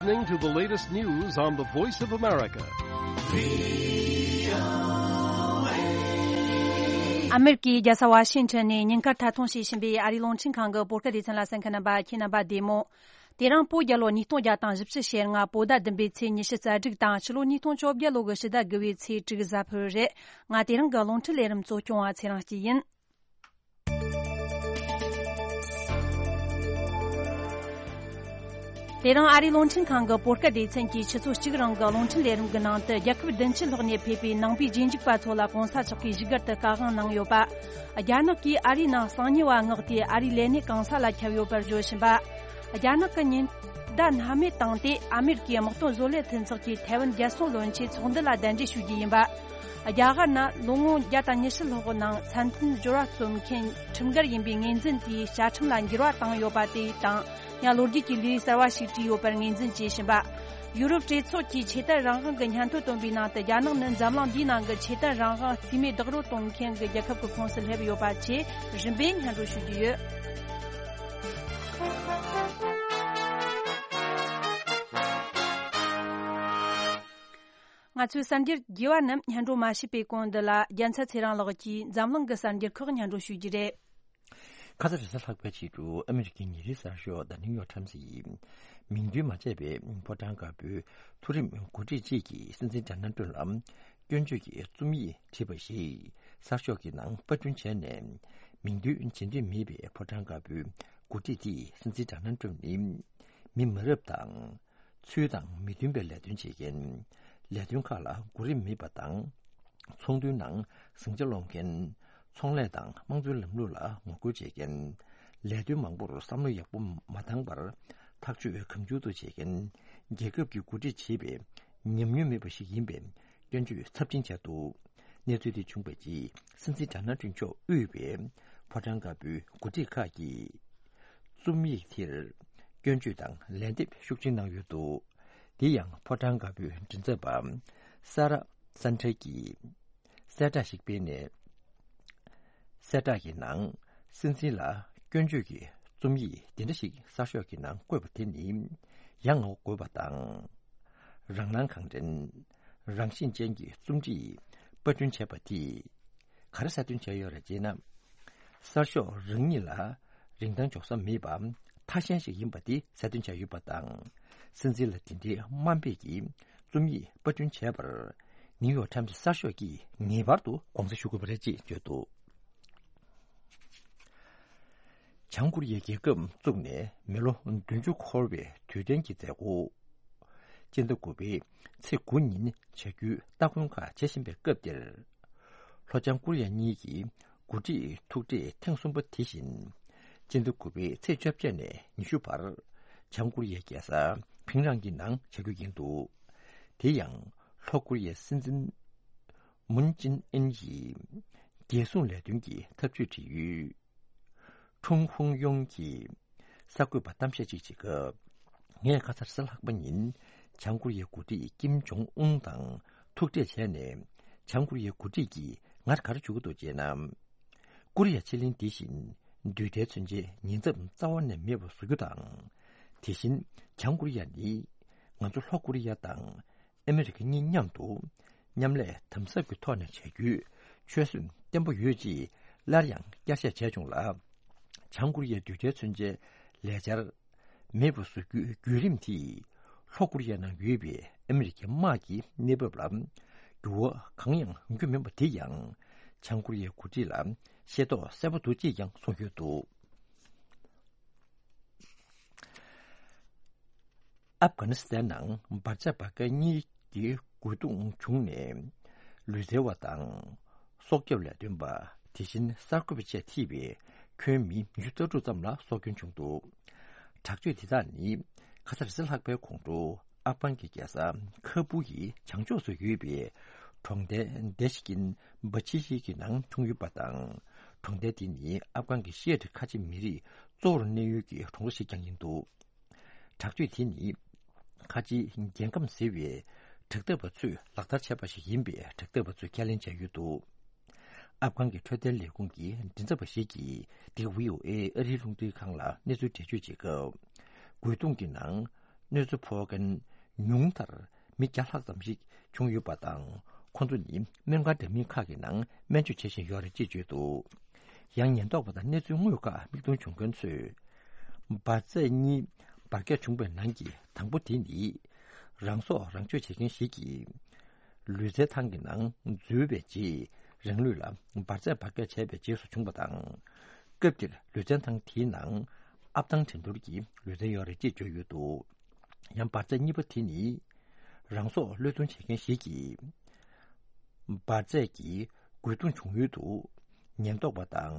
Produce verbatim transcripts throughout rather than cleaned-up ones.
Listening to the latest news on the Voice of America. ཨ་མེ་རི་ཀའི་རྒྱལ་ས་ཝ་ཤིང་ཊོན་ནས་ཉིན་དཀར་ཐད་གཏོང་བྱེད་བཞིན་པའི་ཨ་རིའི་རླུང་འཕྲིན་ཁང་གི་བོད་སྐད་སྡེ་ཚན་ལ་གསན་མཁན་རྣམ་པ་ཁྱེད་རྣམ་པ་བདེ་མོ། དེ་རིང་བོད་རྒྱལ་ལོ་ཉིས་སྟོང་བརྒྱ་དང་བཞི་བཅུ་ཞེ་ལྔ་བོད་ཟླ་བདུན་པའི་ཚེས་ཉི་ཤུ་རྩ་དྲུག་དང་ཕྱི་ལོ་ཉིས་སྟོང་བཅོ་བརྒྱད་ལོ་གི་ཕྱི་ཟླ་དགུ་བའི་ཚེས་དྲུག་གཟའ་ཕུར་བུ་རེད། ང་དེ་རིང་གི་རླུང་འཕྲིན་ལས་རིམ་གཙོ་སྐྱོང་བ་ཚེ་རིང་སྐྱིད་ཡིན། དེ་རིང་ཨ་རིའི་རླུང་འཕྲིན་ཁང་གི་བོད་སྐད་སྡེ་ཚན་གྱིས་ཆུ་ཚོད་གཅིག་རིང་གི་རླུང་འཕྲིན་ལས་རིམ་གྱི་ནང་དུ། རྒྱལ་ཁབ་བདུན་ཅུ་ལྷག་ནས་ཕེབས་པའི་ནང་པའི་རྗེས་འཇུག་པ་ཚོ་ལ་གོང་ས་མཆོག་གིས་བཞུགས་སྒར་དུ་བཀའ་དབང་གནང་ཡོད་པ། རྒྱ་ནག་གིས་ཨ་རིའི་ནང་གསང་ཉུལ་བ་མངགས་ཏེ་ཨ་རིའི་ལས་སྣེ་གང་ས་ལ་ཁྱབ་ཡོད་པར་བརྗོད་བཞིན་པ། རྒྱ་ནག་གི་ཉེན་བརྡ་སྣང་མེད་བཏང་སྟེ་ཨ་མེ་རི་ཀའི་དམག་དོན་བཟོ་ལས་མཐུན་ཚོགས་ཀྱིས་ཐའེ་ཝན་རྒྱལ་སྲུང་བློན་ཆེན་ཚོགས་འདུ་ལ་གདན་འདྲེན་ཞུ་རྒྱུ་ཡིན་པ། རྒྱ་གར་ནང་ལོ་ངོ་བརྒྱ་དང་ཉི་ཤུ་ལྷག་གི་ནང་མཚན་ལྡན་སྦྱོར་བ་རྩོམ་མཁན་ཁྲིམས་འགལ་ཡིན་པའི་ངོས་འཛིན་དེའི་བཅའ་ཁྲིམས་ལ་འགྱུར་བ་བཏང་ཡོད་པ་དེ་དང་། ཡང་ལོ་རྒྱུས་ཀྱི་ལས་གསར་བ་ཞིག་བྲིས་ཡོད་པར་ངོས་འཛིན་བྱེད་བཞིན་པ། ཡུ་རོབ་གྲོས་ཚོགས་ཀྱིས་ཆོས་དད་རང་དབང་གི་སྙན་ཐོ་བཏོན་པའི་ནང་དུ། རྒྱ་ནག་ནི་འཛམ་གླིང་འདིའི་ནང་གི་ཆོས་དད་རང་དབང་རྩིས་མེད་རྡོག་རོལ་གཏོང་མཁན་གྱི་རྒྱལ་ཁབ་ཀྱི་ཁོངས་སུ་སླེབས་ཡོད་པ་བཅས་རིམ་པས་སྙན་སྒྲོན་ཞུ་རྒྱུ་ཡོད། ང་ཚོའི་གསར་འགྱུར་རྒྱས་པ་རྣམས་སྙན་སྒྲོན་མ་བྱས་པའི་གོང་འདི་ལ། རྒྱལ་མཚན་ཚེ་རིང་ལགས་ཀྱིས་འཛམ་གླིང་གི་གསར་འགྱུར་ཁག་སྙན་སྒྲོན་ཞུ་རྒྱུ་རེད། ཁ་ས་རེས་གཟའ་ལྷག་པའི་ཕྱི་དྲོ་ཨ་མེ་རི་ཀའི་ཉིན་རེའི་གསར་ཤོག་The New York Times་ཡིས་མིང་འདོན་མ་བྱས་པའི་ཕོ་བྲང་དཀར་པོའི་མཐོ་རིམ་འགོ་ཁྲིད་ཅིག་གིས་སྲིད་འཛིན་ཌོ་ནལ་ཊམ་ལ་སྐྱོན་བརྗོད་ཀྱི་རྩོམ་ཡིག་བྲིས་པ་ཞིག་གསར་ཤོག་གི་ནང་པར་སྐྲུན་བྱས་ནས། མིང་འདོན་བྱེད་འདོད་མེད་པའི་ཕོ་བྲང་དཀར་པོའི་འགོ་ཁྲིད་དེས་སྲིད་འཛིན་ཌོ་ནལ་ཊམ་ནི་མི་མ་རབས་དང་། ཚུལ་དང་མི་མཐུན་པའི་ལས་དོན་བྱེད་མཁན། ལས་དོན་ཁག་ལ་གོ་རིམ་མེད་པ་དང་། ཚོགས་འདུའི་ནང་ཟིང་ཆ་སློང་མཁན། ཚོང་ལས་དང་དམངས་གཙོའི་ལམ་ལུགས་ལ་ངོ་རྒོལ་བྱེད་མཁན། ལས་དོན་མང་པོར་བསམ་བློ་ཡག་པོ་མ་བཏང་བར་ཐག་གཅོད་གང་བྱུང་དུ་བྱེད་མཁན། རྒྱལ་ཁབ་ཀྱི་འགོ་ཁྲིད་བྱེད་པའི་ཉམས་མྱོང་མེད་པ་ཞིག་ཡིན་པའི་སྐྱོན་བརྗོད་ཚབས་ཆེན་བྱས་འདུག་གནས་ཚུལ་དེ་བྱུང་བའི་རྗེས་སྲིད་འཛིན་ཌོ་ནལ་ཊམ་མཆོག་དབུས་པའི་ཕོ་བྲང་དཀར་པོའི་འགོ་ཁྲིད་ཁག་གིས་རྩོམ་ཡིག་དེར་སྐྱོན་བརྗོད་དང་ལན་འདེབས་ཤུགས་ཆེན་གནང་ཡོད་འདུག་དེ་ཡང་ཕོ་བྲང་དཀར་པོའི་མགྲིན་ཚབ་པ་ས་ར་སན་ཁྲེ་གིས་གསལ་བསྒྲགས་ཤིག་སྤེལ་ནས། གསལ་བསྒྲགས་ཀྱི་ནང་སྲིད་འཛིན་ལ་སྐྱོན་བརྗོད་ཀྱི་རྩོམ་ཡིག་འདི་འདྲ་ཞིག་གསར་ཤོག་གི་ནང་བཀོད་པ་དེ་ནི་ཡ་ང་བཀོད་པ་དང་། རང་སྣང་གང་དྲན། རང་བཞིན་ཅན་གྱི་རྩོམ་བྲིས་པར་སྐྲུན་བྱས་པ་དེས་ག་རེ་གསལ་སྟོན་བྱས་ཡོད་རེད་ཅེ་ན། གསར་ཤོག་རང་ཉིད་ལ་རིན་ཐང་འཇོག་ས་མེད་པ་ཐ་ཤལ་ཞིག་ཡིན་པ་དེ་གསལ་སྟོན་བྱས་ཡོད་པ་དང་། སྲིད་འཛིན་ལ་དེ་འདྲའི་དམའ་འབེབས་ཀྱི་རྩོམ་ཡིག་པར་སྐྲུན་བྱས་པར་ནིའུ་ཡོག་ཊམ་སི་གསར་ཤོག་གིས་ངེས་པར་དུ་དགོངས་སེལ་ཞུ་དགོས་པ་རེད་ཅེས་བརྗོད་འདུག་བྱང་ཀོ་རི་ཡའི་རྒྱལ་ཁབ་བཙུགས་ནས་མི་ལོ་བདུན་ཅུ་འཁོར་བའི་དུས་དྲན་གྱི་མཛད་སྒོ། སྤྱི་ཟླ་དགུ་པའི་ཚེས་དགུ་ཉིན་བྱ་རྒྱུའི་སྟ་གོན་ཁག་བྱེད་བཞིན་པའི་སྐབས་འདིར། ལྷོ་བྱང་ཀོ་རི་ཡ་གཉིས་ཀྱི་འགོ་ཁྲིད་ཐུག་འཕྲད་ཐེངས་གསུམ་པ་དེ་བཞིན། སྤྱི་ཟླ་དགུ་པའི་ཚེས་བཅོ་བརྒྱད་ནས་ཉི་ཤུ་བར། བྱང་ཀོ་རི་ཡའི་རྒྱལ་ས་ཕིང་རང་གི་ནང་བྱ་རྒྱུ་ཡིན་འདུག་དེ་ཡང་ལྷོ་ཀོ་རི་ཡའི་སྲིད་འཛིན་མུན་ཅིན་ཨིན་ཡིས་རྒྱལ་སྲུང་ལས་དོན་གྱི་ཐབས་ཇུས་བྲིས་ཡོད། ཁྲུང་ཧུང་ཡོང་གིས་གསར་འགོད་པར་གཏམ་བཤད་ཅིག་བྱེད་སྐབས། ངས་ཁ་སང་རེས་གཟའ་ལྷག་པ་ཉིན་བྱང་ཀོ་རི་ཡའི་འགོ་ཁྲིད་ཀིམ་ཇོང་ཨུན་དང་ཐུག་འཕྲད་བྱས་ནས། བྱང་ཀོ་རི་ཡའི་འགོ་ཁྲིད་ཀྱིས་ང་ག་རེ་ཞུ་གི་འདུག་ཅེ་ན། ཀོ་རི་ཡ་ཕྱེད་གླིང་འདི་བཞིན་རྡུལ་ཕྲན་མཚོན་ཆའི་ཉེན་ཚབས་རྩ་བ་ནས་མེད་པར་བཟོ་རྒྱུ་དང་། དེ་བཞིན་བྱང་ཀོ་རི་ཡ་ནི་ང་ཚོ་ལྷོ་ཀོ་རི་ཡ་དང་ཨ་མེ་རི་ཁ་གཉིས་མཉམ་དུ་མཉམ་ལས་དམ་ཟབ་ཀྱི་ཐོག་ནས་བྱ་རྒྱུའི་ཆོད་སེམས་བརྟན་པོ་ཡོད་ཅེས་སླར་ཡང་བསྐྱར་བཤད་བྱས་བྱུང་ལ། བྱང་ཀོ་རི་ཡའི་རྡུལ་ཕྲན་མཚོན་ཆའི་ལས་འཆར་མེད་པར་བཟོ་རྒྱུའི་བརྒྱུད་རིམ་དེས་ལྷོ་ཀོ་རི་ཡའི་ནང་ཡོད་པའི་ཨ་མེ་རི་ཁའི་དམག་གི་གནས་བབ་ལ་འགྱུར་བ་གང་ཡང་ཡོང་རྒྱུ་མིན་པ་དེ་ཡང་བྱང་ཀོ་རི་ཡའི་འགོ་ཁྲིད་ལ་ཤེས་རྟོགས་གསལ་པོ་འདུག་ཅེས་ཀྱང་གསུངས་ཡོད་འདུག་ཨབ་གྷ་ནི་སི་ཐན་ནང་འབར་ཆགས་འབར་མཁན་གཉིས་ཀྱི་རྒོལ་རྡུང་བྱུང་ནས་ལུས་རྩལ་བ་དང་སྲོག་སྐྱོབ་ལས་དོན་པ། དེ་བཞིན་གསར་འགོད་པ་བཅས་ཐེ་བའི་ཁྱོན་མི་ཉི་ཤུ་རྩ་དྲུག་ཙམ་ལ་སྲོག་སྐྱོན་བྱུང་འདུག་དྲག་སྤྱོད་དེ་དག་ནི་ཁ་སང་རེས་གཟའ་ལྷག་པའི་དགོང་དྲོ་ཨབ་གྷན་གྱི་རྒྱལ་ས་ཁ་བུ་ཡི་བྱང་ཕྱོགས་སུ་ཡོད་པའི་གྲོང་རྡལ་དེ་ཤི་ཀིན་བྷ་ཆི་ཤི་གི་ནང་བྱུང་ཡོད་པ་དང་། གྲོང་རྡལ་དེ་ནི་ཨབ་གྷན་གྱི་ཤི་ཡ་ཏི་ཁ་ཆེ་མི་རིགས་གཙོ་བོར་གནས་ཡུལ་གྱི་གྲོང་རྡལ་ཞིག་ཀྱང་ཡིན་འདུག་དྲག་སྤྱོད་དེ་ནི་ཁ་ཆེའི་རྒྱལ་ཁམས་ཟེར་བའི་དྲག་འཐབ་པ་ཚོས་ལག་བསྟར་བྱས་པ་ཞིག་ཡིན་པའི་དྲག་འཐབ་པ་ཚོས་ཁས་ལེན་བྱས་ཡོད་འདུག་ཨབ་གྷན་གྱི་འཕྲོད་བསྟེན་ལས་ཁུངས་ཀྱི་མགྲིན་ཚབ་པ་ཞིག་གིས་འདི་ག་ཝི་ཨོ་ཨེ་ཨ་རིའི་རླུང་འཕྲིན་ཁང་ལ་གནས་ཚུལ་འགྲེལ་བརྗོད་བྱེད་སྐབས། རྒོལ་རྡུང་གི་ནང་ གནོད་འཚེ་ཕོག་མཁན་ཉུང་མཐར་མི་བརྒྱ་ལྷག་ཙམ་ཞིག་བྱུང་ཡོད་པ་དང་། ཁོ་ཚོ་ནི་སྨན་ཁང་འདྲ་མིན་ཁག་གི་ནང་སྨན་བཅོས་བྱེད་བཞིན་ཡོད་རེད་ཅེས་བརྗོད་འདུག་ཡང་ཉེན་རྟོག་པ་དང་གནས་ཚུལ་དངོས་ཁག་མིག་མཐོང་བྱུང་མཁན་ཚོས། འབར་རྫས་གཉིས་འབར་གས་བྱུང་བའི་ནང་གི་དང་པོ་དེ་ནི། རང་སྲོག་རང་གཅོད་བྱེད་མཁན་ཞིག་གིས། ལུས་རྩལ་ཐང་གི་ནང་འཛུལ་བའི་རྗེས། རང་ལུས་ལ་འབར་རྫས་འབར་གས་བྱས་པའི་རྗེས་སུ་བྱུང་བ་དང་། སྐབས་དེར་ལུས་རྩལ་ཐང་དེའི་ནང་ཨབ་ཐང་འགྲན་བསྡུར་གྱི་ལུས་རྩལ་ཡོད་རེད་ཅེས་བརྗོད་ཡོད་འདུག་ཡང་འབར་རྫས་གཉིས་པ་དེ་ནི། རང་སྲོག་བློས་གཏོང་བྱེད་མཁན་ཞིག་གིས། འབར་རྫས་ཀྱི་རྒོལ་རྡུང་བྱུང་ཡུལ་དུ། ཉེན་རྟོག་པ་དང་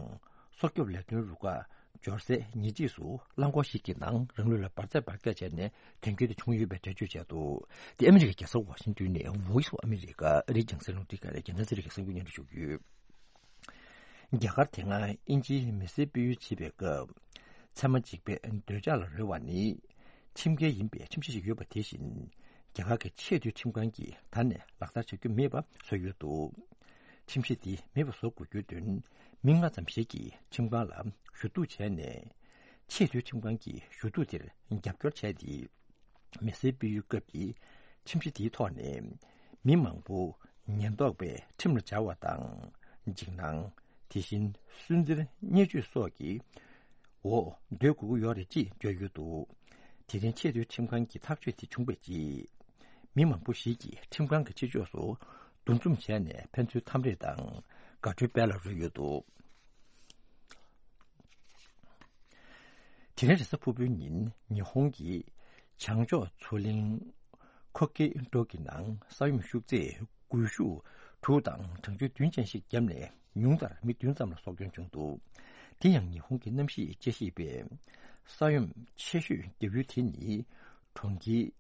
སྲོག་སྐྱོབ་ལས་དོན་རུ་ཁག་འབྱོར་སའི་ཉེ་འཁྲིས་སུ་རླངས་འཁོར་ཞིག་གི་ནང་རང་ལུས་ལ་འབར་རྫས་འབར་གས་བྱས་ནས་དོན་རྐྱེན་དེ་བྱུང་ཡོད་པའི་འགྲེལ་བརྗོད་བྱས་འདུག་དེ་ཨ་མི་རི་ཀའི་རྒྱལ་ས་ཝ་ཤིང་ཏོན་ནས་Voice of America ཨ་རིའི་རྒྱང་སྲིང་རླུང་འཕྲིན་ཁང་ནས་རྒྱལ་ནང་ཚེ་རིང་གི་གསར་འགྱུར་སྙན་སྒྲོན་ཞུ་རྒྱུ་ཡོད། རྒྱ་གར་དེ་སྔ་དབྱིན་ཇིའི་མི་སེར་སྤེལ་ཡུལ་བྱེད་པའི་སྐབས། ཚད་མ་གཅིག་པའི་འདོད་ཆགས་ལ་རོལ་བ་ནི། ཁྲིམས་འགལ་ཡིན་པའི་ཁྲིམས་གཞི་ཞིག་ཡོད་པ་དེ་བཞིན། རྒྱ་གར་གྱི་ཆེས་མཐོའི་ཁྲིམས་ཁང་གིས་ད་ནས་ལག་བསྟར་བྱ་རྒྱུ་མེད་པ་བཟོས་ཡོད་འདུག་ཁྲིམས་གཞི་འདི་མེད་པ་བཟོ་དགོས་རྒྱུའི་དོན། མི་ལྔ་ཙམ་ཞིག་གིས་ཁྲིམས་ཁང་ལ་ཞུ་གཏུག་བྱས་ནས། ཆེས་མཐོའི་ཁྲིམས་ཁང་གི་ཞུ་གཏུག་དེར་རྒྱབ་སྐྱོར་བྱས་ཏེ། མི་སེར་སྤེལ་ཡུལ་སྐབས་ཀྱི་ཁྲིམས་གཞི་དེའི་ཐོག་ནས། མི་མང་པོ་ཉེན་རྟོག་པས་ཁྲིམས་ལ་སྦྱར་བ་དང་། འཇིགས་སྣང་། དེ་བཞིན་སུན་གཙེར་བརྙས་བཅོས་སོགས་ཀྱི་འོག་སྡོད་དགོས་ཀྱི་ཡོད་རེད་ཅེས་བརྗོད་ཡོད་འདུག་དེ་རིང་ཆེས་མཐོའི་ཁྲིམས་ཁང་གི་ཐག་གཅོད་དེ་བྱུང་བའི་རྗེས། མི་མང་པོ་ཞིག་གིས་ཁྲིམས་ཁང་གི་ཕྱི་ཕྱོགས་སུ་འདུ་འཛོམས་བྱས་ནས་ཕན་ཚུན་འཚམས་འདྲི་དང་དགའ་སྤྲོའི་དཔལ་ལ་རོལ་ཡོད་འདུག་དེ་རིང་རེས་གཟའ་ཕུར་བུའི་ཉིན་ཉི་ཧོང་གི་བྱང་ཕྱོགས་མཚོ་གླིང་ཁོ་ཀེ་ཏོ་གི་ནང་ས་ཡོམ་ཤུགས་ཚད་སྒུལ་ཤུགས་དྲུག་དང་གྲང་ཆུ་བདུན་ཅན་ཞིག་བརྒྱབ་ནས་ཉུང་མཐར་མི་བདུན་ཙམ་ལ་སྲོག་སྐྱོན་བྱུང་འདུག་དེ་ཡང་ཉི་ཧོང་གི་གནམ་གཤིས་དཔྱད་ཞིབ་པས། ས་ཡོམ་ཆེ་ཤོས་བརྒྱབ་ཡུལ་དེ་ནི་གྲོང་ཁྱེར་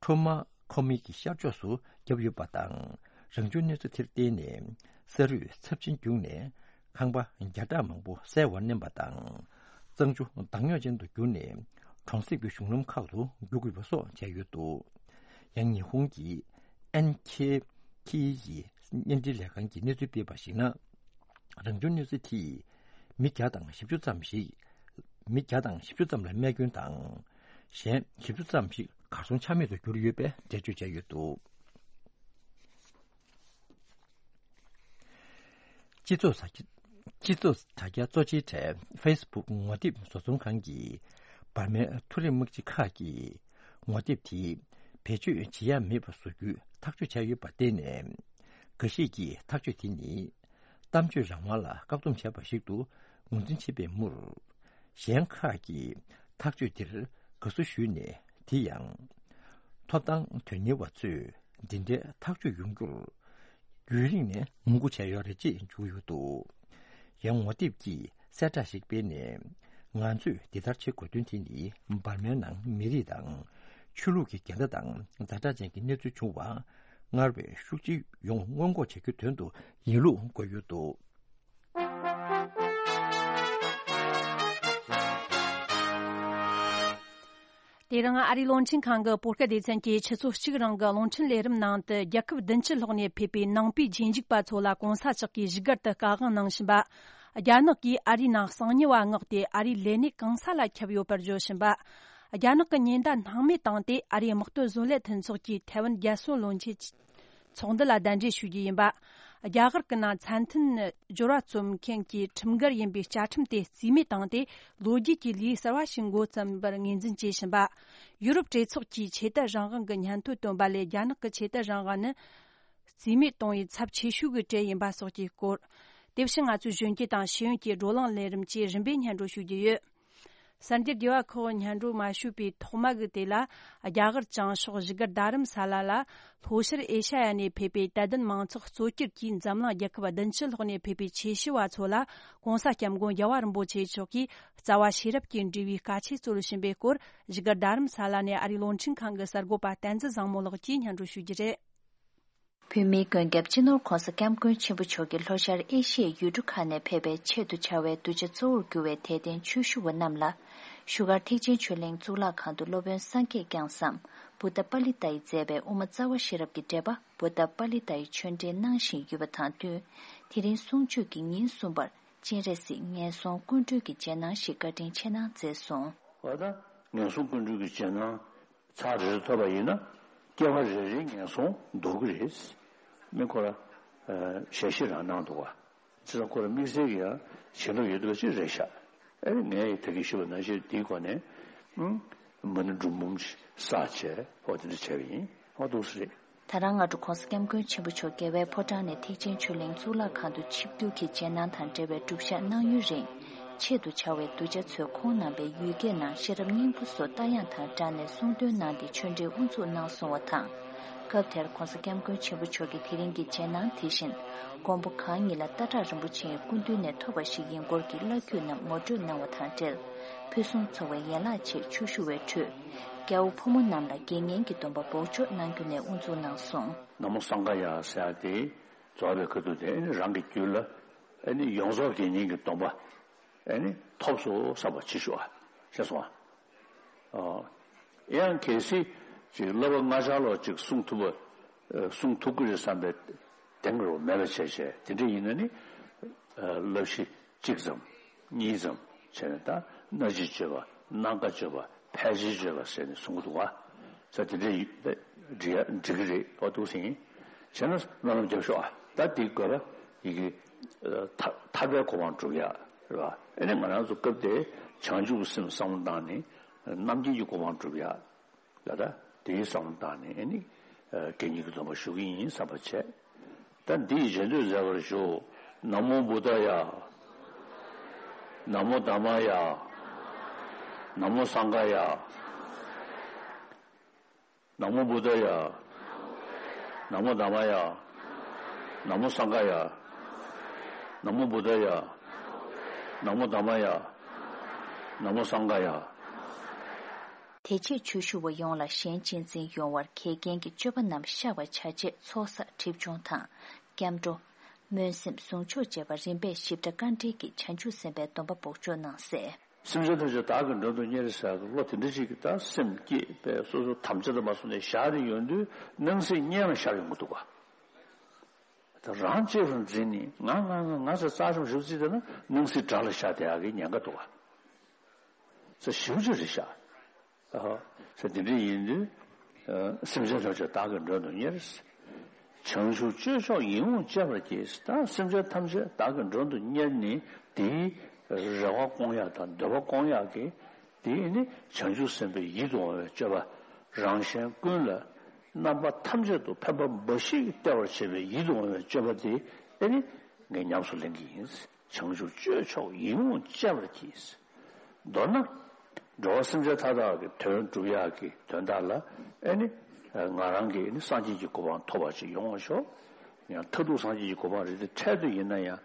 ཁྲོ་མ་ཁོ་མི་གི་ཤར་ཕྱོགས་སུ་བརྒྱབ་ཡོད་པ་དང་། རང་བྱུང་གནོད་འཚེ་དེར་བརྟེན་ནས་ས་རུད་ཚབས་ཆེན་བརྒྱུགས་ནས་ཁང་པ་བརྒྱ་ཕྲག་མང་པོ་གསལ་བར་མནན་པ་དང་། གཙང་ཆུ་མདངས་སྙོག་ཅན་དུ་གྱུར་ནས་གྲོང་གསེབ་ཀྱི་གཞུང་ལམ་ཁག་ཏུ་རྒྱུག་དགོས་པ་སོགས་བྱས་ཡོད་འདུག་ཡང་ཉི་ཧོང་གི་ཨེན་ཁེ་ཁི་ཡི་བརྙན་འཕྲིན་ལས་ཁང་གིས་གནས་ཚུལ་སྤེལ་བར་གཞིགས་ན། རང་བྱུང་གནོད་འཚེ་དེས་མི་བརྒྱ་དང་བཞི་བཅུ་ཙམ་ཞིག་མི་བརྒྱ་དང་བཞི་བཅུ་ཙམ་ལ་རྨས་སྐྱོན་དང་། གཞན་བཞི་བཅུ་ཙམ་ཞིག་གར་སོང་ཆ་མེད་དུ་གྱུར་ཡོད་པའི་འགྲེལ་བརྗོད་བྱས་ཡོད་འདུག་སྤྱི་ཚོགས་དྲ་རྒྱ་སྤྱི་ཚོགས་དྲ་རྒྱ་གཙོ་ཆེའི་གྲས་ཧྥེ་སི་བུག་ངོ་དེབ་བཟོ་ཚོང་ཁང་གིས་འབར་མའི་མཐོ་རིམ་དམག་སྤྱི་ཁག་གིས་ངོ་དེབ་དེ་བེད་སྤྱོད་བྱེད་ཡ་མེད་པ་བཟོ་རྒྱུའི་ཐག་གཅོད་བྱས་ཡོད་པར་བརྟེན་ནས། འགའ་ཞིག་གིས་ཐག་གཅོད་དེ་ནི་གཏམ་བརྗོད་རང་དབང་ལ་བཀག་སྡོམ་བྱས་པ་ཞིག་ཏུ་ངོས་འཛིན་བྱེད་པའི་མུར། གཞན་ཁག་གིས་ཐག་གཅོད་དེར་དགའ་བསུ་ཞུས་ནས། དེ་ཡང་ཐོབ་ཐང་དོན་གཉེར་བ་ཚོས་འདི་འདྲའི་ཐག་གཅོད་ཡོང་རྒྱུར་རྒྱུན་རིང་ནས་ངོ་རྒོལ་བྱས་ཡོད་རེད་ཅེས་བརྗོད་ཡོད་འདུག་ཡང་ངོ་དེབ་ཀྱིས་གསལ་བསྒྲགས་ཤིག་སྤེལ་ནས། ང་ཚོས་འདི་ལྟར་བྱེད་དགོས་དོན་དེ་ནི་འབར་མའི་ནང་མི་རིགས་དང་ཆོས་ལུགས་ཀྱི་འགལ་ཟླ་དང་ཛ་དྲག་ཅན་གྱི་གནས་ཚུལ་བྱུང་བ་སྔར་བས་ཤུགས་ཆེ་ཡོང་སྔོན་འགོག་བྱེད་རྒྱུའི་དོན་དུ་ཡིན་ལུགས་འཁོད་ཡོད་འདུག་དེ་རིང་ཨ་རིའི་རླུང་འཕྲིན་ཁང་གི་བོད་སྐད་སྡེ་ཚན་གྱིས་ཆུ་ཚོད་གཅིག་རིང་གི་རླུང་འཕྲིན་ལས་རིམ་ནང་དུ། རྒྱལ་ཁབ་བདུན་ཅུ་ལྷག་ནས་ཕེབས་པའི་ནང་པའི་རྗེས་འཇུག་པ་ཚོ་ལ་གོང་ས་མཆོག་གིས་བཞུགས་སྒར་དུ་བསྐྱོད་བཀའ་དབང་གནང་བཞིན་པ། རྒྱ་ནག་གིས་ཨ་རིའི་ནང་གསང་ཉུལ་བ་མངགས་ཏེ་ཨ་རིའི་ལས་གནས་གང་ས་ལ་ཁྱབ་ཡོད་པར་བརྗོད་བཞིན་པ། རྒྱ་ནག་གི་ཉེན་བརྡ་སྣང་མེད་བཏང་སྟེ་ཨ་རིའི་དམག་དོན་བཟོ་ལས་མཐུན་ཚོགས་ཀྱིས་ཐའེ་ཝན་རྒྱལ་སྲུང་བློན་ཆེན་ཚོགས་འདུ་ལ་གདན་འདྲེན་ཞུ་རྒྱུ་ཡིན་པ། རྒྱ་གར་གྱི་ནང་ཚད་མཐུན་སྦྱོར་བ་རྩོམ་མཁན་གྱི་ཁྲིམས་འགལ་ཡིན་པའི་བཅའ་ཁྲིམས་དེ་རྩིས་མེད་བཏང་སྟེ། ལོ་རྒྱུས་ཀྱི་ལེའུ་གསར་བ་ཞིག་འགོ་བརྩམས་པར་ངོས་འཛིན་བྱེད་བཞིན་པ། ཡུ་རོབ་གྲོས་ཚོགས་ཀྱིས་ཆོས་དད་རང་དབང་གི་སྙན་ཐོ་བཏོན་པ་ལས། རྒྱ་ནག་གི་ཆོས་དད་རང་དབང་ནི་རྩིས་མེད་གཏོང་བའི་ཚབས་ཆེ་ཤོས་ཀྱི་གྲས་ཡིན་པ་སོགས་ཀྱི་སྐོར། དེ་བཞིན་ང་ཚོའི་གཞོན་སྐྱེས་དང་ཤེས་ཡོན་གྱི་བགྲོ་གླེང་ལས་རིམ་བཅས་རིམ་པས་སྙན་སྒྲོན་ཞུ་རྒྱུ་ཡོད། གསར་འགྱུར་རྒྱས་པ་ཁག་སྙན་སྒྲོན་མ་ཞུས་པའི་ཐོག་མ་གི་དེ་ལ། རྒྱ་གར་བྱང་ཕྱོགས་བཞུགས་སྒར་རྡ་རམ་ས་ལ་ལ། ལྷོ་ཤར་ཨེ་ཤ་ཡ་ནས་ཕེབས་པའི་དད་ལྡན་མང་ཚོགས་གཙོ་གྱུར་གྱིས། འཛམ་གླིང་རྒྱལ་ཁབ་བདུན་ཅུ་ལྷག་ནས་ཕེབས་པའི་ཆོས་ཞུ་བ་ཚོ་ལ། ྋགོང་ས་ྋསྐྱབས་མགོན་རྒྱལ་བ་རིན་པོ་ཆེ་མཆོག་གིས་རྩ་བ་ཤེས་རབ་ཀྱི་འབྲེལ་བའི་བཀའ་ཆོས་སྩོལ་བཞིན་པའི་སྐོར། བཞུགས་སྒར་རྡ་རམ་ས་ལ་ནས་ཨ་རིའི་རླུང་འཕྲིན་ཁང་གི་གསར་འགོད་པ་བསྟན་འཛིན་བཟང་མོ་ལགས་ཀྱིས་སྙན་སྒྲོན་ཞུ་རྒྱུ་རེད། བོད་མིའི་མགོན་སྐྱབས་སྤྱི་ནོར་ྋགོང་ས་ྋསྐྱབས་མགོན་ཆེན་པོ་མཆོག་གིས་ལྷོ་ཤར་ཨེ་ཤི་ཡའི་ཡུལ་གྲུ་ཁག་ནས་ཕེབས་པའི་ཆེད་དུ་བྱ་བའི་གདུལ་བྱ་གཙོ་བོར་གྱུར་བའི་དད་ལྡན་ཆོས་ཞུ་བ་རྣམས་ལ། བཞུགས་སྒར་ཐེག་ཆེན་ཆོས་གླིང་གཙུག་ལག་ཁང་དུ་སློབ་དཔོན་སངས་རྒྱས་བསྐྱངས་སམ། བུདྡྷ་པཱ་ལི་ཏ་ཡིས་མཛད་པའི་དབུ་མ་རྩ་བ་ཤེས་རབ་ཀྱི་འགྲེལ་པ། བུདྡྷ་པཱ་ལི་ཏ་ཡི་ཆོས་འགྲེལ་གནང་བཞིན་ཡོད་པ་དང་བསྟུན། དེ་རིང་གསུང་ཆོས་ཀྱི་ཉིན་གསུམ་པར། སྤྱན་རས་གཟིགས་ངན་སོང་ཀུན་གྲོལ་གྱི་རྗེས་གནང་ཞིག་བཀའ་དྲིན་ཆེ་གནང་མཛད་སོང་། འོ་ད། ངན་སོང་ཀུན་གྲོལ་གྱི་རྗེས་གནང་ ཚར་རེ་རེ་ཐོབ་པ་ཡིན་ན་སྐྱེ་བ་རེ་རེའི་ངན་སོང་ལྡོག་གི་རེད། མི་ཁོ་ར་ཞལ་བཞེས་རང་གནང་འདུག་བ། བྱས་ཙང་ཁོ་ར་དམིགས་བསལ་གྱི་ཡང་བྱིན་རླབས་ཡོད་འདུག་ཅེས་རེད་ཤག་ཨེ་ངས་ད་གིན་ཞུས་པ་ནང་བཞིན་དེའི་སྒོ་ནས་ཨུམ་མ་ཎི་འབྲུ་འབུམ་ཞིག་བསགས་བྱས་འོ་དེ་འདྲ་བྱས་པ་ཡིན། འོ་འདུག་སེ་རེད། ད་རང་སྔ་དྲོ་༸གོང་ས་༸སྐྱབས་མགོན་ཆེན་པོ་མཆོག་རྒྱལ་བའི་ཕོ་བྲང་ནས་ཐེག་ཆེན་ཆོས་གླིང་གཙུག་ལག་ཁང་དུ་ཆིབས་བསྒྱུར་གྱིས་རྗེས་གནང་དང་འབྲེལ་བའི་སྒྲུབ་ཞག་གནང་ཡུན་རིང་། ཆེད་དུ་བཅར་བའི་གདུལ་བྱ་ཚོས་ཁོང་རྣམ་པའི་ཡུལ་སྐད་ནང་ཤེས་རབ་སྙིང་པོ་སོགས་རྟ་དབྱངས་དང་སྦྲགས་ནས་གསུང་འདོན་གནང་སྟེ་ཆོས་འབྲེལ་དབུ་འཛུགས་གནང་སོང་བ་དང་། སྐབས་དེར་༸གོང་ས་༸སྐྱབས་མགོན་ཆེན་པོ་མཆོག་གིས་དེ་རིང་གི་རྗེས་གནང་དེ་བཞིན་མགོན་པོ་གང་ཉིད་ལ་སྟག་བྲག་རིན་པོ་ཆེའི་སྐུ་མདུན་ནས་ཐོབ་པ་ཞིག་ཡིན་སྐོར་གྱི་བླ་བརྒྱུད་རྣམས་ངོ་སྤྲོད་གནང་བ་དང་འབྲེལ། ཕུན་སུམ་ཚོགས་པའི་ཡན་ལག་ཆེད་ཆོས་ཞུ་བའི་ཁྲོད། རྒྱལ་བ་ཕོ་མོ་རྣམས་ལ་དགེ་བསྙེན་གྱི་སྡོམ་པ་འབོགས་ཆོག་གནང་རྒྱུ་ནས་དབུ་འཛུགས་གནང་སོང་། ན་མོ་སངྒ་ཡ་ཟེར་ཡ་དེ་རྫོགས་པའི་ཁ་ཐུག་དེ་ཨ་ནི་རང་གི་རྒྱུད་ལ་ཨ་ནི་ཡོངས་རྫོགས་དགེ་བསྙེན་གྱི་སྡོམ་པ་ཨ་ནི་ཐོབ་སོང་བསམ་པ་ཅིག་ཞུ་བ་ཤེས་སོང་ཨ། ཡང་གལ་སྲིད་ཅིག་བསླབ་པ་ལྔ་ཆར་ལོག་ཅིག་གསུང་ཐུབ་པ་གསུང་ཐུབ་ཀྱི་རེད་བསམ་པའི་གདེང་རོ་མེད་པ་བྱས་བྱས་དེ་འདྲ་ཡིན་ན་ནི་བསླབ་གཞི་གཅིག་ཙམ་གཉིས་ཙམ་བྱས་ནས་ད་སྣ་ལྕེ་གཅོད་པ་སྣ་ཁ་གཅོད་པ་ཕལ་ཆེར་གཅོད་པ་ཟེར་ནས་གསུང་གི་འདུག་བ། ས་དེ་འདྲ་ཡིན་འགྲིག་གི་རེད་འོ་འདུག་ཟིན་བྱས་ན་སྨོན་ལམ་རྒྱབ་ཤོག་ཨ། ད་དེའི་དགོས་པ་ཡི་གེ་ཐར་པའི་གོ་འཕང་སྒྲུབ་ཡ་རེད་བ། ཨ་ནི་ང་རང་ཚོ་སྐབས་དེ་བྱང་ཆུབ་སེམས་བསམ་བློ་བཏང་ནས་རྣམ་མཁྱེན་གྱི་གོ་འཕང་སྒྲུབ་ཡ། ལ་ད་དེའི་བསམ་བློ་བཏང་ནས་ཨ་ནི་དགེ་བསྙེན་གྱི་སྡོམ་པ་ཞུ་གི་ཡིན་བསམ་པ་བྱས། ད་འདི་ཡི་རྗེས་ཟློས་མཛད་པར་ཞུ། ན་མོ་བུདྡྷ་ཡ། ན་མོ་དྷརྨ་ཡ། ན་མོ་སངྒྷ་ཡ། ན་མོ་བུདྡྷ་ཡ། ན་མོ་དྷརྨ་ཡ། ན་མོ་སངྒྷ་ཡ། ན་མོ་བུདྡྷ་ཡ། ན་མོ་དྷརྨ་ཡ། ན་མོ་སངྒྷ་ཡ། དེ་རྗེས་ཆོས་ཞུ་བ་ཡོངས་ལ་གཞན་གཅེས་འཛིན་ཡོང་བར་གེགས་རྐྱེན་གྱི་སྤྱོད་པ་རྣམས་བཤགས་པར་བྱ་ཆེད་ཚོགས་བསགས་སྒྲིབ་སྦྱོང་དང་། སྐྱབས་འགྲོ། སྨོན་སེམས་ཟུང་འཇུག་བཅས་པ་རིམ་པས་ཞིབ་ཕྲ་བཀའ་འགྲེལ་གྱིས་བྱང་ཆུབ་སེམས་དཔའི་སྡོམ་པ་འབོགས་ཆོག་གནང་གསལ། སེམས་ཅན་ཐམས་ཅད་བདག་གིས་མགྲོན་དུ་གཉེར་ཟེར་བློ་དེ་འདྲ་ཞིག་གིས་ད་སེམས་བསྐྱེད་པའི་སོ་སོ་དམ་བཅའ་དུ་མ་སོང་ནས་བཞག་ནས་ཡོང་དུས་སྣང་སྲིད་བརྙན་ལ་ཤར་ཡོང་གི་འདུག་ག་ད་རང་གཅེས་པར་འཛིན་ནས་ང་ང་ང་ང་ཟེར་རྩ་ཆམ་ཞུ་རྩིས་དེ་ན་སྣང་སྲིད་དགྲ་ལ་ཤར་བསྡད་ཡག་གི་ཉེན་ཁ་འདུག་ག་ས་ཞིབ་ཅིག་རེད་ཤག་ཨ་ཧ། ས་དེ་འདྲ་ཡིན་དུས་ཨ་སེམས་ཅན་ཐམས་ཅད་བདག་གིས་མགྲོན་དུ་གཉེར། བྱང་ཆུབ་སྤྱོད་མཆོག་ཡིད་འོང་སྤྱད་པར་གྱིས། ད་སེམས་ཅན་ཐམས་ཅད་བདག་གིས་མགྲོན་དུ་གཉེར་ནས་དེའི་རེ་བ་སྐོང་ཡག་དང་འདོད་པ་སྐོང་ཡག་གི་དེ་ནི་བྱང་ཆུབ་སེམས་དཔའི་ཡིད་དུ་འོང་བའི་སྤྱོད་པ། རང་གཞན་ཀུན་ལ་རྣམ་པ་ཐམས་ཅད་དུ་ཕན་པ་འབའ་ཞིག་སྟེར་བར་བྱེད་པའི་ཡིད་དུ་འོང་བའི་སྤྱོད་པ་དེ་ཨེ་ནི་ངས་ཉམས་སུ་ལེན་གྱི་ཡིན། བྱང་ཆུབ་སྤྱོད་མཆོག་ཡིད་འོང་སྤྱད་པར་གྱིས། མདོར་ན། འགྲོ་བ་སེམས་ཅན་མཐའ་དག་གི་དོན་སྒྲུབ་ཡག་གི་དོན་དག་ལ་ཨེ་ནི། ང་རང་གིས་ཨེ་ནི་སངས་རྒྱས་ཀྱི་གོ་འཕང་ཐོབ་པ་ཅིག་ཡོང་བ་ཤོག་ཡང་མཐར་ཐུག་སངས་རྒྱས་ཀྱི་གོ་འཕང་རེད་དེ་འཕྲལ་དུ་ཡིན་ན་ཡང་།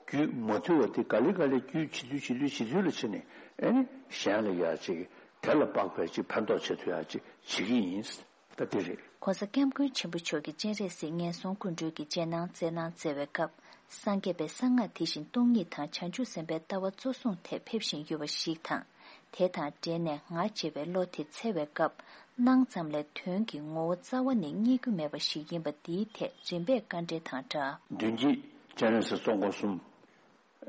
རྒྱུད་མ་ཐུལ་བ་དེ་ག་ལེ་ག་ལེ་རྒྱུད་ཇེ་ཐུལ་ཇེ་ཐུལ་ཇེ་ཐུལ་ལ་ཕྱིན་ནས་ཨེ་ནི་གཞན་ལ་ཡ་ཅིག་དེ་ལ་དཔག་པའི་ཅིག་ཕན་ཐོགས་བྱེད་ཐུབ་ཡ་ཅིག་བྱེད་ཀྱི་ཡིན། ད་དེ་རེད། ༸གོང་ས་༸སྐྱབས་མགོན་ཆེན་པོ་མཆོག་གི་སྤྱན་རས་གཟིགས་ངན་སོང་སྐུ་མགྲོན་གྱི་རྗེས་གནང་སྩལ་གནང་སྩལ་བའི་སྐབས། སངས་རྒྱས་པའི་གསང་སྔགས་དེ་བཞིན་སྟོང་ཉིད་དང་བྱང་ཆུབ་སེམས་དཔའི་ལྟ་བ་གཙོ་བཟུང་ཐད་ཕེབས་བཞིན་ཡོད་པ་ཞིག་དང་། དེ་དང་འབྲེལ་ནས་ང་ཞེས་པའི་བློ་དེ་འཚལ་བའི་སྐབས། སྣང་ཙམ་ལས་དོན་གྱི་ངོ་བོ་རྩ་བ་ནས་རྙེད་རྒྱུ་མེད་པ་ཞིག་ཡིན་པ་འདིའི་ཐད་རིམ་པས་བཀའ་འགྲེལ་དང་སྦྲགས། མདུན་བསྐྱེད་སྤྱན་རས་གཟིགས་གཙོ་འཁོར་གསུམ།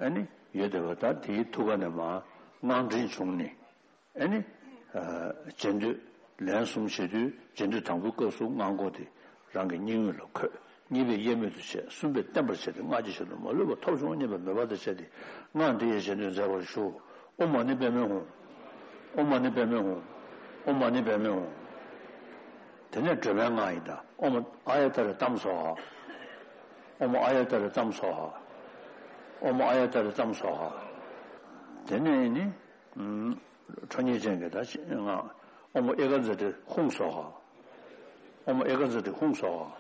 ཨ་ནི་ཡོད་བསྡད་པ་ད་དེའི་ཐུགས་ཀ་ནས་མར་དངངས་འདྲེན་བྱུང་ནས་ཨ་ནི། རྗེས་ཟློས་ལན་གསུམ་བྱེད་དུས་རྗེས་ཟློས་དང་པོའི་སྐབས་སུ་སྔགས་འགོ་དེ་རང་གི་སྙིང་དབུས་ལ་འཁོད། གཉིས་པས་གཡེལ་མེད་དུ་བྱས། གསུམ་པས་བརྟན་པར་བྱས་ཏེ་སྔགས་ཀྱི་ཞལ་ནས་མ་ལུས་པ་ཐོབ་བྱུང་སྙམ་པའི་མོས་པ་དང་བཅས་ཏེ་སྔགས་འདི་ཡི་རྗེས་ཟློས་མཛད་པར་ཞུ། ཨོཾ་མ་ཎི་པདྨེ་ཧཱུྃ། ཨོཾ་མ་ཎི་པདྨེ་ཧཱུྃ། ཨོཾ་མ་ཎི་པདྨེ་ཧཱུྃ། དེ་ནས་སྒྲོལ་མའི་སྔགས་ཡིན་ད། ཨོཾ་ཨཱརྱ་ཏཱ་རེ་ཏཾ་སྭཱ་ཧཱ། ཨོཾ་ཨཱརྱ་ཏཱ་རེ་ཏཾ་སྭཱ་ཧཱ། ཨོཾ་ཨཱརྱ་ཏཱ་རེ་ཏཾ་སྭཱ་ཧཱ། དེ་ནས་ནི། ཁྲོ་གཉེར་ཅན་གྱི་ད་ཅི་ང་། ཨོཾ་ཨེ་ཀ་ཛ་ཏི་ཧཱུྃ་སྭཱ་ཧཱ། ཨོཾ་ཨེ་ཀ་ཛ་ཏི་ཧཱུྃ་སྭཱ་ཧཱ།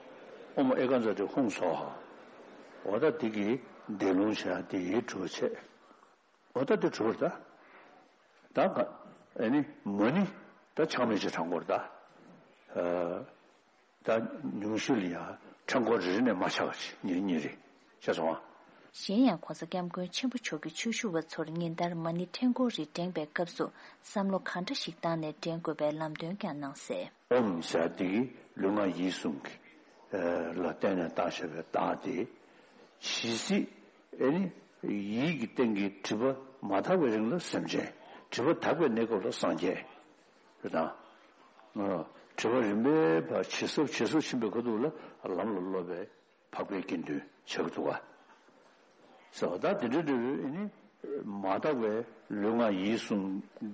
ཨོཾ་ཨེ་ཀ་ཛ་ཏི་ཧཱུྃ་སྭཱ་ཧཱ། འོ་ད་འདི་གི་འདས་ལུང་བྱས་འདི་ཡི་གྲུབ་བྱེད། འོ་ད་འདི་གྲུབ་པར་ད། ད་ག་ཨེ་ནི་མ་ཎི་ད་ཆག་མེད་ཅིག་བགྲང་དགོས་རེད་ད། ད་ཉུང་ཤོས་ལ་ཡང་ཕྲེང་སྐོར་རེ་རེ་ནས་མ་ཆག་པ་ཞིག་ཉིན་གཉིས་རེ་བྱས་སོང་ཨ། གཞན་ཡང་༸གོང་ས་༸སྐྱབས་མགོན་ཆེན་པོ་མཆོག་གིས་ཆོས་ཞུ་བ་ཚོར་ཉིན་ལྟར་མ་ཎི་ཕྲེང་སྐོར་རེ་བགྲེང་པའི་སྐབས་སུ་བསམ་བློ་གང་འདྲ་ཞིག་བཏང་ནས་བགྲེང་དགོས་པའི་ལམ་སྟོན་ཀྱང་གནང་གསལ། ཨོཾ་ཟེར་དེ་གི་ལུས་ངག་ཡིད་གསུམ་གྱི་ལ་བརྟེན་ནས་བཏང་བཞག་པའི་རྟགས་དེ། ཇི་སྲིད་ཨེ་ནི་ཡིད་ཀྱི་སྟེང་གི་སྒྲིབ་པ་མ་དག་པའི་རིང་ལ་སེམས་ཅན། སྒྲིབ་པ་དག་པའི་གནས་སྐབས་ལ་སངས་རྒྱས། རེད་དང་ ཨ། དྲི་བ་རིམ་པས་ཕར་ཇེ་ཟབ་ཇེ་ཟབ་ཕྱིན་པའི་ཁ་ཐུག་ལ་ལམ་ལ་སློབ་པའི་འཕགས་པའི་དགེ་འདུན་ཆགས་ཀྱི་འདུག་ག། ཟེར་བ་ད་དེ་འདྲ་འདྲ་བོའི་ཨ་ནི་མ་དག་པའི་ལུས་ངག་ཡིད་གསུམ་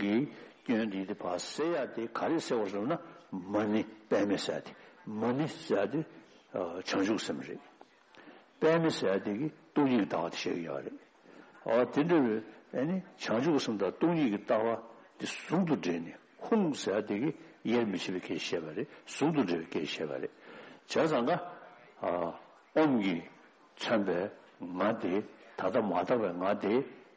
གྱི་སྐྱོན་དེ་དེ་ཕར་སེལ་ཡ་དེ་ག་རེ་སེལ་བར་ཟེར་ན། མ་ཎི་པདྨེ་ཟེར་ཡ་དེ། མ་ཎི་ཟེར་ཡ་དེ་བྱང་ཆུབ་སེམས་རེད། པདྨེ་ཟེར་ཡ་དེ་གིས་སྟོང་ཉིད་ཀྱི་ལྟ་བ་དེ་བཤད་ཀྱི་ཡོད་རེད། ཨ། དེ་འདྲ་བའི་ཨ་ནི་བྱང་ཆུབ་ཀྱི་སེམས་དང་སྟོང་ཉིད་ཀྱི་ལྟ་བ་དེ་ཟུང་དུ་འབྲེལ་ནས། ཧཱུྃ་ཟེར་ཡ་དེ་གིས་དབྱེར་མི་ཕྱེད་པའི་སྐད་བཤད་པ་རེད། ཟུང་དུ་འབྲེལ་བའི་སྐད་བཤད་པ་རེད། བྱས་ཙང་ཀ། ཨ། ཨོཾ་གྱིས་མཚོན་པའི་ངག་དེ། ད་ལྟ་མ་དག་པའི་ངག་དེ་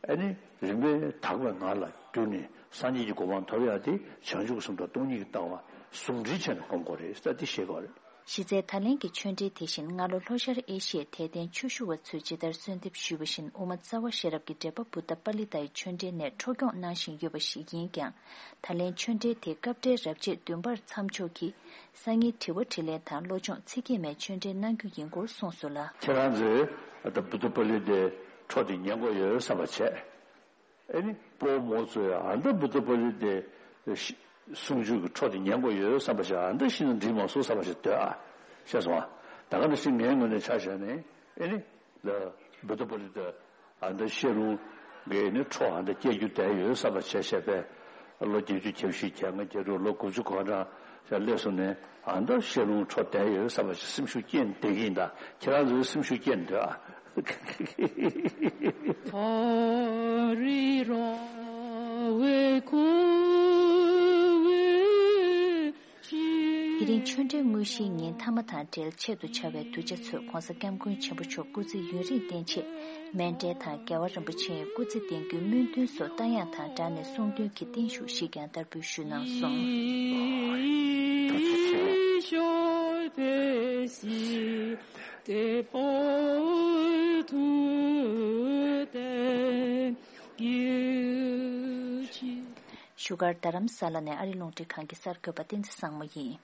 ཨ་ནི་རིམ་པས་དག་པའི་ངག་ལ་བསྒྱུར་ནས་སངས་རྒྱས་ཀྱི་གོ་འཕང་ཐོབ་ཡ་དེ་བྱང་ཆུབ་ཀྱི་སེམས་དང་སྟོང་ཉིད་ཀྱི་ལྟ་བ་ཟུང་འབྲེལ་བྱས་ནས་སྒོམ་དགོས་རེད་ཟེར་དེ་བཤད་དགོས་རེད། གཞི་རྩའི་ད་ལན་གྱི་ཆོས་འབྲེལ་དེ་བཞིན་སྔ་ལོ་ལྷོ་ཤར་ཨེ་ཤི་ཡའི་དད་ལྡན་ཆོས་ཞུ་བ་ཚོས་ཇི་ལྟར་གསོལ་འདེབས་ཞུས་པ་བཞིན་དབུ་མ་རྩ་བ་ཤེས་རབ་ཀྱི་འགྲེལ་པ་བུདྡྷ་པཱ་ལི་ཏའི་ཆོས་འབྲེལ་ནས་འཕྲོ་སྐྱོང་གནང་བཞིན་ཡོད་པ་ཞིག་ཡིན་ཀྱང་། ད་ལན་ཆོས་འབྲེལ་དེ་སྐབས་འབྲེལ་རབ་བྱེད་བདུན་པར་མཚམས་འཇོག་གིས། སང་ཉིན་དྲི་བ་དྲིས་ལན་དང་བློ་སྦྱོང་ཚིག་བརྒྱད་མའི་ཆོས་འབྲེལ་གནང་རྒྱུ་ཡིན་སྐོར་གསུངས་སོང་ལ། ཁྱེད་རང་ཚོས་ད་བུདྡྷ་པཱ་ལི་ཏའི་འཕྲོ་དེ་ཉན་དགོས་ཡོད་བསམ་པ་བྱས། ཨེ་ནི་སྤོ་བོ་མོ་ཚོས་ཨ་ད་བུདྡྷ་པཱ་ལི་ཏའི་གསུང་ཆོས་ཀྱི་འཕྲོ་དེ་ཉན་དགོས་ཡོད་བསམ་པ་བྱས། ཨ་ད་ཤི་ན་འགྲིག་མ་སོང་བསམ་པ་བྱས་སྡོད་ཨ། ཤེས་སོང་ཨ། ད་ག་ནང་བཞིན་ངའི་ངོས་ནས་ཆ་བཞག་ནས་ཨེ་ནི། ལ། བུདྡྷ་པཱ་ལི་ཏ། ཨ་ནི་བཤད་ལུང་གི་ནི་འཕྲོ་ཨ་ནི་སྐྱེལ་རྒྱུ་བསྡད་ཡོད་བསམ་པ་བྱས་བྱས་པས། ལོ་བརྒྱད་ཅུ་གྱ་བཞི་གྱ་ལྔ་གྱ་དྲུག་ལོ་དགུ་བཅུ་གོ་གྲངས་ཞིག་སླེབས་སོང་ནས། ཨ་ནི་བཤད་ལུང་འཕྲོ་བསྡད་ཡོད་བསམ་པ་ཞིག་སེམས་ཤུགས་སྐྱེས་བསྡད་ཀྱི་ཡིན། ད་ཁྱེད་རང་ཚོའི་སེམས་ཤུགས་སྐྱེས་འདོད་ཨ། དེ་རིང་ཆོས་འབྲེལ་དངོས་གཞིའི་ཉིན་ཐ་མ་དང་འབྲེལ་ཆེད་དུ་བྱ་བའི་གདུལ་བྱ་ཚོས་༧གོང་ས་༧སྐྱབས་མགོན་ཆེན་པོ་མཆོག་སྐུ་ཚེ་ཡུན་རིང་བརྟན་ཆེད། མཎྜལ་དང་རྒྱལ་བ་རིན་པོ་ཆེའི་སྐུ་ཚེ་བརྟན་རྒྱུའི་སྨོན་འདུན་སོགས་བཏང་ཡག་དང་སྦྲགས་ནས་གསུང་འདོན་གྱི་བརྟན་བཞུགས་ཤིག་ཀྱང་བསྟར་འབུལ་ཞུས་གནང་སོང་། བཞུགས་སྒར་རྡ་རམ་ས་ལ་ནས་ཨ་རི་རླུང་འཕྲིན་ཁང་གི་གསར་འགོད་པ་བསྟན་འཛིན་བཟང་མོ་ཡིན།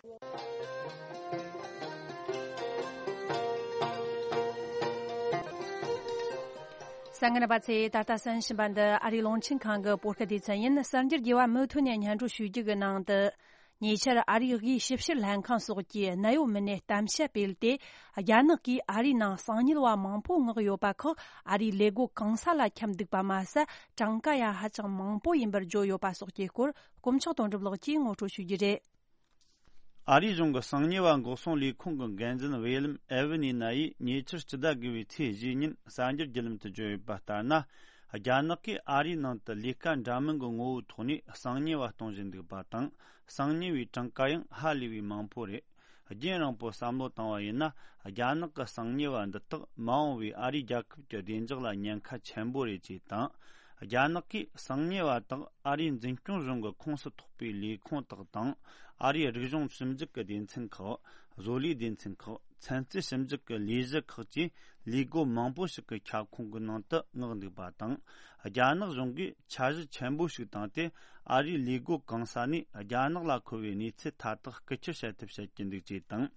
གསན་མཁན་རྣམ་པ་ཚོས་ད་ལྟ་གསན་བཞིན་པ་འདི་ཨ་རིའི་རླུང་འཕྲིན་ཁང་གི་བོད་སྐད་སྡེ་ཚན་ཡིན། གསར་འགྱུར་རྒྱས་པ་མུ་མཐུད་ནས་སྙན་སྒྲོན་ཞུ་རྒྱུ་གི་ནང་དུ། ཉེ་ཆར་ཨ་རིའི་དབུས་ཞིབ་བཤེར་ལྷན་ཁང་སོགས་ཀྱིས་གནད་ཡོད་མི་སྣའི་གཏམ་བཤད་སྤེལ་ཏེ། རྒྱ་ནག་གིས་ཨ་རིའི་ནང་གསང་ཉུལ་བ་མང་པོ་མངགས་ཡོད་པ་ཁག་ཨ་རིའི་ལས་སྒོ་གང་ས་ལ་འཁྱམས་འདུག་པ་མ་ཟད། གྲངས་ཀ་ཡང་ཧ་ཅང་མང་པོ་ཡིན་པར་བརྗོད་ཡོད་པ་སོགས་ཀྱི་སྐོར་དཀོན་མཆོག་དོན་གྲུབ་ལགས་ཀྱིས་ངོ་སྤྲོད་ཞུ་རྒྱུ་རེད། ཨ་རིའི་གཞུང་གི་གསང་ཉུལ་བ་འགོག་སྲུང་ལས་ཁུངས་ཀྱི་འགན་འཛིན་ཝེ་ལམ་ཨེ་ཝི་ནི་ན་ཡིས་ཉེ་ཆར་སྤྱི་ཟླ་དགུ་པའི་ཚེས་བཞི་ཉིན་གསར་འགྱུར་བརྒྱུད་ལམ་དུ་བརྗོད་ཡོད་པ་ལྟར་ན། རྒྱ་ནག་གིས་ཨ་རིའི་ནང་དུ་ལས་ཀ་འདྲ་མིན་གྱི་ངོ་བོའི་ཐོག་ནས་གསང་ཉུལ་བ་གཏོང་བཞིན་འདུག་པ་དང་། གསང་ཉུལ་བའི་གྲངས་ཀ་ཡང་ཧ་ལས་པའི་མང་པོ་རེད། རྒྱུན་རིང་པོ་བསམ་བློ་བཏང་བ་ཡིན་ན། རྒྱ་ནག་གི་གསང་ཉུལ་བ་འདི་དག་མ་འོངས་པའི་ཨ་རིའི་རྒྱལ་ཁབ་ཀྱི་བདེ་འཇགས་ལ་ཉེན་ཁ་ཆེན་པོ་རེད་ཅེས་དང་། རྒྱ་ནག་གིས་གསང་ཉུལ་བ་དག་ཨ་རིའི་འཛིན་སྐྱོང་གཞུང་གི་ཁོངས་སུ་གཏོགས་པའི་ལས་ཁུངས་དག་དང་། ཨ་རིའི་རིག་གཞུང་ཞིབ་འཇུག་གི་སྡེ་ཚན་ཁག་བཟོ་ལས་སྡེ་ཚན་ཁག་ཚན་རྩལ་ཞིབ་འཇུག་གི་ལས་གཞི་ཁག་བཅས་ལས་སྒོ་མང་པོ་ཞིག་གི་ཁྱབ་ཁོངས་ཀྱི་ནང་དུ་མངགས་འདུག་པ་དང་། རྒྱ་ནག་གཞུང་གིས་འཆར་གཞི་ཆེན་པོ་ཞིག་བཏིང་སྟེ། ཨ་རིའི་ལས་སྒོ་གང་ས་ནས་རྒྱ་ནག་ལ་མཁོ་བའི་གནས་ཚུལ་མཐའ་དག་རྐུ་འཁྱེར་བྱ་ཐབས་བྱེད་ཀྱི་འདུག་ཅེས་དང་།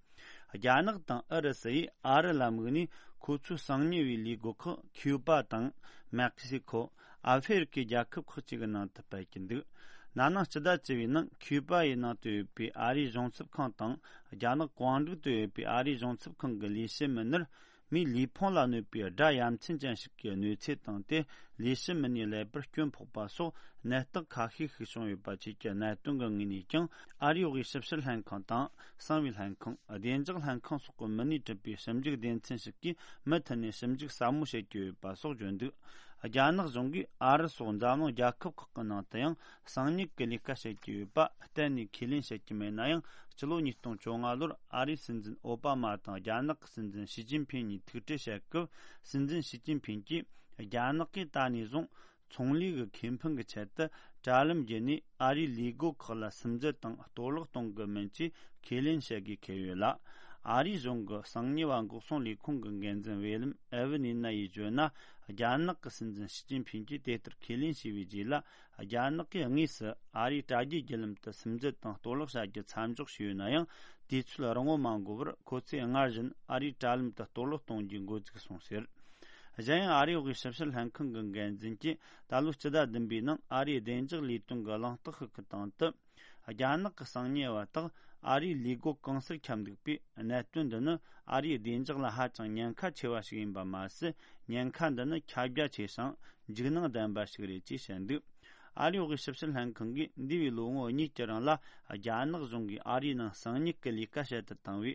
རྒྱ་ནག་དང་ཨུ་རུ་སུ་ཡིས་ཨ་རི་ལ་དམིགས་ནས་ཁོ་ཚོའི་གསང་ཉུལ་བའི་ལས་སྒོ་ཁག་ཁིའུ་པ་དང་། མེག་སི་ཁོ། ཨ་ཧྥེ་རི་ཁའི་རྒྱལ་ཁབ་ཁག་ཅིག་གི་ནང་དུ་སྤེལ་གྱི་འདུག་ན་ནིང་སྤྱི་ཟླ་བཅུ་པའི་ནང་ཁིའུ་པ་ཡི་ནང་དུ་ཡོད་པའི་ཨ་རིའི་གཞུང་ཚབ་ཁང་དང་། རྒྱ་ནག་ཀོང་ཀྲིག་ཏུ་ཡོད་པའི་ཨ་རིའི་གཞུང་ཚབ་ཁང་གི་ལས་བྱེད་མི་སྣར། མིའི་ལུས་ཕུང་ལ་གནོད་པའི་སྒྲ་ཡ་མཚན་ཅན་ཞིག་གི་གནོད་འཚེ་བཏང་སྟེ། ལས་བྱེད་མི་སྣའི་ཀླད་པར་སྐྱོན་ཕོག་པ་སོགས་ནད་རྟགས་ཁ་ཤས་ཤིག་བྱུང་ཡོད་པ་བཅས་ཀྱི་གནད་དོན་གྱི་ངོས་ནས་ཀྱང་། ཨ་རིའི་དབུས་ཞིབ་བཤེར་ལྷན་ཁང་དང་། གསང་བའི་ལྷན་ཁང་། བདེ་འཇགས་ལྷན་ཁང་སོགས་ཀྱི་མི་སྣས་གྲུབ་པའི་ཞིབ་འཇུག་སྡེ་ཚན་ཞིག་གིས་མུ་མཐུད་ནས་ཞིབ་འཇུག་ཟབ་མོ་བྱེད་ཀྱི་ཡོད་པ་སོགས་བརྗོད་འདུག་རྒྱ་ནག་གཞུང་གིས་ཨ་རི་སོགས་འཛམ་གླིང་རྒྱལ་ཁབ་ཁག་གི་ནང་དུ་ཡང་གསང་ཉུལ་གྱི་ལས་ཀ་བྱེད་ཀྱི་ཡོད་པ་གཏན་ནས་ཁས་ལེན་བྱེད་ཀྱི་མེད་ན་ཡང་། སྤྱི་ལོ་ཉིས་སྟོང་བཅོ་ལྔ་ལོར་ཨ་རིའི་སྲིད་འཛིན་ཨོ་པ་མ་དང་རྒྱ་ནག་གི་སྲིད་འཛིན་ཞི་ཅིན་ཕིང་གཉིས་ཐུག་འཕྲད་བྱེད་སྐབས། སྲིད་འཛིན་ཞི་ཅིན་ཕིང་གིས་རྒྱ་ནག་གིས་ད་ནས་བཟུང་ཚོང་ལས་ཀྱི་ཁེ་ཕན་གྱི་ཆེད་དུ་དྲ་ལམ་བརྒྱུད་ནས་ཨ་རིའི་ལས་སྒོ་ཁག་ལ་སིམ་འཛུལ་དང་གཏོར་བརླག་གཏོང་གི་མིན་ཅེས་ཁས་ལེན་བྱེད་དགོས་འཁེལ་ཡོད་ལ། ཨ་རིའི་གཞུང་གི་གསང་ཉུལ་བ་འགོག་སྲུང་ལས་ཁུངས་ཀྱི་འགན་འཛིན་ཝེ་ལམ་ཨེ་ཝི་ནི་ན་ཡིས་བརྗོད་ན། རྒྱ་ནག་གི་སྲིད་འཛིན་ཞི་ཅིན་ཕིང་གིས་དེ་ལྟར་ཁས་ལེན་བྱས་པའི་རྗེས་ལ། རྒྱ་ནག་གིས་དངོས་སུ་ཨ་རིའི་དྲ་རྒྱའི་བརྒྱུད་ལམ་དུ་སིམ་འཛུལ་དང་གཏོར་བརླག་བྱ་རྒྱུ་མཚམས་འཇོག་བྱས་ཡོད་ན་ཡང་། དུས་ཚོད་རིང་བོ་མ་འགོར་བར་ཁོ་ཚོས་སྔར་བཞིན་ཨ་རིའི་དྲ་ལམ་དུ་གཏོར་བརླག་གཏོང་རྒྱུའི་འགོ་འཛུགས་སོང་ཟེར། གཞན་ཡང་ཨ་རིའི་དབུས་ཞིབ་བཤེར་ལྷན་ཁང་གི་འགན་འཛིན་གྱིས་ད་ལོའི་སྤྱི་ཟླ་བདུན་པའི་ནང་ཨ་རིའི་བདེ་འཇགས་ལས་དོན་གྱི་གླེང་སྟེགས་ཤིག་གི་སྟེང་དུ། རྒྱ་ནག་གི་གསང་ཉུལ་བ་དག་ཨ་རིའི་ལས་སྒོ་གང་སར་ཁྱབ་འདུག་པས། གནད་དོན་འདི་ནི་ཨ་རིའི་བདེ་འཇགས་ལ་ཧ་ཅང་ཉེན་ཁ་ཆེ་བ་ཞིག་ཡིན་པ་མ་ཟད། ཉེན་ཁ་འདི་ནི་ཁྱབ་རྒྱ་ཆེ་ཞིང་འཇིགས་སྣང་ལྡན་པ་ཞིག་རེད་ཅེས་བཤད་འདུག་ཨ་རིའི་འོག་གི་ཞིབ་བཤེར་ལྷན་ཁང་གིས་འདས་པའི་ལོ་ངོ་གཉིས་ཀྱི་རིང་ལ། རྒྱ་ནག་གཞུང་གིས་ཨ་རིའི་ནང་གསང་ཉུལ་གྱི་ལས་ཀ་བྱེད་དུ་བཏང་བའི་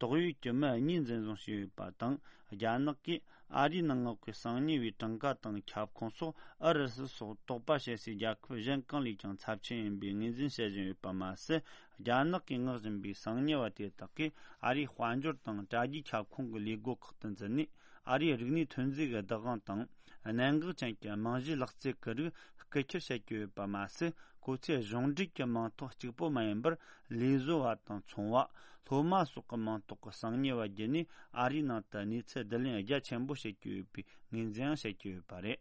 དོགས་ཡོད་ཀྱི་མི་གཉིས་འཛིན་བཟུང་བྱས་ཡོད་པ་དང་། རྒྱ་ནག་གིས་ཨ་རིའི་ནང་མངགས་པའི་གསང་ཉུལ་བའི་གྲངས་ཀ་དང་ཁྱབ་ཁོངས་སོགས་ཨུ་རུ་སུ་སོགས་དོགས་པ་བྱེད་སའི་རྒྱལ་ཁབ་གཞན་གང་ལས་ཀྱང་ཚབས་ཆེན་ཡིན་པའི་ངོས་འཛིན་བྱེད་བཞིན་ཡོད་པ་མ་ཟད། རྒྱ་ནག་གིས་མངགས་བཞིན་པའི་གསང་ཉུལ་བ་དེ་དག་གིས་ཨ་རིའི་དཔལ་འབྱོར་དང་དྲ་རྒྱའི་ཁྱབ་ཁོངས་ཀྱི་ལས་སྒོ་ཁག་ཏུ་འཛུལ་ནས། ཨ་རིའི་རིག་གནས་ཐོན་རྫས་ཀྱི་བདག་དབང་དང་། གནད་འགག་ཅན་གྱི་རྨང་གཞིའི་ལག་རྩལ་གྱི་རིགས་རྐུ་ཁྱེར་བྱེད་ཀྱི་ཡོད་པ་མ་ཟད། ཁོ་ཚོས་གཞུང་འབྲེལ་གྱི་མིང་ཐོ་གཅིག་པོ་མ་ཡིན་པར། ལས་བཟོ་བ་དང་ཚོང་བ། སློབ་མ་སོགས་ཀྱི་མིང་ཐོག་གི་གསང་ཉུལ་བ་བརྒྱུད་ནས་ཨ་རིའི་ནང་དུ་གནས་ཚུལ་བསྡུ་ལེན་རྒྱ་ཆེན་པོ་བྱེད་ཀྱི་ཡོད་པའི་ངོས་འཛིན་ཡང་བྱེད་ཀྱི་ཡོད་པ་རེད།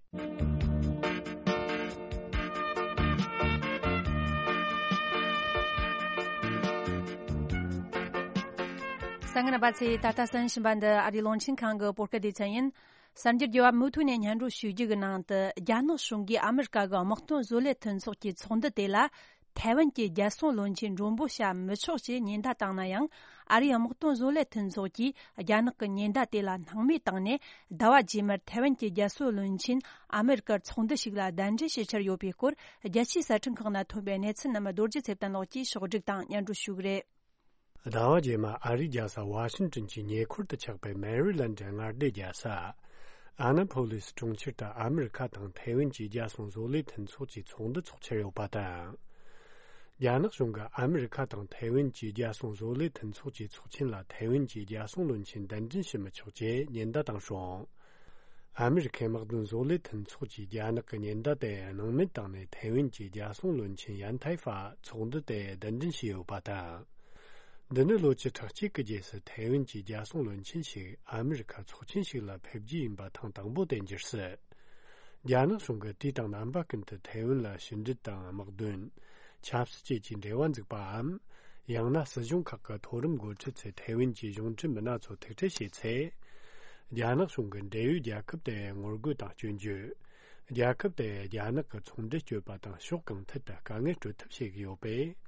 གསན་མཁན་རྣམ་པ་ཚོས་ད་ལྟ་གསན་བཞིན་པ་འདི་ཨ་རིའི་རླུང་འཕྲིན་ཁང་གི་བོད་སྐད་སྡེ་ཚན་ཡིན། གསར་འགྱུར་རྒྱས་པ་མུ་མཐུད་ནས་སྙན་སྒྲོན་ཞུ་རྒྱུ་གི་ནང་དུ། རྒྱ་ནག་གཞུང་གིས་ཨ་མི་རི་ཀ་གི་དམག་དོན་བཟོ་ལས་མཐུན་ཚོགས་ཀྱི་ཚོགས་འདུ་དེ་ལ། ཐའེ་ཝན་གྱི་རྒྱལ་སྲུང་བློན་ཆེན་མགྲོན་པོ་བྱ་མི་ཆོག་ཅེས་ཉེན་བརྡ་བཏང་ན་ཡང་། ཨ་རིའི་དམག་དོན་བཟོ་ལས་མཐུན་ཚོགས་ཀྱིས་རྒྱ་ནག་གི་ཉེན་བརྡ་དེ་ལ་སྣང་མེད་བཏང་ནས། ཟླ་བ་རྗེས་མར་ཐའེ་ཝན་གྱི་རྒྱལ་སྲུང་བློན་ཆེན་ཨ་མི་རི་ཀར་ཚོགས་འདུ་ཞིག་ལ་གདན་འདྲེན་བྱེད་འཆར་ཡོད་པའི་སྐོར། རྒྱལ་སྤྱིའི་གསར་འཕྲིན་ཁག་ནང་ཐོན་པའི་གནས་ཚུལ་རྣམས་རྡོ་རྗེ་ཚེ་བརྟན་ལགས་ཀྱིས་ཕྱོགས་སྒྲིག་དང་སྙན་སྒྲོན་ཞུ་གི་རེད། ཟླ་བ་རྗེས་མ་ཨ་རིའི་རྒྱལ་ས་ཝ་ཤིང་ཏོན་གྱི་ཉེ་འཁོར་དུ་ཆགས་པའི་མེ་རི་ལན་ཌའི་མངའ་སྡེའི་རྒྱལ་ས་ཨ་ན་ཕོ་ལིས་གྲོང་ཁྱེར་དུ་ཨ་མི་རི་ཁ་དང་ཐའེ་ཝན་གྱི་རྒྱལ་སྲུང་བཟོ་ལས་མཐུན་ཚོགས་ཀྱི་ཚོགས་འདུ་འཚོགས་འཆར་ཡོད་པ་དང་། རྒྱ་ནག་གཞུང་གིས་ཨ་མི་རི་ཁ་དང་ཐའེ་ཝན་གྱི་རྒྱལ་སྲུང་བཟོ་ལས་མཐུན་ཚོགས་ཀྱི་ཚོགས་ཆེན་ལ་ཐའེ་ཝན་གྱི་རྒྱལ་སྲུང་བློན་ཆེན་གདན་འདྲེན་བྱེད་མི་ཆོག་ཅེས་ཉེན་བརྡ་བཏང་སོང་། ཨ་མི་རི་ཁའི་དམག་དོན་བཟོ་ལས་མཐུན་ཚོགས་ཀྱིས་རྒྱ་ནག་གི་ཉེན་བརྡ་དེ་སྣང་མེད་བཏང་ནས། ཐའེ་ཝན་གྱི་རྒྱལ་སྲུང་བློན་ཆེན་ཡན་ཐའེ་ཧྥ་ཚོགས་འདུ་དེ་གདན་འདྲེན་བྱས་ཡོད་པ་དང་། འདི་ནི་ལོ་བཅུ་ཕྲག་གཅིག་གི་རྗེས་སུ་ཐའེ་ཝན་གྱི་རྒྱལ་སྲུང་བློན་ཆེན་ཞིག་ཨ་མི་རི་ཁ་ཚོགས་ཆེན་ཞིག་ལ་ཕེབས་རྒྱུ་ཡིན་པ་ཐེངས་དང་པོ་དེ་འགྱུར་སྲིད། རྒྱ་ནག་གཞུང་གིས་དུས་དང་རྣམ་པ་ཀུན་ཏུ་ཐའེ་ཝན་ལ་ཕྱི་འབྲེལ་དང་དམག་དོན། ཆབ་སྲིད་བཅས་ཀྱི་འབྲེལ་བ་འཛུགས་པའམ། ཡང་ན་སྲིད་གཞུང་ཁག་གི་མཐོ་རིམ་འགོ་ཁྲིད་ཚོས་ཐའེ་ཝན་གྱི་གཞུང་འབྲེལ་མི་སྣ་ཚོ་ཐུག་འཕྲད་བྱས་ཚེ། རྒྱ་ནག་གཞུང་གི་འབྲེལ་ཡོད་རྒྱལ་ཁབ་དེར་ངོ་རྒོལ་དང་སྐྱོན་བརྗོད། རྒྱལ་ཁབ་དེར་རྒྱ་ནག་གི་ཚོང་འབྲེལ་གཅོད་པ་དང་ཕྱོགས་གང་ཐད་དུ་དཀའ་ངལ་སྤྲོད་ཐབས་བྱེད་ཀྱི་ཡོད་པས།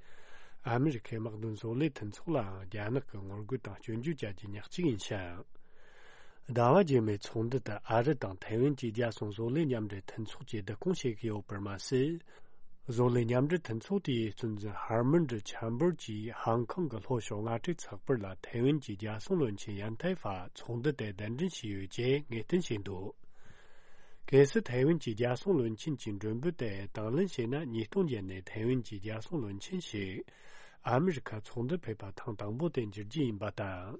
ཨ་མི་རི་ཁའི་དམག་དོན་བཟོ་ལས་མཐུན་ཚོགས་ལའང་རྒྱ་ནག་གི་ངོ་རྒོལ་དང་སྐྱོན་བརྗོད་བྱ་རྒྱུ་ཉག་གཅིག་ཡིན་ཞིང་། ཟླ་བ་རྗེས་མའི་ཚོགས་འདུ་དེ་ཨ་རི་དང་ཐའེ་ཝན་གྱི་རྒྱལ་སྲུང་བཟོ་ལས་མཉམ་འབྲེལ་མཐུན་ཚོགས་ཀྱིས་བསྡུ་སྐོང་བྱེད་ཀྱི་ཡོད་པར་མ་ཟད། བཟོ་ལས་མཉམ་འབྲེལ་མཐུན་ཚོགས་དེའི་གཙོ་འཛིན་ཧར་མན་ཌི་ཆམ་བར་གྱིས་ཧང་ཀོང་གི་ལྷོ་ཕྱོགས་རྔ་སྒྲིག་ཚགས་པར་ལ་ཐའེ་ཝན་གྱི་རྒྱལ་སྲུང་བློན་ཆེན་ཡན་ཐའེ་ཧྥ་ཚོགས་འདུ་དེ་གདན་འདྲེན་བྱས་ཡོད་ཅེས་ངེས་གཏན་བྱས་འདུག་གལ་སྲིད་ཐའེ་ཝན་གྱི་རྒྱལ་སྲུང་བློན་ཆེན་གྱི་མགྲོན་འབོད་དེ་དང་ལེན་བྱས་ན། ཉིས་སྟོང་བརྒྱད་ནས་ཐའེ་ཝན་གྱི་རྒྱལ་སྲུང་བློན་ཆེན་ཞིག་ཨ་མི་རི་ཁ་ཚོགས་འདུར་ཕེབས་པ་ཐེངས་དང་པོ་དེ་འགྱུར་རྒྱུ་ཡིན་པ་དང་།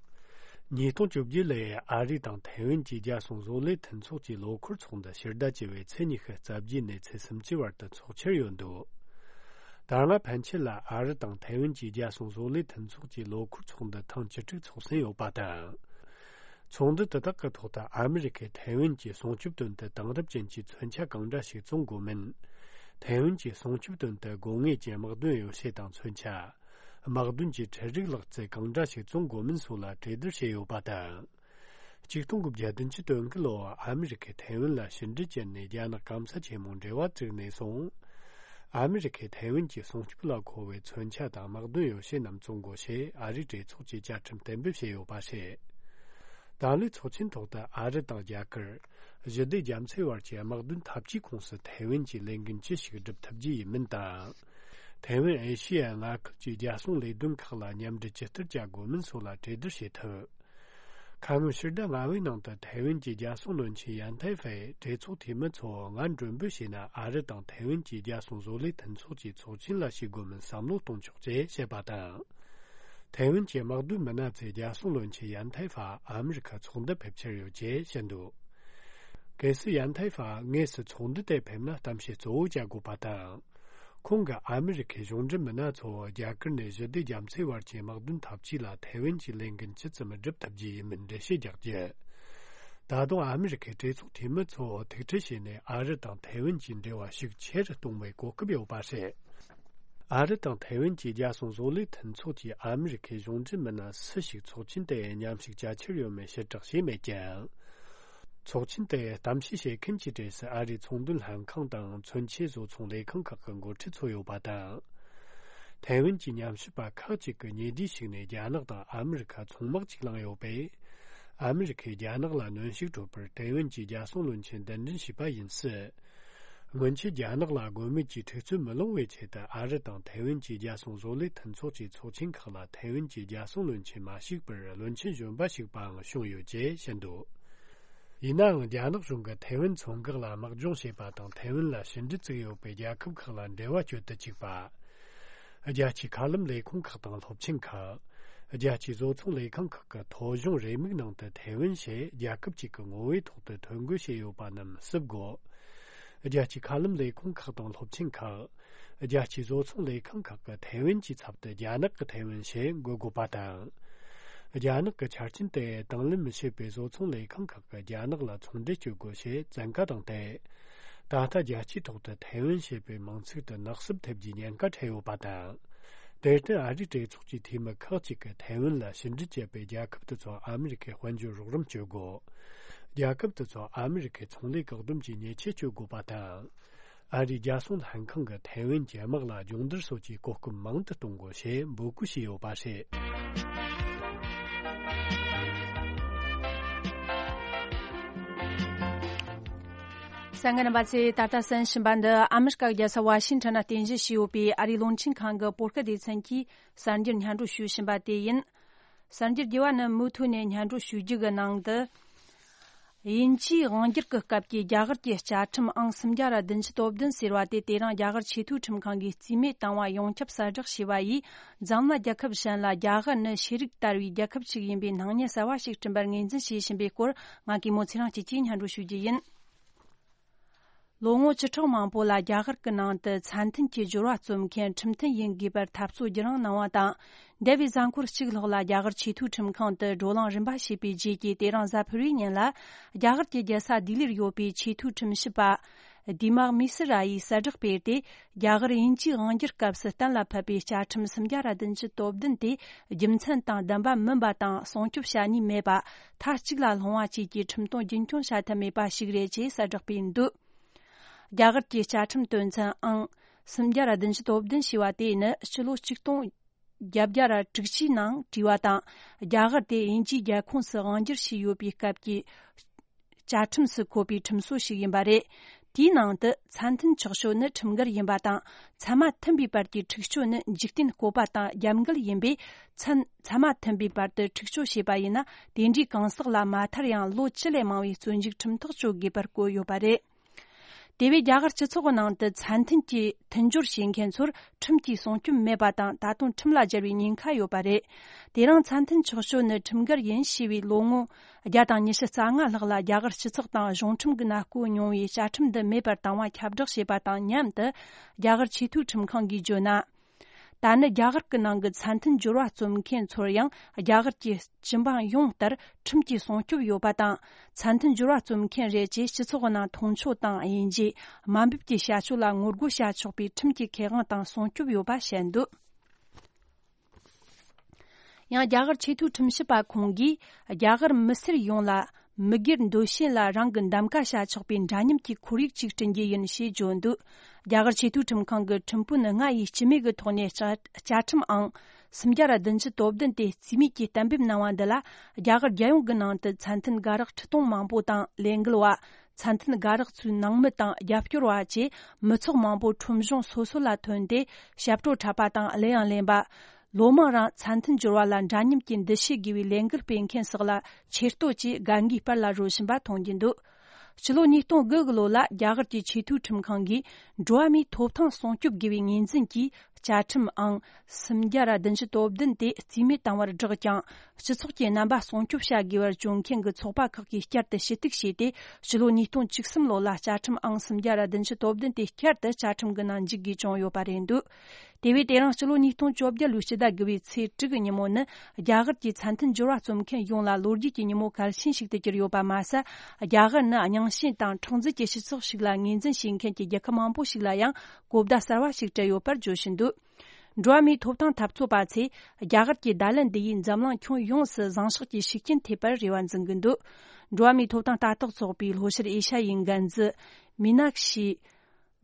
ཉིས་སྟོང་བཅོ་བརྒྱད་ལོའི་ཨ་རི་དང་ཐའེ་ཝན་གྱི་རྒྱལ་སྲུང་བཟོ་ལས་མཐུན་ཚོགས་ཀྱི་ལོ་འཁོར་ཚོགས་འདུ་ཕྱི་ཟླ་བཅུ་པའི་ཚེས་ཉི་ཤུ་རྩ་བརྒྱད་ནས་ཚེས་སུམ་ཅུ་བར་དུ་འཚོགས་འཆར་ཡོད་འདུག་ད་སྔ་ཕན་ཆད་ལ་ཨ་རི་དང་ཐའེ་ཝན་གྱི་རྒྱལ་སྲུང་བཟོ་ལས་མཐུན་ཚོགས་ཀྱི་ལོ་འཁོར་ཚོགས་འདུ་ཐེངས་བཅུ་དྲུག་འཚོགས་ཟིན་ཡོད་པ་དང་། ཚོགས་འདུ་དེ་དག་གི་ཐོག་ཏུ་ཨ་མི་རི་ཁས་ཐའེ་ཝན་གྱི་སྲུང་སྐྱོབ་དོན་དུ་དེང་རབས་ཅན་གྱི་མཚོན་ཆ་གང་འདྲ་ཞིག་བཙོང་དགོས་མིན། ཐའེ་ཝན་གྱི་སྲུང་སྐྱོབ་དོན་དུ་དགོས་ངེས་ཀྱི་དམག་དོན་ཡོ་བྱད་དང་མཚོན་ཆ། དམག་དོན་གྱི་འཕྲུལ་རིག་ལག་རྩལ་གང་འདྲ་ཞིག་བཙོང་དགོས་མིན་སོགས་ལ་གྲོས་བསྡུར་བྱས་ཡོད་པ་དང་། ཆིག་སྟོང་དགུ་བརྒྱ་བདུན་ཅུ་དོན་དགུ་ལོར་ཨ་མི་རི་ཁས་ཐའེ་ཝན་ལ་ཕྱི་འབྲེལ་བྱས་ནས་རྒྱ་ནག་སྐམ་ས་ཆེན་མོ་འབྲེལ་བ་བཙུགས་ནས་བཟུང་། ཨ་མི་རི་ཁས་ཐའེ་ཝན་གྱི་སྲུང་སྐྱོབ་ལ་མཁོ་བའི་མཚོན་ཆ་དང་དམག་དོན་ཡོ་བྱད་རྣམས་བཙོང་དགོས་ཞེས་ཨ་རིའི་གྲོས་ཚོགས་ཀྱི་བཅའ་ཁྲིམས་གཏན་འབེབས་བྱས་ཡོད་པ་རེད། ད་ལོའི་ཚོགས་ཆེན་ཐོག་ཏུ་ཨ་རི་དང་རྒྱ་གར། ཞི་བདེ་རྒྱ་མཚོའི་བར་གྱི་དམག་དོན་འཐབ་ཇུས་ཁོངས་སུ་ཐའེ་ཝན་གྱི་ལས་འགན་ཅི་ཞིག་སྒྲུབ་ཐུབ་རྒྱུ་ཡིན་མིན་དང་། ཐའེ་ཝན་ཨེ་ཤི་ཡའི་མངའ་ཁུལ་གྱི་རྒྱལ་སྲུང་ལས་དོན་ཁག་ལ་མཉམ་འབྲེལ་ཇི་ལྟར་བྱ་དགོས་མིན་སོགས་ལ་གྲོས་བསྡུར་བྱེད་ཐུབ། ཁ་སྔོན་ཕྱི་ཟླ་ལྔ་པའི་ནང་དུ་ཐའེ་ཝན་གྱི་རྒྱལ་སྲུང་བློན་ཆེན་ཡན་ཐའེ་ཧྥེས་གྲོས་ཚོགས་འཐུས་མི་ཚོར་ང་མགྲོན་འབོད་བྱས་ན། ཨ་རི་དང་ཐའེ་ཝན་གྱི་རྒྱལ་སྲུང་བཟོ་ལས་མཐུན་ཚོགས་ཀྱི་ཚོགས་ཆེན་ལ་ཞུགས་དགོས་མིན་བསམ་བློ་གཏོང་ཆོག་ཅེས་བཤད་པ་དང་། ཐའེ་ཝན་གྱི་དམག་དོན་མི་སྣ་ཚོས་རྒྱལ་སྲུང་བློན་ཆེན་ཡན་ཐའེ་ཧྥ་ཨ་མི་རི་ཁ་ཚོགས་འདུར་ཕེབས་འཆར་ཡོད་ཅེས་བཤད་འདུག་གལ་སྲིད་ཡན་ཐའེ་ཧྥ་དངོས་སུ་ཚོགས་འདུ་དེར་ཕེབས་ན། གཏམ་བཤད་གཙོ་བོ་བྱ་དགོས་པ་དང་། ཁོང་གིས་ཨ་མི་རི་ཁའི་གཞུང་འབྲེལ་མི་སྣ་ཚོར་རྒྱ་གར་ནས་ཞི་བདེ་རྒྱ་མཚོའི་བར་གྱི་དམག་དོན་འཐབ་ཇུས་ལ་ཐའེ་ཝན་གྱི་ལས་འགན་ཇི་ཙམ་སྒྲུབ་ཐུབ་རྒྱུ་ཡིན་མིན་འགྲེལ་བཤད་རྒྱག་རྒྱུ། ད་དུང་ཨ་མི་རི་ཁའི་གྲོས་ཚོགས་འཐུས་མི་ཚོར་ཐུག་འཕྲད་བྱས་ནས། ཨ་རི་དང་ཐའེ་ཝན་གྱི་འབྲེལ་བ་ཤུགས་ཆེ་རུ་གཏོང་བའི་གོ་སྐབས་ཡོད་པ་རེད། ཨ་རི་དང་ཐའེ་ཝན་གྱི་རྒྱལ་སྲུང་བཟོ་ལས་མཐུན་ཚོགས་ཀྱི་ཨ་མི་རི་ཁའི་གཞུང་འབྲེལ་མི་སྣ་སུ་ཞིག་ཚོགས་ཆེན་དེར་མཉམ་ཞུགས་བྱ་འཆར་ཡོད་མེད་ཕྱིར་བསྒྲགས་བྱས་མེད་ཀྱང་། ཚོགས་ཆེན་དེར་གཏམ་བཤད་བྱེད་མཁན་གྱི་གྲས་སུ་ཨ་རིའི་ཚོང་དོན་ལྷན་ཁང་དང་མཚོན་ཆའི་བཟོ་ཚོང་ལས་ཁང་ཁག་གི་འགོ་ཁྲིད་ཚོ་ཡོད་པ་དང་། ཐའེ་ཝན་གྱི་ཉམས་ཞིབ་པ་ཁག་ཅིག་གིས་ཉེ་དུས་ཤིག་ནས་རྒྱ་ནག་དང་ཨ་མི་རི་ཁ་མཚུངས་དམག་ཅིག་བསླངས་ཡོད་པས། ཨ་མི་རི་ཁས་རྒྱ་ནག་ལ་གནོན་ཤུགས་སྤྲོད་པར་ཐའེ་ཝན་གྱི་རྒྱལ་སྲུང་བློན་ཆེན་གདན་འདྲེན་བྱས་པ་ཡིན་སྲིད། སྔོན་ཆད་རྒྱ་ནག་ལ་དགོས་མེད་ཀྱི་འཁྲུག་རྩོད་མི་སློང་བའི་ཆེད་དུ། ཨ་རི་དང་ཐའེ་ཝན་གྱི་རྒྱལ་སྲུང་བཟོ་ལས་མཐུན་ཚོགས་ཀྱི་ཚོགས་ཆེན་ཁག་ལ་ཐའེ་ཝན་གྱི་རྒྱལ་སྲུང་བློན་ཆེན་མ་ཞུགས་པར་བློན་ཆེན་གཞོན་པ་ཞུགས་པའང་བྱུང་ཡོད་ཅེས་བཤད་འདུག་ཡིན་ནའང་། རྒྱ་ནག་གཞུང་གིས་ཐའེ་ཝན་མཚོ་འགག་ལ་དམག་སྦྱོང་བྱས་པ་དང་། ཐའེ་ཝན་ལ་ཕྱི་འབྲེལ་བཙུགས་ཡོད་པའི་རྒྱལ་ཁབ་ཁག་ལ་འབྲེལ་བ་གཅོད་དུ་བཅུག་པ། རྒྱལ་སྤྱིའི་མཁའ་ལམ་ལས་ཁུངས་ཁག་དང་སློབ་ཆེན་ཁག་རྒྱལ་སྤྱིའི་བཟོ་ཚོང་ལས་ཁང་ཁག་གི་ཐོ་གཞུང་རེའུ་མིག་ནང་དུ་ཐའེ་ཝན་ཞེས་རྒྱལ་ཁབ་ཅིག་གི་ངོ་བོའི་ཐོག་ཏུ་ཐོ་འགོད་བྱས་ཡོད་པ་རྣམས་བསུབ་དགོས། རྒྱལ་སྤྱིའི་མཁའ་ལམ་ལས་ཁུངས་ཁག་དང་སློབ་ཆེན་ཁག་རྒྱལ་སྤྱིའི་བཟོ་ཚོང་ལས་ཁང་ཁག་གི་ཐའེ་ཝན་གྱི་ཚབ་ཏུ་རྒྱ་ནག་གི་ཐའེ་ཝན་ཞེས་འགོད་དགོས་པ་དང་། རྒྱ་ནག་གི་ཆ་རྐྱེན་དེ་དང་ལེན་མི་བྱེད་པའི་བཟོ་ཚོང་ལས་ཁང་ཁག་གིས་རྒྱ་ནག་ལ་ཚོང་འབྲེལ་གཅོད་དགོས་ཞེས་བཙན་བཀའ་བཏང་སྟེ། ད་ལྟ་རྒྱལ་སྤྱིའི་ཐོག་ཏུ་ཐའེ་ཝན་ཞེས་པའི་མིང་ཚིག་དེ་ནག་བསུབ་ཐེབས་རྒྱུའི་ཉེན་ཁ་འཕྲད་ཡོད་པ་དང་། དེར་བརྟེན། ཨ་རིའི་གྲོས་ཚོགས་ཀྱི་འཐུས་མི་ཁག་ཅིག་གིས་ཐའེ་ཝན་ལ་ཕྱི་འབྲེལ་བྱེད་པའི་རྒྱལ་ཁབ་དེ་ཚོར་ཨ་མི་རི་ཀས་དཔལ་འབྱོར་རོགས་རམ་བྱེད་དགོས། རྒྱལ་ཁབ་དེ་ཚོར་ཨ་མི་རི་ཀས་ཚོང་ལས་བཀག་སྡོམ་གྱི་ཉེས་ཆད་གཅོད་དགོས་པ་དང་། ཨ་རིའི་རྒྱལ་སྲུང་ལྷན་ཁང་གིས་ཐའེ་ཝན་གྱི་དམག་ལ་སྦྱོང་བརྡར་སོགས་ཀྱི་གོ་སྐབས་མང་དུ་གཏོང་དགོས་ཞེས་འབོད་སྐུལ་བྱས་ཡོད་པ་རེད། གསན་མཁན་རྣམ་པ་ཚོས་ད་ལྟ་གསན་བཞིན་པ་འདི་ཨ་མི་རི་ཀ་རྒྱལ་ས་ཝ་ཤིང་ཊོན་ན་རྟེན་གཞི་བྱས་ཡོད་པའི་ཨ་རིའི་རླུང་འཕྲིན་ཁང་གི་བོད་སྐད་སྡེ་ཚན་གྱིས་གསར་འགྱུར་སྙན་སྒྲོན་ཞུ་བཞིན་པ་དེ་ཡིན། གསར་འགྱུར་རྒྱས་པ་ནི་མུ་མཐུད་ནས་སྙན་སྒྲོན་ཞུ་རྒྱུ་གི་ནང་དུ། དབྱིན་ཇིའི་དབང་སྒྱུར་གྱི་སྐབས་ཀྱི་རྒྱ་གར་གྱི་བཅའ་ཁྲིམས་ཨང་སུམ་བརྒྱ་ར་བདུན་ཅུ་དོན་བདུན་ཟེར་བ་དེ་དེ་རིང་རྒྱ་གར་ཆེས་མཐོའི་ཁྲིམས་ཁང་གིས་རྩིས་མེད་བཏང་བ་ཡོངས་ཁྱབ་གསལ་བསྒྲགས་བྱས་པ་ཡིས། འཛམ་གླིང་རྒྱལ་ཁབ་གཞན་ལ་རྒྱ་གར་ནི་ཤེས་རིག་དར་བའི་རྒྱལ་ཁབ་ཅིག་ཡིན་པའི་སྣང་བརྙན་གསར་བ་ཞིག་བསྐྲུན་པར་ངོས་འཛིན་བྱེད་བཞིན་པའི་སྐོར། ང་གིས་མོ་ཚེ་རིང་སྐྱིད་ཀྱིས་སྙན་སྒྲོན་ཞུ་རྒྱུ་ཡིན། ལོ་ངོ་བཅུ་ཕྲག་མང་པོ་ལ་རྒྱ་གར་གྱི་ནང་དུ་ཚད་མཐུན་གྱི་སྦྱོར་བ་རྩོམ་མཁན་ཁྲིམས་མཐུན་ཡིན་དགོས་པར་འཐབ་རྩོད་བརྒྱུད་རིང་གནང་བ་དང་། འདས་པའི་གཟའ་འཁོར་གཅིག་ལྷག་ལ་རྒྱ་གར་ཆེས་མཐོའི་ཁྲིམས་ཁང་དུ་བགྲོ་གླེང་རིམ་པ་བྱས་པའི་རྗེས་ཀྱི་དེ་རིང་གཟའ་ཕུར་བུའི་ཉིན་ལ། རྒྱ་གར་གྱི་རྒྱལ་ས་ལྡི་ལིར་ཡོད་པའི་ཆེས་མཐོའི་ཁྲིམས་ཞིབ་པ་དི་མག་མི་སི་ར་ཡིས་གསལ་བསྒྲགས་སྤེལ་ཏེ། རྒྱ་གར་དབྱིན་ཇིའི་དབང་སྒྱུར་སྐབས་སུ་གཏན་ལ་ཕབ་པའི་བཅའ་ཁྲིམས་སུམ་བརྒྱ་ར་བདུན་ཅུ་དོན་བདུན་དེ་རྒྱུ་མཚན་དང་ལྡན་པ་མིན་པ་དང་སྲུང་སྐྱོབ་བྱ་ནུས་མེད་པ། མཐའ་གཅིག་ལ་ལྷུང་བ་བཅས་ཀྱི་ཁྲིམས་དོན་རྒྱུན་འཁྱོངས་བྱ་ཐབས་མེད་པ་ཞིག་རེད་ཅེས་གསལ་བསྒྲགས་སྤེལ་འདུག་རྒྱ་གར་གྱི་བཅའ་ཁྲིམས་དོན་ཚན་ཨང་སུམ་བརྒྱ་ར་བདུན་ཅུ་དོན་བདུན་ཞེས་པ་དེ་ནི་ཕྱི་ལོ་ཆིག་སྟོང་བརྒྱད་བརྒྱ་ར་དྲུག་ཅུའི་ནང་བྲིས་པ་དང་། རྒྱ་གར་དེ་དབྱིན་ཇིའི་རྒྱལ་ཁོངས་སུ་དབང་བསྒྱུར་བྱས་ཡོད་པའི་སྐབས་ཀྱི་བཅའ་ཁྲིམས་སུ་འཁོད་པའི་ཁྲིམས་སྲོལ་ཞིག་ཡིན་པ་རེད། དེའི་ནང་དུ་ཚད་མཐུན་ཆོག་ཤོས་ནི་ཁྲིམས་འགལ་ཡིན་པ་དང་། ཚད་མ་མཐུན་པའི་བར་གྱི་འཁྲུག་སྤྱོད་ནི་འཇིག་རྟེན་བཀོད་པ་དང་རྒྱབ་འགལ་ཡིན་པས། ཚན་ཚད་མ་མཐུན་པའི་བར་དུ་འཁྲུག་སྤྱོད་བྱས་པ་ཡིན་ན། དེ་འདྲའི་གང་ཟག་ལ་མ་མཐར་ཡང་ལོ་བཅུ་ལས་མང་བའི་བཙོན་འཇུག་ཁྲིམས་ཐག་གཅོད་དགོས་པར་བཀོད་ཡོད་པ་རེད། དེ་བས་རྒྱ་གར་སྤྱི་ཚོགས་ནང་དུ་ཚད་མཐུན་གྱི་མཐུན་སྦྱོར་བྱེད་མཁན་ཚོར་ཁྲིམས་ཀྱི་སྲུང་སྐྱོབ་མེད་པ་དང་། ད་དུང་ཁྲིམས་ལ་སྦྱར་བའི་ཉེན་ཁ་ཡོད་པ་རེད། དེ་རིང་ཚད་མཐུན་ཆོག་ཤོས་ནི་ཁྲིམས་འགལ་ཡིན་ཞེས་པའི་ལོ་ངོ་བརྒྱ་དང་ཉི་ཤུ་རྩ་ལྔ་ལྷག་ལ་རྒྱ་གར་སྤྱི་ཚོགས་དང་གཞུང་ཁྲིམས་ཀྱི་མནའ་སྐོར་མྱོང་བའི་བཅའ་ཁྲིམས་འདི་མེད་པར་བཏང་བ་ཁྱབ་བསྒྲགས་བྱས་པ་དང་མཉམ་དུ། རྒྱ་གར་ཆེས་མཐོའི་ཁྲིམས་ཁང་གིས་བརྗོད་ན། ད་ནི་རྒྱ་གར་གྱི་ནང་གི་ཚད་མཐུན་སྦྱོར་བ་རྩོམ་མཁན་ཚོར་ཡང་རྒྱ་གར་གྱི་སྤྱི་འབངས་ཡོངས་ལྟར་ཁྲིམས་ཀྱི་སྲུང་སྐྱོབ་ཡོད་པ་དང་། ཚད་མཐུན་སྦྱོར་བ་རྩོམ་མཁན་རེད་ཅེས་སྤྱི་ཚོགས་ནང་མཐོང་ཆོས་དང་དབྱེ་འབྱེད། དམའ་འབེབས་ཀྱི་བྱ་སྤྱོད་ལ་ངོ་རྒོལ་བྱ་ཆོག་པའི་ཁྲིམས་ཀྱི་ཁེ་དབང་དང་སྲུང་སྐྱོབ་ཡོད་པ་བཤད་འདུག་ཡང་རྒྱ་གར་ཆེས་མཐོའི་ཁྲིམས་ཞིབ་པ་ཁོང་གིས་རྒྱ་གར་མི་སེར་ཡོངས་ལ་མི་སྒེར་འདོད་བཞིན་ལ་རང་གི་འདེམས་ཀ་བྱ་ཆོག་པའི་འདྲ་མཉམ་གྱི་ཁོར་ཡུག་ཅིག་བསྐྲུན་རྒྱུ་ཡིན་ཞེས་བརྗོད་འདུག་རྒྱ་གར་ཆེས་མཐོའི་ཁྲིམས་ཁང་གི་ཁྲིམས་དཔོན་ལྔ་ཡིས་སྤྱི་མོས་ཀྱི་ཐོག་ནས་བཅའ་བཅའ་ཁྲིམས་ཨང་སུམ་བརྒྱ་ར་བདུན་ཅུ་དོན་བདུན་དེ་རྩིས་མེད་ཀྱིས་གཏན་འབེབས་གནང་བ་འདི་ལ། རྒྱ་གར་རྒྱལ་ཡོངས་ཀྱི་ནང་དུ་ཚད་མཐུན་དགའ་རོགས་ཁྲི་སྟོང་མང་པོ་དང་། ལས་འགུལ་བ། ཚད་མཐུན་དགའ་རོགས་ཚོའི་ནང་མི་དང་རྒྱབ་སྐྱོར་བ་བཅས་མི་ཚོགས་མང་པོ་ཁྲོམ་གཞུང་སོ་སོ་ལ་ཐོན་ཏེ། ཞབས་བྲོ་འཁྲབ་པ་དང་གླུ་དབྱངས་ལེན་པ། ལོ་མང་རིང་ཚད་མཐུན་སྦྱོར་བ་ལ་འདྲ་མཉམ་གྱི་འདུ་ཤེས་དགོས་པའི་ལས་འགུལ་སྤེལ་མཁན་སོགས་ལ་ཆེ་བསྟོད་ཀྱིས་དགའ་མགུའི་དཔལ་ལ་རོལ་བཞིན་པ་མཐོང་རྒྱུ་འདུག་སྤྱི་ལོ་ཉིས་སྟོང་དགུ་གི་ལོ་ལ་རྒྱ་གར་གྱི་ཆེས་མཐོའི་ཁྲིམས་ཁང་གིས་འགྲོ་བ་མིའི་ཐོབ་ཐང་སྲུང་སྐྱོབ་དགོས་པའི་ངོས་འཛིན་གྱིས་བཅའ་ཁྲིམས་ཨང་སུམ་བརྒྱ་ར་བདུན་ཅུ་དོན་བདུན་དེ་རྩིས་མེད་བཏང་བར་བསྒྲགས་ཀྱང་། སྤྱི་ཚོགས་ཀྱི་རྣམ་པ་སྲུང་སྐྱོབ་བྱ་དགོས་པར་བརྗོད་མཁན་གྱི་ཚོགས་པ་ཁག་གིས་བསྐྱར་དུ་ཞུ་གཏུག་བྱས་ཏེ། སྤྱི་ལོ་ཉིས་སྟོང་བཅུ་གསུམ་ལོ་ལ་བཅའ་ཁྲིམས་ཨང་སུམ་བརྒྱ་ར་བདུན་ཅུ་དོན་བདུན་དེ་བསྐྱར་དུ་བཅའ་ཁྲིམས་ཀྱི་ནང་འཇུག་དགོས་བྱུང་ཡོད་པ་རེད་འདུག་དེ་བས་དེ་རིང་སྤྱི་ལོ་ཉིས་སྟོང་བཅོ་བརྒྱད་ལོའི་སྤྱི་ཟླ་དགུ་པའི་ཚེས་དྲུག་གི་ཉིན་མོ་ནི་རྒྱ་གར་གྱི་ཚད་མཐུན་སྦྱོར་བ་རྩོམ་མཁན་ཡོངས་ལ་ལོ་རྒྱུས་ཀྱི་ཉིན་མོ་གལ་ཆེན་ཞིག་ཏུ་གྱུར་ཡོད་པ་མ་ཟད། རྒྱ་གར་ནི་རྙིང་ཞེན་དང་ཁྲག་འཛིན་གྱི་སྤྱི་ཚོགས་ཤིག་ལ་ངོས་འཛིན་བྱེད་མཁན་གྱི་རྒྱལ་ཁབ་མང་པོ་ཞིག་ལ་ཡང་གོ་བརྡ་གསར་བ་ཞིག་སྤྲད་ཡོད་པར་བརྗོད་བཞིན་འདུག་འགྲོ་བ་མིའི་ཐོབ་ཐང་འཐབ་རྩོད་པ་ཚོས་རྒྱ་གར་གྱི་བརྡ་ལན་འདི་ཡིས་འཛམ་གླིང་ཁྱོན་ཡོངས་སུ་བཟང་ཕྱོགས་ཀྱི་ཤུགས་རྐྱེན་ཐེབས་པར་རེ་བ་འཛིན་གྱི་འདུག་འགྲོ་བ་མིའི་ཐོབ་ཐང་ལྟ་རྟོག་ཚོགས་པའི་ལྷོ་ཤར་ཨེ་ཤ་ཡའི་འགན་འཛིན་མི་ནག་ཤི་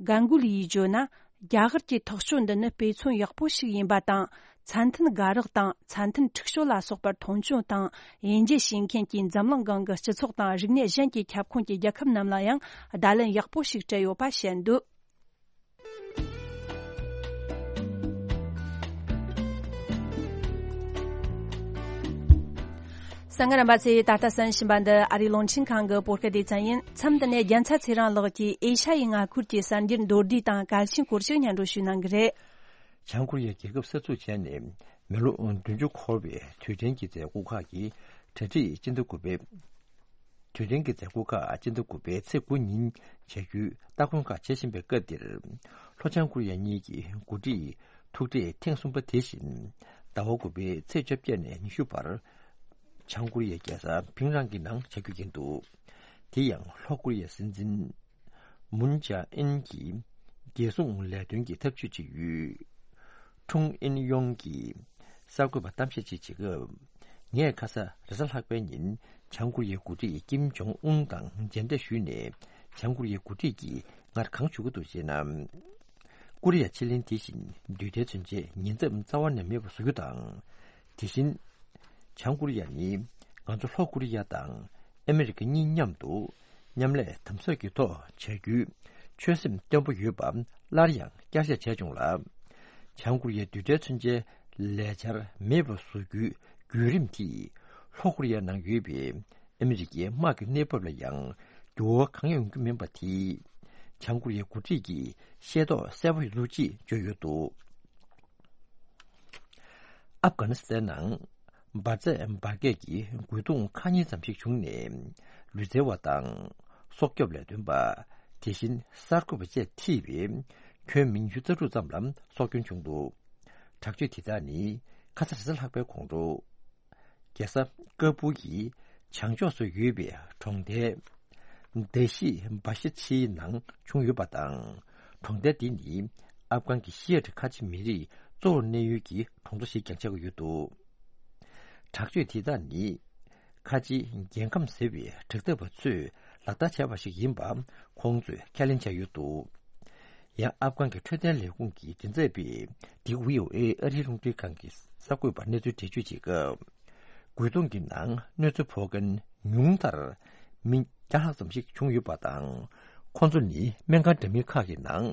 གན་གུ་ལི་ཡིས་བརྗོད་ན། རྒྱ་གར་གྱི་ཐག་གཅོད་འདི་ནི་དཔེ་མཚོན་ཡག་པོ་ཞིག་ཡིན་པ་དང་། ཚད་མཐུན་དགའ་རོགས་དང་ཚད་མཐུན་འཁྲུག་སྤྱོད་ལ་སོགས་པར་མཐོང་ཆུང་དང་དབྱེ་འབྱེད་བྱེད་མཁན་གྱི་འཛམ་གླིང་སྒང་གི་སྤྱི་ཚོགས་དང་རིག་གནས་གཞན་གྱི་ཁྱབ་ཁོངས་ཀྱི་རྒྱལ་ཁབ་རྣམས་ལ་ཡང་བརྡ་ལན་ཡག་པོ་ཞིག་སྤྲད་ཡོད་པ་བཤད་འདུག་གསན་མཁན་རྣམ་པ་ཚོས་ད་ལྟ་གསན་བཞིན་པ་འདི་ཨ་རིའི་རླུང་འཕྲིན་ཁང་གི་བོད་སྐད་སྡེ་ཚན་ཡིན། མཚམས་འདི་ནས་རྒྱལ་མཚན་ཚེ་རིང་ལགས་ཀྱིས་ཨེ་ཤ་ཡའི་མངའ་ཁུལ་གྱི་གསར་འགྱུར་མདོར་བསྡུས་དང་གལ་ཆེན་སྐོར་ཞིག་སྙན་སྒྲོན་ཞུ་གནང་གི་རེད། བྱང་ཀོ་རི་ཡ་རྒྱལ་ཁབ་གསར་འཛུགས་བྱས་ནས་མི་ལོ་བདུན་ཅུ་འཁོར་བའི་དུས་དྲན་གྱི་མཛད་སྒོ་ཁག་གི་གྲ་སྒྲིག་སྤྱི་ཟླ་དགུ་པའི། དུས་དྲན་གྱི་མཛད་སྒོ་ཁག་སྤྱི་ཟླ་དགུ་པའི་ཚེས་དགུ་ཉིན་བྱ་རྒྱུའི་སྟ་གོན་ཁག་བྱེད་བཞིན་པའི་སྐབས་འདིར། ལྷོ་བྱང་ཀོ་རི་ཡ་གཉིས་ཀྱི་འགོ་ཁྲིད་ཐུག་འཕྲད་ཐེངས་གསུམ་པ་དེ་བཞིན་ཟླ་བ་དགུ་པའི་ཚེས་བཅོ་བརྒྱད་ནས་ཉི་ཤུ་བར་བྱང་ཀོ་རི་ཡའི་རྒྱལ་ས་ཕིང་རང་གི་ནང་བྱ་རྒྱུ་ཡིན་འདུག་དེ་ཡང་ལྷོ་ཀོ་རི་ཡའི་སྲིད་འཛིན་མུན་ཇཱ་ཨིན་གྱི་རྒྱལ་སྲུང་ལས་དོན་གྱི་ཐབས་ཇུས་ཅིག་ཡོད། ཁྲུང་ཨིན་ཡོང་གིས་གསར་འགོད་པར་གཏམ་བཤད་ཅིག་བྱེད་སྐབས། ངས་ཁ་ས་རེས་གཟའ་ལྷག་པའི་ཉིན་བྱང་ཀོ་རི་ཡའི་འགོ་ཁྲིད་ཀིམ་ཇོང་ཨུན་དང་མཇལ་འཕྲད་ཞུས་ནས། བྱང་ཀོ་རི་ཡའི་འགོ་ཁྲིད་ཀྱིས་ངར་གང་ཞུ་གི་འདུག་ཅེ་ན། ཀོ་རི་ཡ་ཕྱེད་གླིང་དེ་བཞིན་རྡུལ་ཕྲན་མཚོན་ཆའི་ཉེན་ཚབས་རྩ་བ་ནས་མེད་པ་བཟོ་རྒྱུ་དང་། དེ་བཞིན། བྱང་ཀོ་རི་ཡ་ནི་ང་ཚོ་ལྷོ་ཀོ་རི་ཡ་དང་ཨ་མི་རི་ཀ་གཉིས་མཉམ་དུ་མཉམ་ལས་དམ་ཟབ་ཀྱི་ཐོག་བྱ་རྒྱུའི་ཆོད་སེམས་བརྟན་པོ་ཡོད་པ་སླར་ཡང་བསྐྱར་བཤད་བྱས་བྱུང་ལ། བྱང་ཀོ་རི་ཡའི་རྡུལ་ཕྲན་མཚོན་ཆའི་ལས་འཆར་མེད་པར་བཟོ་རྒྱུའི་བརྒྱུད་རིམ་དེས་ལྷོ་ཀོ་རི་ཡ་ནང་ཡོད་པའི་ཨ་མི་རི་ཀའི་དམག་གི་གནས་བབ་ལ་ཡང་འགྱུར་བ་གང་ཡང་ཡོང་རྒྱུ་མིན་པ་དེས། བྱང་ཀོ་རི་ཡའི་འགོ་ཁྲིད་ཀྱིས་ཤེས་རྟོགས་གསལ་པོ་ཡོད་ལུགས་ཅེས་བརྗོད་ཡོད་འདུག་ཨབ་གྷ་ནི་སི་ཐན་ནང་འབར་རྫས་འབར་གས་ཀྱི་རྒོལ་རྡུང་ཁག་གཉིས་ཙམ་ཞིག་བྱུང་ནས། ལུས་རྩལ་བ་དང་། སྲོག་སྐྱོབ་ལས་དོན་པ། དེ་བཞིན་གསར་འགོད་པ་བཅས་ཐེ་བའི་ཁྱོན་མི་ཉི་ཤུ་རྩ་དྲུག་ཙམ་ལ་སྲོག་སྐྱོན་བྱུང་འདུག་དྲག་སྤྱོད་དེ་དག་ནི་ཁ་ས་རེས་གཟའ་ལྷག་པའི་གོང་དུ། རྒྱལ་ས་ཀ་སྦུལ་གྱི་བྱང་ཕྱོགས་སུ་ཡོད་པའི་གྲོང་རྡལ་དེ་ཤི་བ་ཤི་ཆིའི་ནང་བྱུང་ཡོད་པ་དང་། གྲོང་རྡལ་འདི་ནི་ཨབ་གྷན་གྱི་ཤི་ཡ་ཏི་ཁ་ཆེ་མི་རིགས་གཙོ་བོར་གནས་ཡུལ་གྱི་གྲོང་ཚོ་ཞིག་ཀྱང་ཆགས་ཀྱི་ཡོད་འདུག་དྲག་སྤྱོད་དེ་དག་ནི་ཁ་ཆེའི་རྒྱལ་ཁམས་ཟེར་བའི་དྲག་འཐབ་པ་ཚོས་ལག་བསྟར་བྱས་པ་ཞིག་ཡིན་པ་ཁོང་ཚོས་ཁས་ལེན་བྱས་ཡོད་འདུག་ཡང་ཨབ་གྷན་གྱི་འཕྲོད་བསྟེན་ལས་ཁུངས་ཀྱི་མགྲིན་ཚབ་པས་འདི་བྷི་ཨོ་ཨེ་ཨ་རིའི་རླུང་འཕྲིན་ཁང་གི་གསར་འགོད་པར་གནས་ཚུལ་འགྲེལ་བརྗོད་བྱེད་སྐབས། རྒོལ་རྡུང་གི་ནང་གནོད་འཚེ་ཕོག་མཁན་ཉུང་མཐར་མི་བརྒྱ་ལྷག་ཙམ་ཞིག་བྱུང་ཡོད་པ་དང་། ཁོང་ཚོ་ནི་སྨན་ཁང་འདྲ་མིན་ཁག་གི་ནང་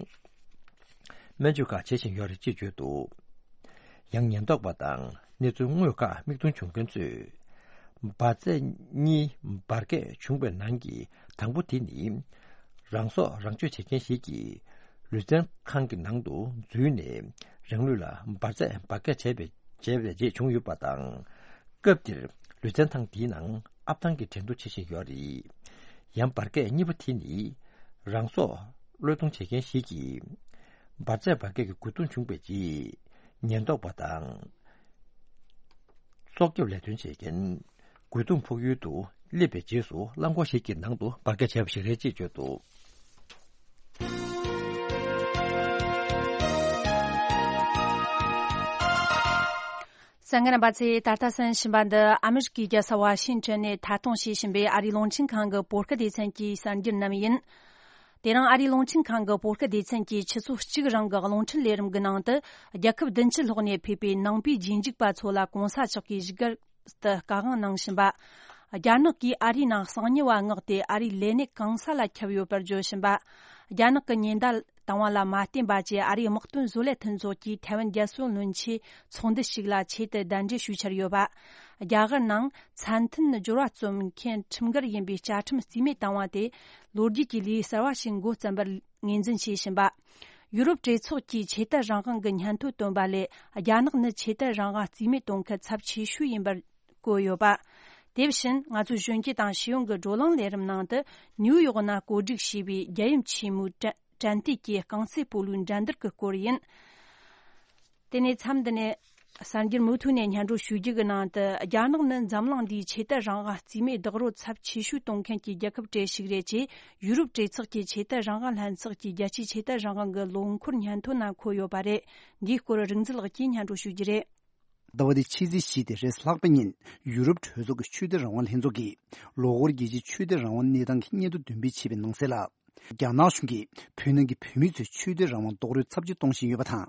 སྨན་བཅོས་ཁག་བྱེད་བཞིན་ཡོད་རེད་ཅེས་བརྗོད་འདུག་ཡང་ཉེན་རྟོག་པ་དང་གནས་ཚུལ་དངོས་ཁག་མིག་མཐོང་བྱུང་མཁན་ཚོས། འབར་རྫས་གཉིས་འབར་གས་བྱུང་བའི་ནང་གི་དང་པོ་དེ་ནི། རང་སྲོག་རང་གཅོད་བྱེད་མཁན་ཞིག་གིས་ལུས་རྩལ་ཁང་གི་ནང་དུ་འཛུལ་ནས་རང་ལུས་ལ་འབར་རྫས་འབར་གས་བྱས་པའི་བྱས་པའི་རྗེས་བྱུང་ཡོད་པ་དང་། སྐབས་དེར་ལུས་རྩལ་ཐང་དེའི་ནང་ཨབ་ཐང་གི་འགྲན་བསྡུར་བྱེད་བཞིན་ཡོད་རེད། ཡང་འབར་གས་གཉིས་པ་དེ་ནི་རང་སྲོག་བློས་གཏོང་བྱེད་མཁན་ཞིག་གིས་འབར་རྫས་འབར་གས་ཀྱི་རྒོལ་རྡུང་བྱུང་བའི་རྗེས་ཉེན་རྟོག་པ་དང་། སྲོག་སྐྱོབ་ལས་དོན་བྱེད་མཁན་རྒོལ་རྡུང་ཕོག་ཡུལ་དུ་སླེབས་པའི་རྗེས་སུ་རླངས་འཁོར་ཞིག་གི་ནང་དུ་འབར་གས་བྱས་པ་ཞིག་རེད་ཅེས་བརྗོད་འདུག་གསན་མཁན་རྣམ་པ་ཚོས་ད་ལྟ་གསན་བཞིན་པ་འདི་ཨ་མི་རི་ཀའི་རྒྱལ་ས་ཝ་ཤིང་ཊོན་ནས་ཐད་གཏོང་བྱེད་བཞིན་པའི་ཨ་རིའི་རླུང་འཕྲིན་ཁང་གི་བོད་སྐད་སྡེ་ཚན་གྱི་གསར་འགྱུར་རྣམས་ཡིན། དེ་རིང་ཨ་རིའི་རླུང་འཕྲིན་ཁང་གི་བོད་སྐད་སྡེ་ཚན་གྱིས་ཆུ་ཚོད་གཅིག་རིང་གི་རླུང་འཕྲིན་ལས་རིམ་གྱི་ནང་དུ། རྒྱལ་ཁབ་བདུན་ཅུ་ལྷག་ནས་ཕེབས་པའི་ནང་པའི་རྗེས་འཇུག་པ་ཚོ་ལ་གོང་ས་མཆོག་གིས་བཞུགས་སྒར་དུ་བཀའ་དབང་གནང་བཞིན་པ། རྒྱ་ནག་གིས་ཨ་རིའི་ནང་གསང་ཉུལ་བ་མངགས་ཏེ་ཨ་རིའི་ལས་གནས་གང་ས་ལ་ཁྱབ་ཡོད་པར་བརྗོད་བཞིན་པ། རྒྱ་ནག་གི་ཉེན་བརྡ་བཏང་བ་ལ་མ་བརྟེན་པ་བཅས་ཨ་རིའི་དམག་དོན་བཟོ་ལས་མཐུན་ཚོགས་ཀྱིས་ཐའེ་ཝན་རྒྱལ་སྲུང་བློན་ཆེན་ཚོགས་འདུ་ཞིག་ལ་ཆེད་དུ་གདན་འདྲེན་ཞུ་འཆར་ཡོད་པ། རྒྱ་གར་ནང་ཚད་མཐུན་སྦྱོར་བ་རྩོམ་མཁན་ཁྲིམས་འགལ་ཡིན་པའི་བཅའ་ཁྲིམས་རྩིས་མེད་བཏང་བ་དེ་ལོ་རྒྱུས་ཀྱི་ལས་གསར་བ་ཞིག་འགོ་བརྩམས་པར་ངོས་འཛིན་བྱེད་བཞིན་པ། ཡུ་རོབ་གྲོས་ཚོགས་ཀྱིས་ཆོས་དད་རང་དབང་གི་སྙན་ཐོ་བཏོན་པ་ལས་རྒྱ་ནག་ནི་ཆོས་དད་རང་དབང་རྩིས་མེད་གཏོང་མཁན་ཚབས་ཆེ་ཤོས་ཡིན་པར་བཀོད་ཡོད་པ། དེ་བཞིན་ང་ཚོའི་གཞོན་སྐྱེས་དང་ཤེས་ཡོན་གྱི་བགྲོ་གླེང་ལས་རིམ་ནང་དུ་ནིའུ་ཡོག་ན་བཀོད་སྒྲིག་བྱས་པའི་རྒྱལ་ཡུམ་ཆེན་མོའི་དྲན་དྲན་རྟེན་གྱི་རྐང་རྩེད་སྤོ་ལོའི་འགྲན་བསྡུར་གྱི་སྐོར་ཡིན། དེ་ནས་མཚམས་འདི་ནས་གསར་འགྱུར་མུ་མཐུད་ནས་སྙན་སྒྲོན་ཞུ་རྒྱུ་གི་ནང་དུ། རྒྱ་ནག་ནི་འཛམ་གླིང་འདིའི་ཆོས་དད་རང་དབང་རྩིས་མེད་རྡོག་རོལ་ཚབས་ཆེ་ཤོས་གཏོང་མཁན་གྱི་རྒྱལ་ཁབ་གྲས་ཤིག་རེད་ཅེས་ཡུ་རོབ་གྲོས་ཚོགས་ཀྱི་ཆོས་དད་རང་དབང་ལྷན་ཚོགས་ཀྱི་རྒྱལ་སྤྱིའི་ཆོས་དད་རང་དབང་གི་ལོ་འཁོར་སྙན་ཐོ་ནང་འཁོད་ཡོད་པ་རེད། འདིའི་སྐོར་རིག་འཛིན་ལགས་ཀྱིས་སྙན་སྒྲོན་ཞུ་རྒྱུ་རེད། ཟླ་བ་འདིའི་ཕྱི་ཚེས་བཞི་སྟེ་རེས་གཟའ་ལྷག་པའི་ཉིན་ཡུ་རོབ་གྲོས་ཚོགས་ཀྱི་ཆོས་དད་རང་དབང་ལྷན་ཚོགས་ཀྱིས་ལོ་འཁོར་རྒྱལ་སྤྱིའི་ཆོས་དད་རང་དབང་གནས་སྟངས་ཀྱི་སྙན་ཐོ་འདོན་སྤེལ་བྱས་པའི་ནང་གསལ་ལ། རྒྱ་ནག་གཞུང་གིས་བོད་ནང་གི་བོད་མི་ཚོའི་ཆོས་དད་རང་དབང་རྡོག་རོལ་ཚབས་ཆེ་གཏོང་བཞིན་ཡོད་པ་དང་།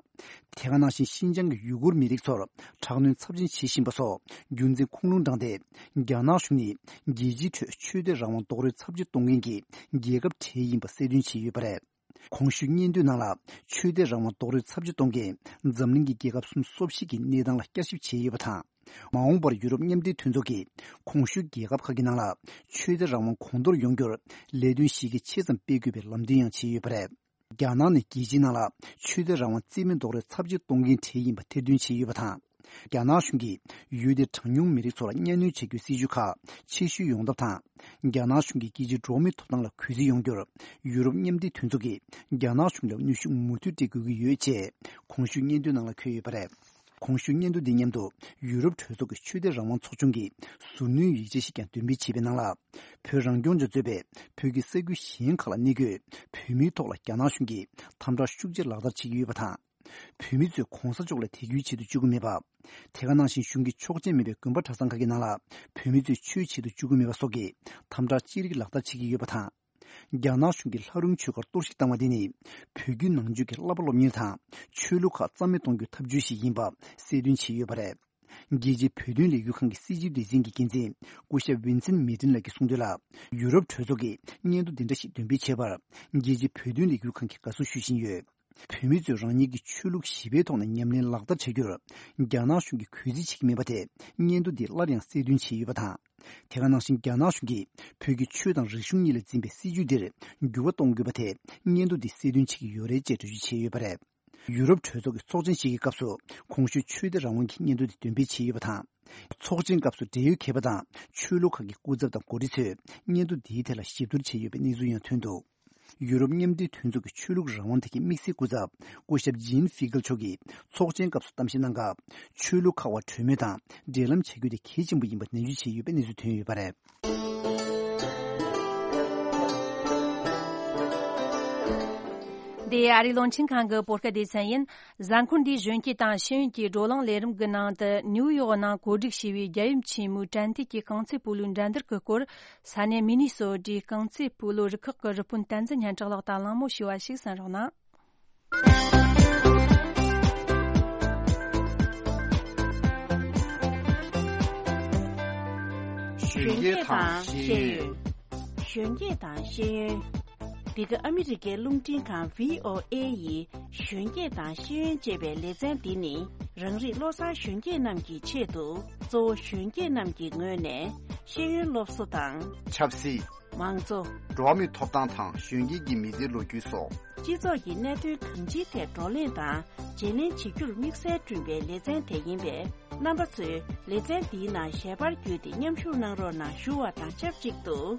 དེ་ག་ནང་བཞིན་ཤིན་ཅང་གི་ཡུ་གུར་མི་རིགས་ཚོར་དྲག་གནོན་ཚབས་ཆེན་བྱེད་བཞིན་པ་སོགས་རྒྱུ་མཚན་ཁུངས་ལུང་དྲངས་ཏེ། རྒྱ་ནག་གཞུང་ནི་རྒྱལ་སྤྱིའི་ཁྲོད་ཆོས་དད་རང་དབང་རྡོག་རོལ་ཚབས་ཆེ་གཏོང་མཁན་གྱི་རྒྱལ་ཁབ་གྲས་ཡིན་པ་གསལ་སྟོན་བྱས་ཡོད་པ་རེད། གོང་ཞུས་སྙན་ཐོའི་ནང་ལ། ཆོས་དད་རང་དབང་རྡོག་རོལ་ཚབས་ཆེ་གཏོང་མཁན་འཛམ་གླིང་གི་རྒྱལ་ཁབ་སུམ་ཅུ་སོ་བཞི་གི་གནས་སྟངས་ལ་བསྐྱར་ཞིབ་བྱས་ཡོད་པ་དང་། མ་འོངས་པར་ཡུ་རོབ་མཉམ་འབྲེལ་མཐུན་ཚོགས་ཀྱིས་གོང་ཞུས་རྒྱལ་ཁབ་ཁག་གི་ནང་ལ་ཆོས་དད་རང་དབང་གོང་མཐོར་ཡོང་རྒྱུར་ལས་དོན་གཞི་རྒྱ་ཆེ་ཙམ་སྤེལ་དགོས་པའི་ལམ་སྟོན་ཡང་བྱས་ཡོད་པ་རེད། རྒྱ་ནག་ནི་རྒྱལ་སྤྱིའི་ནང་ལ་ཆོས་དད་རང་དབང་རྩིས་མེད་རྡོག་རོལ་ཚབས་ཆེ་གཏོང་མཁན་གྲས་ཡིན་པ་ཐེར་འདོན་བྱས་ཡོད་པ་དང་། རྒྱ་ནག་གཞུང་གིས་ཡུལ་དེའི་གྲངས་ཉུང་མི་རིགས་ཚོ་ལ་གཉའ་གནོན་བྱེད་རྒྱུའི་སྲིད་ཇུས་ཁག་ཆེ་ཤོས་ཡོང་ཐབས་དང་། རྒྱ་ནག་གཞུང་གིས་རྒྱལ་སྤྱིའི་འགྲོ་བ་མིའི་ཐོབ་ཐང་ལ་གུས་བརྩི་ཡོང་རྒྱུར་ཡུ་རོབ་མཉམ་འབྲེལ་མཐུན་ཚོགས་ཀྱིས་རྒྱ་ནག་གཞུང་ལ་གནོན་ཤུགས་མུ་མཐུད་སྤྲད་དགོས་ཀྱི་ཡོད་ཅེས་གོང་ཞུས་སྙན་ཐོའི་ནང་ལ་འཁོད་ཡོད་པ་རེད། གོང་ཞུས་སྙན་ཐོ་འདི་མཉམ་དུ་ཡུ་རོབ་གྲོས་ཚོགས་ཀྱི་ཆོས་དད་རང་དབང་ཚོགས་ཆུང་གིས་ཟུར་སྣོན་ཡིག་ཆ་ཞིག་ཀྱང་འདོན་སྤེལ་བྱས་པའི་ནང་ལ། བོད་རང་སྐྱོང་ལྗོངས་གཙོས་པའི་བོད་ཀྱི་ས་ཁུལ་གཞན་ཁག་ལ་གནས་འཁོད་བོད་མིའི་ཐོག་ལ་རྒྱ་ནག་གཞུང་གིས་དམ་དྲག་ཤུགས་ཆེ་ལག་བསྟར་བྱེད་ཀྱི་ཡོད་པ་དང་། བོད་མི་ཚོས་གོང་ས་མཆོག་ལ་དད་གུས་བྱེད་དུ་བཅུག་གི་མེད་པ། དེ་ག་ནང་བཞིན་གཞུང་གི་ཆོག་མཆན་མེད་པའི་དགོན་པ་གྲྭ་ཚང་ཁག་གི་ནང་ལ་བོད་མི་ཚོས་ཆོས་བྱེད་དུ་བཅུག་གི་མེད་པ་སོགས་ཀྱི་དམ་དྲག་ཅི་རིགས་ལག་བསྟར་བྱེད་ཀྱི་ཡོད་པ་དང་། རྒྱ་ནག་གཞུང་གིས་ལྷ་རུང་ཆོས་སྒར་གཏོར་བཤིག་བཏང་བ་དེ་ནི། བོད་བརྒྱུད་ནང་ཆོས་ཀྱི་བསླབ་པ་སློབ་གཉེར་དང་ཆོས་ལུགས་ཁག་རྩ་མེད་གཏོང་རྒྱུའི་ཐབས་བྱུས་ཤིག་ཡིན་པ་གསལ་སྟོན་བྱས་ཡོད་པ་རེད། རྒྱལ་སྤྱིའི་བོད་དོན་ལས་འགུལ་ཁང་གི་སྲིད་བྱུས་སྡེ་ཚན་གྱི་འགན་འཛིན་སྐུ་ཞབས་ཝིན་སེན་མི་ཏིན་ལགས་ཀྱིས་གསུངས་དོན་ལ། ཡུ་རོབ་གྲོས་ཚོགས་ཀྱིས་སྙན་ཐོ་འདི་འདྲ་ཞིག་འདོན་སྤེལ་བྱས་པར། རྒྱལ་སྤྱིའི་བོད་དོན་ལས་འགུལ་ཁང་གིས་དགའ་བསུ་ཞུ་བཞིན་ཡོད། བོད་མི་ཚོས་རང་ཉིད་ཀྱི་ཆོས་ལུགས་ཞི་བའི་ཐོག་ནས་ཉམས་ལེན་ལག་བསྟར་བྱ་རྒྱུར། རྒྱ་ནག་གཞུང་གིས་གུས་བརྩི་བྱེད་ཀྱི་མེད་པ་དེ་སྙན་ཐོ་འདིས་སླར་ཡང་གསལ་སྟོན་བྱས་ཡོད་པ་དང་། དེ་ག་ནང་བཞིན་རྒྱ་ནག་གཞུང་གིས་བོད་ཀྱི་ཆོས་དང་རིག་གཞུང་གཉིས་ལ་འཛིན་པའི་སྲིད་བྱུས་འདིར་འགྱུར་བ་གཏོང་དགོས་པ་དེ་སྙན་ཐོ་འདིས་གསལ་སྟོན་བྱེད་ཀྱི་ཡོད་རེད་ཅེས་འགྲེལ་བརྗོད་བྱས་ཡོད་པ་རེད། ཡུ་རོབ་གྲོས་ཚོགས་ཀྱི་ཚོགས་ཆེན་ཞིག་གི་སྐབས་སུ་གོང་ཞུས་ཆོས་དད་རང་དབང་གི་སྙན་ཐོ་དེ་འདོན་སྤེལ་བྱས་ཡོད་པ་དང་། ཚོགས་ཆེན་སྐབས་སུ་འབྲེལ་ཡོད་མཁས་པ་དང་ཆོས་ལུགས་ཁག་གི་སྐུ་ཚབ་དང་འགོ་ཁྲིད་ཚོས་སྙན་ཐོ་འདིའི་ཐད་ལ་ཞིབ་བསྡུར་བྱས་ཡོད་པའི་གནས་ཚུལ་ཡང་ཐོན་འདུག་ཡུ་རོབ་མཉམ་འབྲེལ་མཐུན་ཚོགས་ཀྱི་ཆོས་ལུགས་རང་དབང་ཐད་ཀྱི་དམིགས་བསལ་སྐུ་ཚབ་སྐུ་ཞབས་ཇིན་ཧྥི་གལ་མཆོག་གིས་ཚོགས་ཆེན་སྐབས་སུ་གཏམ་བཤད་གནང་སྐབས། ཆོས་ལུགས་ཁག་དབར་གྲོས་མོལ་དང་འབྲེལ་ལམ་བྱ་རྒྱུ་དེ་གལ་ཆེན་པོ་ཡིན་པ་ནན་བརྗོད་བྱས་ཡོད་པའི་གནས་ཚུལ་ཐོན་ཡོད་པ་རེད། འདི་ཨ་རིའི་རླུང་འཕྲིན་ཁང་གི་བོད་སྐད་སྡེ་ཚན་ཡིན། གཟའ་འཁོར་འདིའི་གཞོན་སྐྱེས་དང་ཤེས་ཡོན་གྱི་བགྲོ་གླེང་ལས་རིམ་གྱི་ནང་དུ་ནིའུ་ཡོག་ནང་གོ་སྒྲིག་བྱས་པའི་རྒྱལ་ཡུམ་ཆེན་མོའི་དྲན་རྟེན་གྱི་རྐང་རྩེད་སྤོ་ལོའི་འགྲན་བསྡུར་གྱི་སྐོར། ས་གནས་མི་ནི་སོ་ཊའི་རྐང་རྩེད་སྤོ་ལོ་རུ་ཁག་གི་རུ་དཔོན་བསྟན་འཛིན་སྙན་གྲགས་ལགས་དང་གླེང་མོལ་ཞུས་པ་ཞིག་གསན་རོགས་གནང་། གཞོན་སྐྱེས་དང་ཤེས་ཡོན། གཞོན་སྐྱེས་དང་ཤེས་ཡོན། འདི་ག་ཨ་མི་རི་ཀའི་རླུང་འཕྲིན་ཁང་བྷི་ཨོ་ཨེ་ཡི་གཞོན་སྐྱེས་དང་ཤེས་ཡོན་ཅེས་པའི་ལེ་ཚན་འདི་ནི། རང་རིགས་བློ་བཟང་གཞོན་སྐྱེས་རྣམས་ཀྱི་ཆེད་དུ། གཙོ་བོ་གཞོན་སྐྱེས་རྣམས་ཀྱི་ངོས་ནས་ཤེས་ཡོན་སློབ་གསོ་དང་། ཆབ་སྲིད། མང་གཙོ། འགྲོ་བ་མིའི་ཐོབ་ཐང་དང་གཞོན་སྐྱེས་ཀྱི་མི་ཚེའི་ལོ་རྒྱུས་སོགས། སྤྱི་ཚོགས་ཀྱི་གནད་དོན་གང་ཅིའི་ཐད་བགྲོ་གླེང་དང་བརྗེ་ལེན་བྱེད་རྒྱུར་དམིགས་བསལ་བསྐྲུན་པའི་ལེ་ཚན་དེ་ཡིན་པས། རྣམ་པ་ཚོས་ལེ་ཚན་འདིའི་ནང་ཞལ་པར་བརྒྱུད་དེ་མཉམ་ཞུགས་གནང་རོགས་གནང་ཞུ་བ་དང་ཆབས་ཅིག་ཏུ།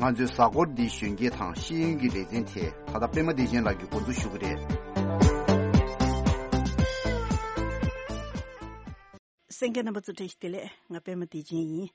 ང་ཚོའི་གཟའ་འཁོར་འདིའི་གཞོན་སྐྱེས་དང་ཤེས་ཡོན་གྱི་ལེ་ཚན་དེ་ད་ལྟ་པད་མ་བདེ་ཆེན་ལགས་ཀྱིས་འགོ་འཛུགས་ཞུ་གི་རེད། གསན་མཁན་རྣམ་པ་ཚོ་བཀྲ་ཤིས་བདེ་ལེགས། ང་པད་མ་བདེ་ཆེན་ཡིན།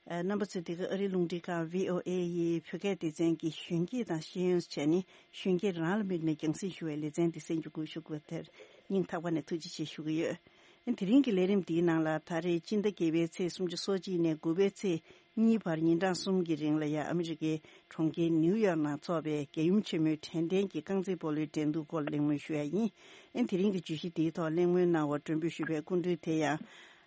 ཨ། རྣམ་པ་ཚོས་འདི་ག་ཨ་རིའི་རླུང་འཕྲིན་ཁང་བྷི་ཨོ་ཨེ་ཡི་བོད་སྐད་སྡེ་ཚན་གྱི་གཞོན་སྐྱེས་དང་ཤེས་ཡོན་ཟེར་ནས་གཞོན་སྐྱེས་རང་ལ་དམིགས་ནས་རྒྱང་སྲིང་ཞུ་བའི་ལེ་ཚན་འདི་གསན་རྒྱུ་སྒུག་ཞུ་དགོས་དེར་སྙིང་ཐག་པ་ནས་ཐུགས་རྗེ་ཆེ་ཞུ་གི་ཡོད། ཨ། དེ་རིང་གི་ལས་རིམ་འདིའི་ནང་ལ་ད་རེས་སྤྱི་ཟླ་བརྒྱད་པའི་ཚེས་སུམ་ཅུ་སོ་གཅིག་ནས་དགུ་པའི་ཚེས་གཉིས་བར་ཉིན་གྲངས་གསུམ་གྱི་རིང་ལ་ཡ་ཨ་མི་རི་ཀའི་གྲོང་ཁྱེར་ནིའུ་ཡོག་ནང་འཚོགས་པའི་རྒྱལ་ཡུམ་ཆེན་མོའི་དྲན་རྟེན་གྱི་རྐང་རྩེད་སྤོ་ལོའི་འགྲན་བསྡུར་སྐོར་གླེང་མོལ་ཞུ་ཡ་ཡིན། ཨ། དེ་རིང་གི་བརྗོད་གཞི་འདིའི་ཐོག་གླེང་མོལ་གནང་བར་མགྲོན་འབོད་ཞུས་པའི་སྐུ་མགྲོན་དེ་ཡང་།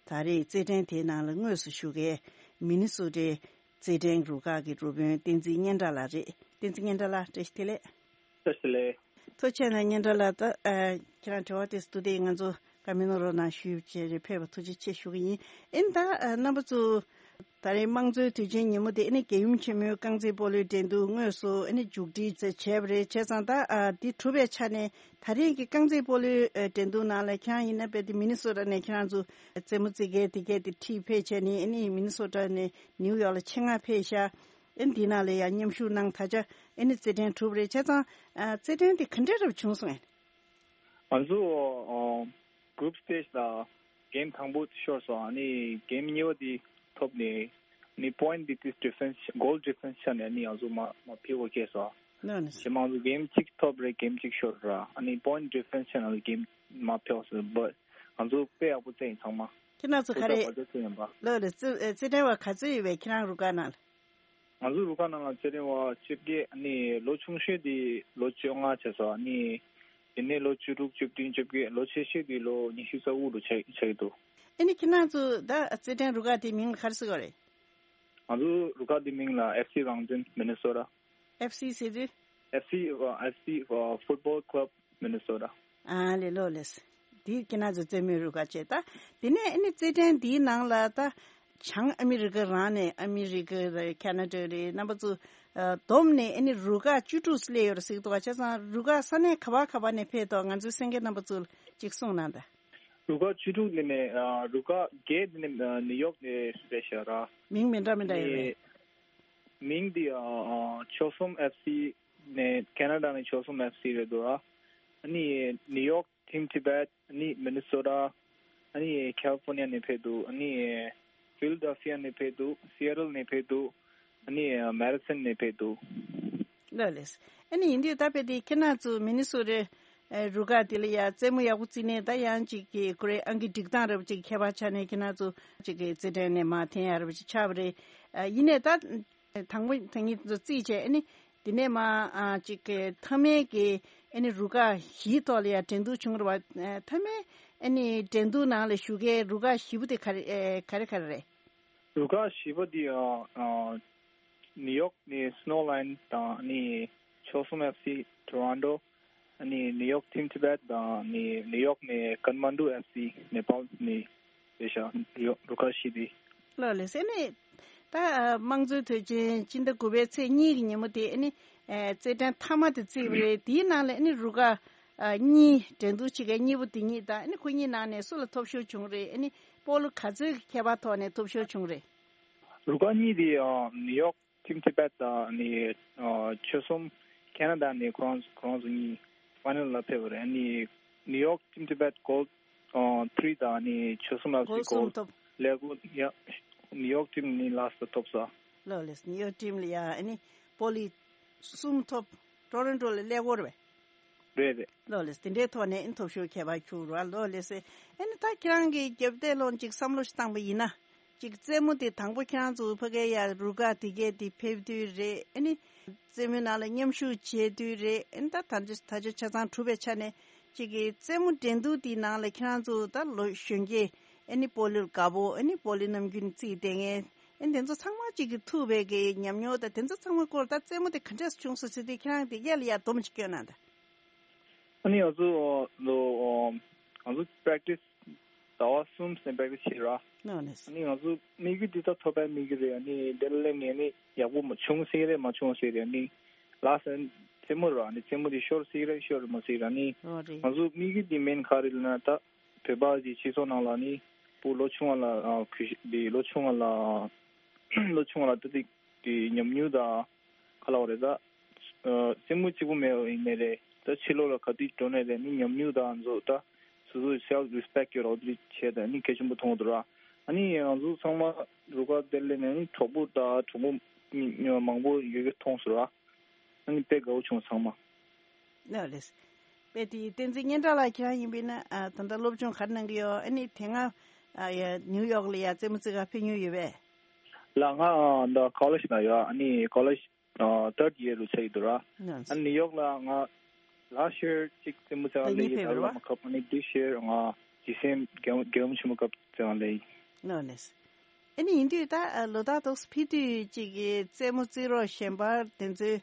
ད་རེས་རྩེད་འགྲན་དེའི་ནང་ལ་དངོས་སུ་ཞུགས་མཁན་མི་ནི་སོ་ཊའི་རྩེད་འགྲན་རུ་ཁག་གི་རུ་དཔོན་བསྟན་འཛིན་སྙན་གྲགས་ལགས་རེད། བསྟན་འཛིན་སྙན་གྲགས་ལགས་བཀྲ་ཤིས་བདེ་ལེགས། བཀྲ་ཤིས་བདེ་ལེགས། ཐུགས་རྗེ་ཆེ་གནང་སྙན་གྲགས་ལགས། ད་ཨ་ཁྱེད་རང་དྲི་བ་དེ་ཚོ་ཐུགས་བདེ་ང་ཚོ་བཀའ་མོལ་གནང་རོགས་གནང་ཞུས་བྱས་རེད་ཕེབས་པ་ཐུགས་རྗེ་ཆེ་ཞུ་གི་ཡིན། ཨིན་ད་ཨ་རྣམ་པ་ཚོ་ད་རེས་དམངས་གཙོའི་དུས་ཆེན་ཉིན་མོ་དེ་ཨ་ནི་རྒྱལ་ཡུམ་ཆེན་མོའི་རྐང་རྩེད་སྤོ་ལོའི་འགྲན་བསྡུར་དངོས་སུ་ཨ་ནི་མཇུག་སྒྲིལ་བྱས་པ་རེད། བྱས་ཙང་ད་ཨ་འདི་གྲུབ་པའི་ཆ་ནས་ད་རེས་ཀྱི་རྐང་རྩེད་སྤོ་ལོའི་ཨ་འགྲན་བསྡུར་ནང་ལ་ཁྱེད་རང་ཡིན་ན་རྦད་དེ་མི་ནི་སོ་ཊ་ནས་ཁྱེད་རང་ཚོ་རྩེད་མོ་རྩེ་མཁན་དེ་གས་དེ་ཁྲིད་ཕེབས་བྱས་ནས་ཨ་ནི་མི་ནི་སོ་ཊ་ནས་ནིའུ་ཡོག་ལ་ཆེད་མངགས་ཕེབས་ཤག་ཨ་ནི་འདི་ནང་ལ་ཡང་མཉམ་ཞུགས་གནང་། ད་ཆ་ཨ་ནི་རྩེད་འགྲན་གྲུབ་པ་རེད། བྱས་ཙང་ཨ་རྩེད་འགྲན་དེ་ག་འདྲ་འདྲ་བྱུང་སོང་ངས། ང་ཚོ་ཨ་group stage ལ་game དང་པོ་ཤོར་སོང་། ཨ་ནི་game གཉིས་པ་དེ་ཐོབ་ནས་ཨ་ནི་point དེ་དེ་difference goal difference ཆ་ནས་ཨ་ནི་ང་ཚོ་མ་མ་ཕེབས་པ་སྐྱེས་སོང་། ནོ་ནོ། ཞེ་མང་ཚོ་game གཅིག་ཐོབ་རེད། game གཅིག་ཤོར་ར། ཨ་ནི་point difference ཆ་ནས་game མ་ཕེབས་སོང་། but ང་ཚོ་དཔེ་ཡག་པོ་རྩེ་ཡིན་ཚང་མ། ཁྱེད་རང་ཚོ་ག་རེ། ལོ་ལ་རྩེ་རྩེད་འགྲན་བ་ག་ཚོད་ཡོད་པས་ཁྱེད་རང་རུ་ཁག་ནང་ལ། ང་ཚོ་རུ་ཁག་ནང་ལ་རྩེད་འགྲན་བ་བཅོ་བརྒྱད། ཨ་ནི་ལོ་ཆུང་ཤོས་དེ་ལོ་བཅོ་ལྔ་བྱས་སོང་། ཨ་ནི་དེ་ནས་ལོ་བཅུ་དྲུག་བཅུ་བདུན་བཅོ་བརྒྱད། ལོ་ཆེ་ཤོས་དེ་ལོ་ཉི་ཤུ་རྩ་དགུ་ལོ་ཆགས་ཆགས་ཀྱི་འདུག་ཨ་ནི་ཁྱེད་རང་ཚོ་ད་རྩེད་འགྲན་རུ་ཁག་དེའི་མིང་ལ་ག་རེ་ཟེར་གྱི་ཡོད་རེད། ང་ཚོ་རུ་ཁག་དེའི་མིང་ལ་ཨེཕ་སི་རང་བཙན་མི་ནི་སོ་ཊ། ཨེཕ་སི་ཟེར་དུས། ཨེཕ་སི། ཨ། ཨེཕ་སི། ཨ། Football Club Minnesota། ཨ་ལེ། ལོ་ལེས། འདི་ཁྱེད་རང་ཚོ་རྩེད་མོའི་རུ་ཁག་བྱས། ད་དེ་ནས་ཨ་ནི་རྩེད་འགྲན་འདིའི་ནང་ལ་ད་བྱང་ཨ་མི་རི་ཀ་རང་ནས། ཨ་མི་རི་ཀ་རེད། ཁ་ན་ཌ་རེད། རྣམ་པ་ཚོ་ཨ་བསྡོམས་ནས་ཨ་ནི་རུ་ཁག་བཅུ་དྲུག་སླེབས་ཡོད་རེད་ཟེར་གྱི་འདུག་བ། བྱས་ཙང་རུ་ཁག་ས་གནས་ག་བ་ག་བ་ནས་ཕེབས་འདུག་ང་ཚོའི་གསན་མཁན་རྣམ་པ་ཚོ་ལ་ཅིག་གསུངས་གནང་དང་། རུ་ཁག་བཅུ་དྲུག་འདི་ནས་ཨ་རུ་ཁག་བརྒྱད་འདི་ནས་ཨ་ནིའུ་ཡོག་ནས་རེད་ཤག་ར། མིང་མི་འདྲ་མི་འདྲ་ཡོད་རེད། མིང་འདི་ཨ་ཨ་ཆོལ་གསུམ་ཨེཕ་སི་ནས། ཁེ་ན་ཌ་ནས་ཆོལ་གསུམ་ཨེཕ་སི་རེད་འདུག་ཨ། ཨ་ནི་ནིའུ་ཡོག་ཊིམ་ཊི་བེཊ། ཨ་ནི་མི་ནི་སོ་ཊ། ཨ་ནི་ཁ་ལི་ཕོར་ནི་ཡ་ནས་ཕེབས་འདུག་ཨ་ནི་ཕི་ལ་ཌེལ་ཕི་ཡ་ནས་ཕེབས་འདུག་སི་ཨེ་ཊལ་ནས་ཕེབས་འདུག་ཨ་ནི་མེ་ཌི་སན་ནས་ཕེབས་འདུག་ལགས་ལགས། ཨ་ནི་ཡིན་དུས་ད་དཔེ་དེ་ཁྱེད་རང་ཚོ་མི་ནི་སོ་ཊའི་ཨེ་རུ་ཁག་དེ་ལ་ཡ་རྩེད་མོ་ཡག་པོ་རྩེས་ནས། ད་ཡང་ཅིག་གི་ཁོ་རའི་ཨང་ཀི་སྒྲིག་སྟངས་ར་བ་ཅིག་ཁྱད་པར་ཆགས་ནས། ཁྱེད་རང་ཚོ་ཅིག་གི་རྩེད་འགྲན་ནས་མར་འཐེན་ཡ་ར་བ་ཅིག་ཆགས་པ་རེད། ཨ་ཡིན་ནའི་ད་དང་པོ་ད་ངེད་ཚོ་རྩིས་བྱས། ཨ་ནི་དེ་ནས་མར་ཨ་ཅིག་གི་མཐའ་མའི་གི་ཨ་ནི་རུ་ཁག་བཞིའི་ཐོག་ལ་ཡ་འགྲན་བསྡུར་བྱུང་ར་བ། ཨ་མཐའ་མའི་ཨ་ནི་འགྲན་བསྡུར་ནང་ལ་ཞུགས་མཁན་རུ་ཁག་བཞི་པོ་དེ་ག་རེ་ཨེ་ག་རེ་ག་རེ་རེད། རུ་ཁག་བཞི་པོ་དེ་ཨ་ཨ་ནིའུ་ཡོག་ནས་སི་ནོ་ལ་ཡོན་དང་། ཨ་ནི་ཆོལ་གསུམ་ཨེཕ་སི་ཊོ་རོན་ཊོ། ཨ་ནི་ནིའུ་ཡོག་ཊིམ་ཊི་བེཊ་དང་། ཨ་ནི་ནིའུ་ཡོག་ནས་ཀ་ཐ་མན་ཌུ་ཨེཕ་སི་ནེ་པཱལ་ནས་རེད་ཤག་རུ་ཁག་བཞི་དེ། ལགས་ལགས། ཨ་ནི་ད་ཨ་དམངས་གཙོའི་དུས་ཆེན་སྤྱི་ཟླ་དགུ་པའི་ཚེས་གཉིས་ཀྱི་ཉིན་མོ་དེ་ཨ་ནི་ཨ་རྩེད་འགྲན་མཐའ་མ་དེ་རྩིས་པ་རེད། དེའི་ནང་ལ་ཨ་ནི་རུ་ཁག་ཨ་གཉིས་འགྲན་བསྡུར་བྱེད་མཁན་གཉིས་པོ་དེ་གཉིས་དང་། ཨ་ནི་ཁོ་གཉིས་ནང་ནས་སུ་ལ་ཐོབ་ཤོར་བྱུང་རེད། ཨ་ནི་སྤོ་ལོ་ག་ཚོད་ཀྱི་ཁྱད་པར་ཐོག་ནས་ཐོབ་ཤོར་བྱུང་རེད། རུ་ཁག་གཉིས་དེ་ཨ་ནིའུ་ཡོག་ཊིམ་ཊི་བེཊ་དང་། ཨ་ནི་ཨ་ཆོལ་གསུམ་ཁེ་ན་ཌ་ནས་ཁོ་རང་ཁོ་རང་ཚོ་གཉིས་ཕའི་ནལ་ལ་ཕེབས་པ་རེད། ཨ་ནི་ནིའུ་ཡོག་ཊིམ་ཊི་བེཊ་གོལ་ཨ་ཐི་རི་དང་། ཨ་ནི་ཆོལ་གསུམ་ཨེཕ་སི་གོལ་གསུམ་གོལ་ཐོབ། ཀླད་ཀོར་ཡ། ནིའུ་ཡོག་ཊིམ་ནི་ལ་སི་ཊི་ཐོབ་ས། ལགས་ལགས། ནིའུ་ཡོག་ཊིམ་ལ་ཡ་ཨ་ནི་སྤོ་ལོ་གསུམ་ཐོབ། ཊོ་རོན་ཊོ་ལ་ཀླད་ཀོར་རེད་པས། རེད་རེད། ལགས་ལགས། དེ་འདྲའི་ཐོག་ནས་ཨ་ནི་ཐོབ་ཤོར་ཁྱད་པར་འཕྱུར་བ། ལགས་ལགས་སེ། ཨ་ནི་ད་ཁྱེད་རང་གིས་རྒྱབ་བལྟས་ལོང་ཅིག་བསམ་བློ་ཞིག་བཏང་པ་ཡིན་ན། ཅིག་རྩེད་མོ་དེ་དང་པོ་ཁྱེད་རང་ཚོ་ཕ་གིའི་ཡ་རུ་ཁག་དེ་གས་དེ་ཕེབས་དུས་རེད། ཨ་ནི་རྩེད་མོའི་ནང་ལ་མཉམ་ཞུགས་བྱེད་དུས་རེད། ཨ་ནི་ད་ད་ཆ་ད་ཆ་ཆ་ཚང་གྲུབ་པའི་ཆ་ནས་ཅིག་གི་རྩེད་མོ་འགྲན་བསྡུར་དེའི་ནང་ལ་ཁྱེད་རང་ཚོ་ད་ལོ་གཞོན་སྐྱེས་ཨ་ནི་སྤོ་ལོར་དགའ་པོ། ཨ་ནི་སྤོ་ལོའི་ནམ་རྒྱུན་རྩེད་བསྡད་མཁན། ཨ་ནི་དེ་ཚོ་ཚང་མ་གཅིག་གིས་ཐུག་པའི་གི་ཉམས་མྱོང་དང་དེ་ཚོ་ཚང་མ་སྐོར། ད་རྩེད་མོ་དེ་ག་འདྲས་བྱུང་སོང་ཟེར་དུས་ཁྱེད་རང་དེ་ག་ལ་ཡ་སྡོམ་ཅིག་སྐྱོན་གནང་དང་། ཨ་ནི་ང་ཚོ་ལོ་ང་ཚོ་པེ་རེག་ཊི་སི་ཟླ་བ་གསུམ་ཙམ་པེ་རེག་ཊི་སི་བྱས་ར། ཨ་ནི་ང་ཚོ་དམིགས་ཡུལ་འདི་ད་ཐོབ་པའི་དམིགས་ཡུལ་རེད། ཨ་ནི་དེ་ལ་སླེབས་ནས་ཨ་ནི་ཡག་པོ་མ་བྱུང་སྲིད་རེད་མ་བྱུང་སྲིད་རེད། ཨ་ནི་ལ་སི་ཊི་རྩེད་མོ་ར། ཨ་ནི་རྩེད་མོ་འདི་ཤོར་སྲིད་རེད་ཤོར་མ་སྲིད་ར། ཨ་ནི་ང་ཚོ་དམིགས་ཡུལ་འདི་མེན་ག་རེ་ལབ་ན། ད་བོད་པ་གི་སྤྱི་ཚོགས་ནང་ལ་ནི་བུ་ལོ་ཆུང་བ་ལ་ཨ་གུས་ཞབས་འདི་ལོ་ཆུང་བ་ལ་ལོ་ཆུང་བ་ལ་ད་ཏིག་གི་ཉམས་མྱོང་དང་ག་ལབ་དགོས་རེད། ད་ཨ་རྩེད་མོ་གཅིག་པུ་མེད་པ་ཡིན་ནའི་རེད། ད་ཕྱི་ལོགས་ལ་ག་དུས་འགྲོ་ནའི་རེད། ནི་ཉམས་མྱོང་དང་ཚོ་ད་སོ་སོའི་སེལ་ཕི་རེ་སི་པེག་ཊི་ཡོད་རོགས་དེ་བྱས་ད་ནི་གལ་ཆེན་པོ་མཐོང་གི་འདུག་ར། ཨ་ནི་ང་ཚོ་ཚང་མ་རུ་ཁག་དེར་སླེབས་ནས་ནི་གྲོགས་པོ་དང་གྲོགས་པོ་མང་པོ་ཡོད་རྒྱུ་མཐོང་སོང་ར། ཨ་ནི་དཔེ་དགའ་བོ་བྱུང་ཚང་མ། ལགས་རེད། དཔེ་དེ་བསྟན་འཛིན་སྙན་གྲགས་ལགས་ཁྱེད་རང་ཡིན་པས་ན་ཨ་ད་ལྟ་སློབ་སྦྱོང་ག་རེ་གནང་གི་ཡོད། ཨ་ནི་དེ་སྔ་ཨ་ཡ་ནིའུ་ཡོག་ལ་ཡ་རྩེད་མོ་རྩེ་ག་ཕེབས་མྱོང་ཡོད་པས། ལགས་ང་ཨ་ད་ཀོ་ལེཇ་ནང་ཡོད། ཨ་ནི་ཀོ་ལེཇ་ཨ་ཐར་ཌི་ཡར་རུ་ཆགས་ཡོད་འདུག་ར། ལགས། ཨ་ནི་ནིའུ་ཡོག་ལ་ང་ལཱ་སི་ཊི་ཡར་གཅིག་རྩེད་མོ་རྩེ་ག་ད་སླེབས་ཡིན་ཡིན་ཕེབས་ད་རེད་བ། ལ་མ་ཁབ། ཨ་ནི་དིས་ཡར་ང་ཇི་སི་ཨེམ་རྒྱལ་རྒྱལ་ཡུམ་ཆེན་མོ་ཁབ་རྩེ་ག་སླེབས་ཡིན། ལགས་ལགས། ཨ་ནི་ཡིན་དུས་ད་ལོ་ལྟར་ཏོག་ཙམ་ཕེབས་དུས་གཅིག་གི་རྩེད་མོ་རྩེད་རོགས་གཞན་པ་དེ་ཚོའི་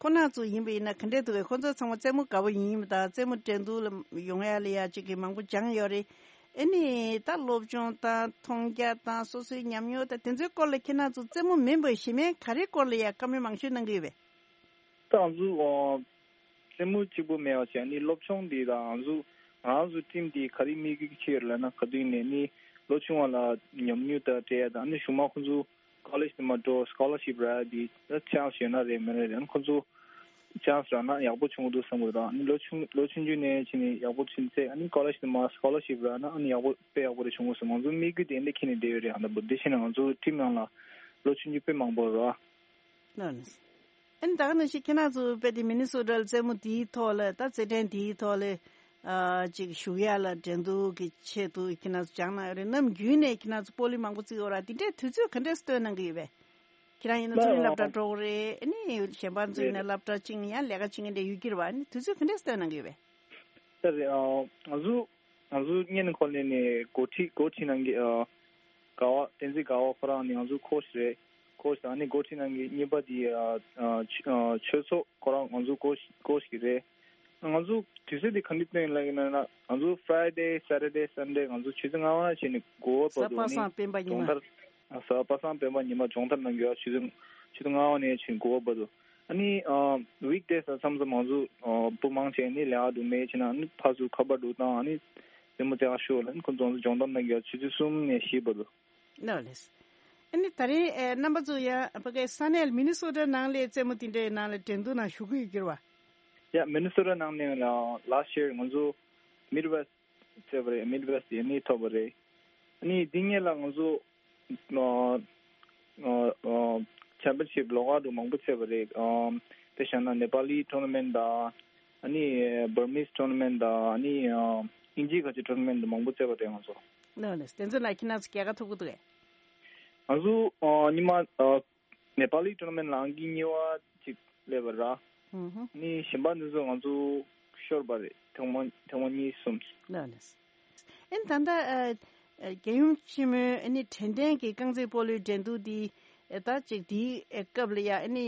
ཁོ་ན་ཚོ་ཡིན་པ་ཡིན་ན་ག་འདྲས་འདུག་གས། ཁོ་ཚོ་ཚང་མ་རྩེད་མོ་དགའ་པོ་ཡིན་ཡིན་པ་དང་རྩེད་མོ་འགྲན་བསྡུར་ལ་ཡོང་ཡ་ལ་ཡ་གཅིག་གི་མང་པོ་སྦྱངས་ཡོད་རེད། ཨ་ནི་ད་སློབ་སྦྱོང་དང་མཐོང་རྒྱ་དང་སོ་སོའི་ཉམས་མྱོང་དང་དེ་ཚོའི་སྐོར་ལ་ཁྱེད་རང་ཚོ་རྩེད་མོ་མིན་པའི་གཞན་མའི་ག་རེའི་སྐོར་ལ་ཡ་བཀའ་མོལ་མང་ཤོས་གནང་གི་ཡོད་པས། ད་ང་ཚོ་ཨ་རྩེད་མོ་གཅིག་པུ་མེད་པ་བྱས་ནི་སློབ་སྦྱོང་འདི་དང་ང་ཚོ་ང་རང་ཚོ་ཊིམ་འདི་ག་རེ་དམིགས་ཡུལ་ཆེ་ཡོད་ལབ་ན། ག་དུས་ནས་ནི་ལོ་ཆུང་བ་ལ་ཉམས་མྱོང་དང་སྤྲད་ཡ་དང་། ཨ་ནི་གཞུག་མ་ཁོང་ཚོ་ཀོ་ལེཇ་དུ་མ་འགྲོ་སི་ཀོ་ལར་ཤིབ་རག་ཡ་འདི་ད་ཆན་སི་ཡོད་ན་རེད་མེད་ན་རེད། ཨ་ནི་ཁོང་ཚོ་ཆན་སི་རག་ན་ཡག་པོ་བྱུང་གི་འདུག་བསམ་གི་རེད། ཨ་ནི་ལོ་ཆུང་ལོ་ཆུང་ཆུང་ནས་ཕྱིན་ནས་ཡག་པོ་ཕྱིན་ཚེ་ཨ་ནི་ཀོ་ལེཇ་དུ་མ་སི་ཀོ་ལར་ཤིབ་རག་ན་ཨ་ནི་ཡག་པོ་དཔེ་ཡག་པོ་རེ་བྱུང་གི་འདུག་ང་ཚོ་དམིགས་ཡུལ་དེ་འདྲ་འཁྱེར་ནས་བསྡད་ཡོད་རེད། ཨ་ནི་འདི་བྱས་ན་ང་ཚོ་ཊིམ་ནང་ལ་ལོ་ཆུང་ཆུང་དཔེ་མང་པོ་རེད། ལགས་ལགས། ཨ་ནི་ད་ག་ནང་བཞིན་ཁྱེད་རང་ཚོ་དཔེ་དེ་མི་ནི་སོ་ཊ་ལ་རྩེད་མོ་དེའི་ཐོག་ལ་ད་རྩེད་འགྲན་དེའི་ཐོག་ལ་ཨ་ཅིག་ཞུགས་ཡ་ལ་འགྲན་བསྡུར་གྱི་ཆེད་དུ་ཁྱེད་རང་ཚོ་སྦྱངས་གནང་ཡོད་རེད། ནམ་རྒྱུན་ནས་ཁྱེད་རང་ཚོ་སྤོ་ལོ་མང་པོ་རྩེ་ཡོད་ར། དེ་འདྲའི་དུས་ཚོད་ག་འདྲས་སྟོན་གནང་གི་ཡོད་པས། ཁྱེད་རང་ཡིན་ན་ཚོགས་ཆུང་སློབ་གྲྭ་འགྲོ་གི་རེད། ཨ་ནི་གཞན་པ་ཚོ་ཡིན་ན་སློབ་གྲྭ་ཆུང་ཡང་ལས་ཀ་ཆུང་ངེས་འདྲ་ཡོད་ཀྱི་རེད་བ། ཨ་ནི་དུས་ཚོད་ག་འདྲས་སྟོན་གནང་གི་ཡོད་པས། ད་རེད། ཨ། ང་ཚོ་ང་ཚོ་སྔོན་ནས་ཁོ་ལས་ནས་འགོ་ཁྲིད་འགོ་ཁྲིད་གནང་གི། ཨ། དགའ་བ་བསྟན་འཛིན་དགའ་བ་ཁོ་རང་ནི་ང་ཚོ་ཁོ་ཞིག་རེད། ཁོ་ཞིག་ཨ་ནི་འགོ་ཁྲིད་གནང་གི་གཉིས་པ་དེ། ཨ། ཨ། ཆོས་ཨ། ཆོས་ཚོགས་ཁོ་རང་ང་ཚོ་ཁོ་ཁོ་ཞིག་རེད། ང་ཚོ་དུས་ཚོད་དེ་ག་འདྲ་སྟོན་ལབ་ཡིན་ན། ང་ཚོ་Friday Saturday Sunday ང་ཚོ་ཆུ་ཚོད་ལྔ་པ་ནས་བྱས་ནས་དགུ་པ་བར་དུ་ཨ་ནི་གཟའ་པ་སངས་སྤེན་པ་ཉི་མ། སྦྱོང་བརྡར། གཟའ་པ་སངས་སྤེན་པ་ཉི་མ་སྦྱོང་བརྡར་གནང་རྒྱུ་ཡ། ཆུ་ཚོད་ཆུ་ཚོད་ལྔ་པ་ནས་བྱས་ནས་དགུ་པ་བར་དུ། ཨ་ནི་ཨ། weekdays ལ་མཚམས་མཚམས་ང་ཚོ་ཨ། བུ་མང་ཆེ་ནི་ལས་ཀ་འདུག་མེད་བྱས་ན་ཨ་ནི་ཕར་ཚུར་ཁ་པར་འདུག་བཏང་། ཨ་ནི་རྩེད་མོ་རྩེ་ག་ཤོག་ལབ་ནི་ཁོ་ཚོ་ང་ཚོ་སྦྱོང་བརྡར་གནང་རྒྱུ་ཡ་ཆུ་ཚོད་གསུམ་ནས་བཞི་བར་དུ། ལགས་ལགས། ཨ་ནི་ད་རེས་ཨེ། རྣམ་པ་ཚོ་ཡང་ཕ་གའི་ས་གནས་མི་ནི་སོ་ཊ་ནང་ལ་རྩེད་མོ་དེ་འདྲའི་ནང་ལ་འགྲན་བསྡུར་ནང་ཞུགས་ཀྱི་ཡོད་ཀྱི་རེད་བ། ཡ། མི་ནི་སོ་ཊ་ནང་ནས་ལ་last year ང་ཚོ་Midwest རྩེས་པ་རེད། Midwest ཡ་ནི་ཐོབ་པ་རེད། ཨ་ནི་འདི་སྔོན་ལ་ང་ཚོ་ཨ། ཨ། ཨ། championship ལོགས་ཀ་དུ་མང་པོ་རྩེས་པ་རེད། ཨ། དཔེ་བཞག་ན་Nepali tournament དང་། ཨ་ནི་Burmese tournament དང་། ཨ་ནི་ཨ། དབྱིན་ཇིའི་ཁ་ཆེ་tournament དུ་མང་པོ་རྩེས་པ་རེད་ང་ཚོ། ལགས་ལགས། དེ་ཚོ་ལ་ཁྱེད་རང་ཚོ་རྒྱལ་ཁ་ཐོབ་ཀྱི་འདུག་གས། ང་ཚོ་ཨ། ཉི་མ་ཨ། Nepali tournament ལ་ཨང་ཀི་གཉིས་པ་ཅིག་སླེབས་པ་ར། ཧུམ་ཧུམ། ནི་གཞན་པ་འདི་ཚོ་ང་ཚོ་ཤོར་བ་རེད། ཐེངས་མ་ཐེངས་མ་གཉིས་གསུམ། ལགས་ལགས། ཨ་ནི་ད་ལྟ་ཨ། ཨ། རྒྱལ་ཡུམ་ཆེན་མོའི་ཨ་ནི་དྲན་རྟེན་གྱི་རྐང་རྩེད་སྤོ་ལོའི་འགྲན་བསྡུར་འདི་ཨ། ད་ཅིག་འདིའི་ཨ། སྐབས་ལ་ཡ་ཨ་ནི་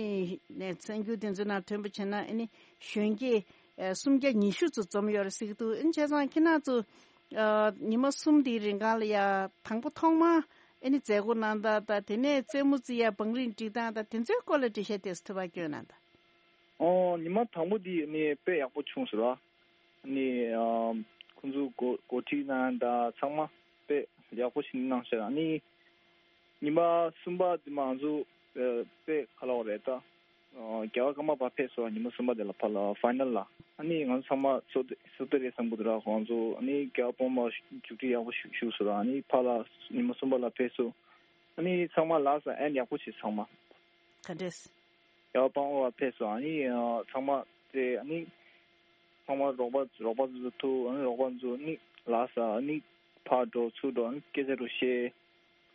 ནས་གསར་འགྱུར་དེ་ཚོའི་ནང་ཐོན་པ་བྱས་ན་ཨ་ནི་གཞོན་སྐྱེས་ཨ། སུམ་བརྒྱ་ཉི་ཤུ་ཙམ་འཛོམས་ཡོད་རེད་ཟེར་གྱི་འདུག་ཨ་ནི་བྱས་ཙང་ཁྱེད་རང་ཚོ་ཨ། ཉི་མ་གསུམ་དེའི་རིང་གང་ལ་ཡ་དང་པོ་ཐོག་མ་ཨ་ནི་མཛད་སྒོ་གནང་སྟངས་དང་། དེ་ནས་རྩེད་མོ་རྩེ་ཡ་བང་རིམ་སྒྲིག་སྟངས་དང་། དེ་ཚོའི་སྐོར་ལ་འགྲེལ་བཤད་ཏོག་ཙམ་ཐུབ་པ་སྐྱོན་གནང་དང་། ཨོ། ཉི་མ་དང་པོ་འདི་ནི་དཔེ་ཡག་པོ་བྱུང་སོང་ར། ནི་ཨ། ཁོང་ཚོ་འགོ་འགོ་ཁྲིད་གནང་དང་ཚང་མ་དཔེ་ཡག་པོ་ཞིག་གནང་ཤག་ནི་ཉི་མ་གསུམ་པ་འདི་མ་ང་ཚོ་ཨ། དཔེ་ཁ་ལོག་རེད་ད། ཨ། རྒྱལ་བ་ཀརྨ་པ་ཕེབས་སོང་། ཉི་མ་གསུམ་པ་དེ་ལ་ཕར་ལ་ཕའི་ནལ་ལ། ཨ་ནི་ང་ཚོ་ཚང་མ་སོ་སོ་སོ་སོ་རེད་བསམ་གྱི་འདུག་ར། ཁོང་ཚོ་ཨ་ནི་རྒྱལ་བ་དཔོན་པོ་མཇུག་སྒྲིལ་ཡག་པོ་ཞིག་ཞུགས་སོང་ར། ཨ་ནི་ཕར་ལ་ཉི་མ་གསུམ་པ་ལ་ཕེབས་སོང་། ཨ་ནི་ཚང་མ་ལགས་སོ། ཨེན་ཡག་པོ་བྱས་ཚང་མ། ག་འདྲས། ཡ། དཔང་བོ་བ་ཕེབས་སོང་། ཨ་ནི་ཨ། ཚང་མ་དེ་ཨ་ནི་ཚང་མ་རོགས་པ་རོགས་པ་ཚོ་ཐུག་ཨ་ནི་རོགས་པ་ཚོ་ནི་ལགས་སོ། ཨ་ནི་ཕར་འགྲོ་ཚུར་འགྲོ་ཨ་ནི་སྐད་ཆ་རུ་བཤད།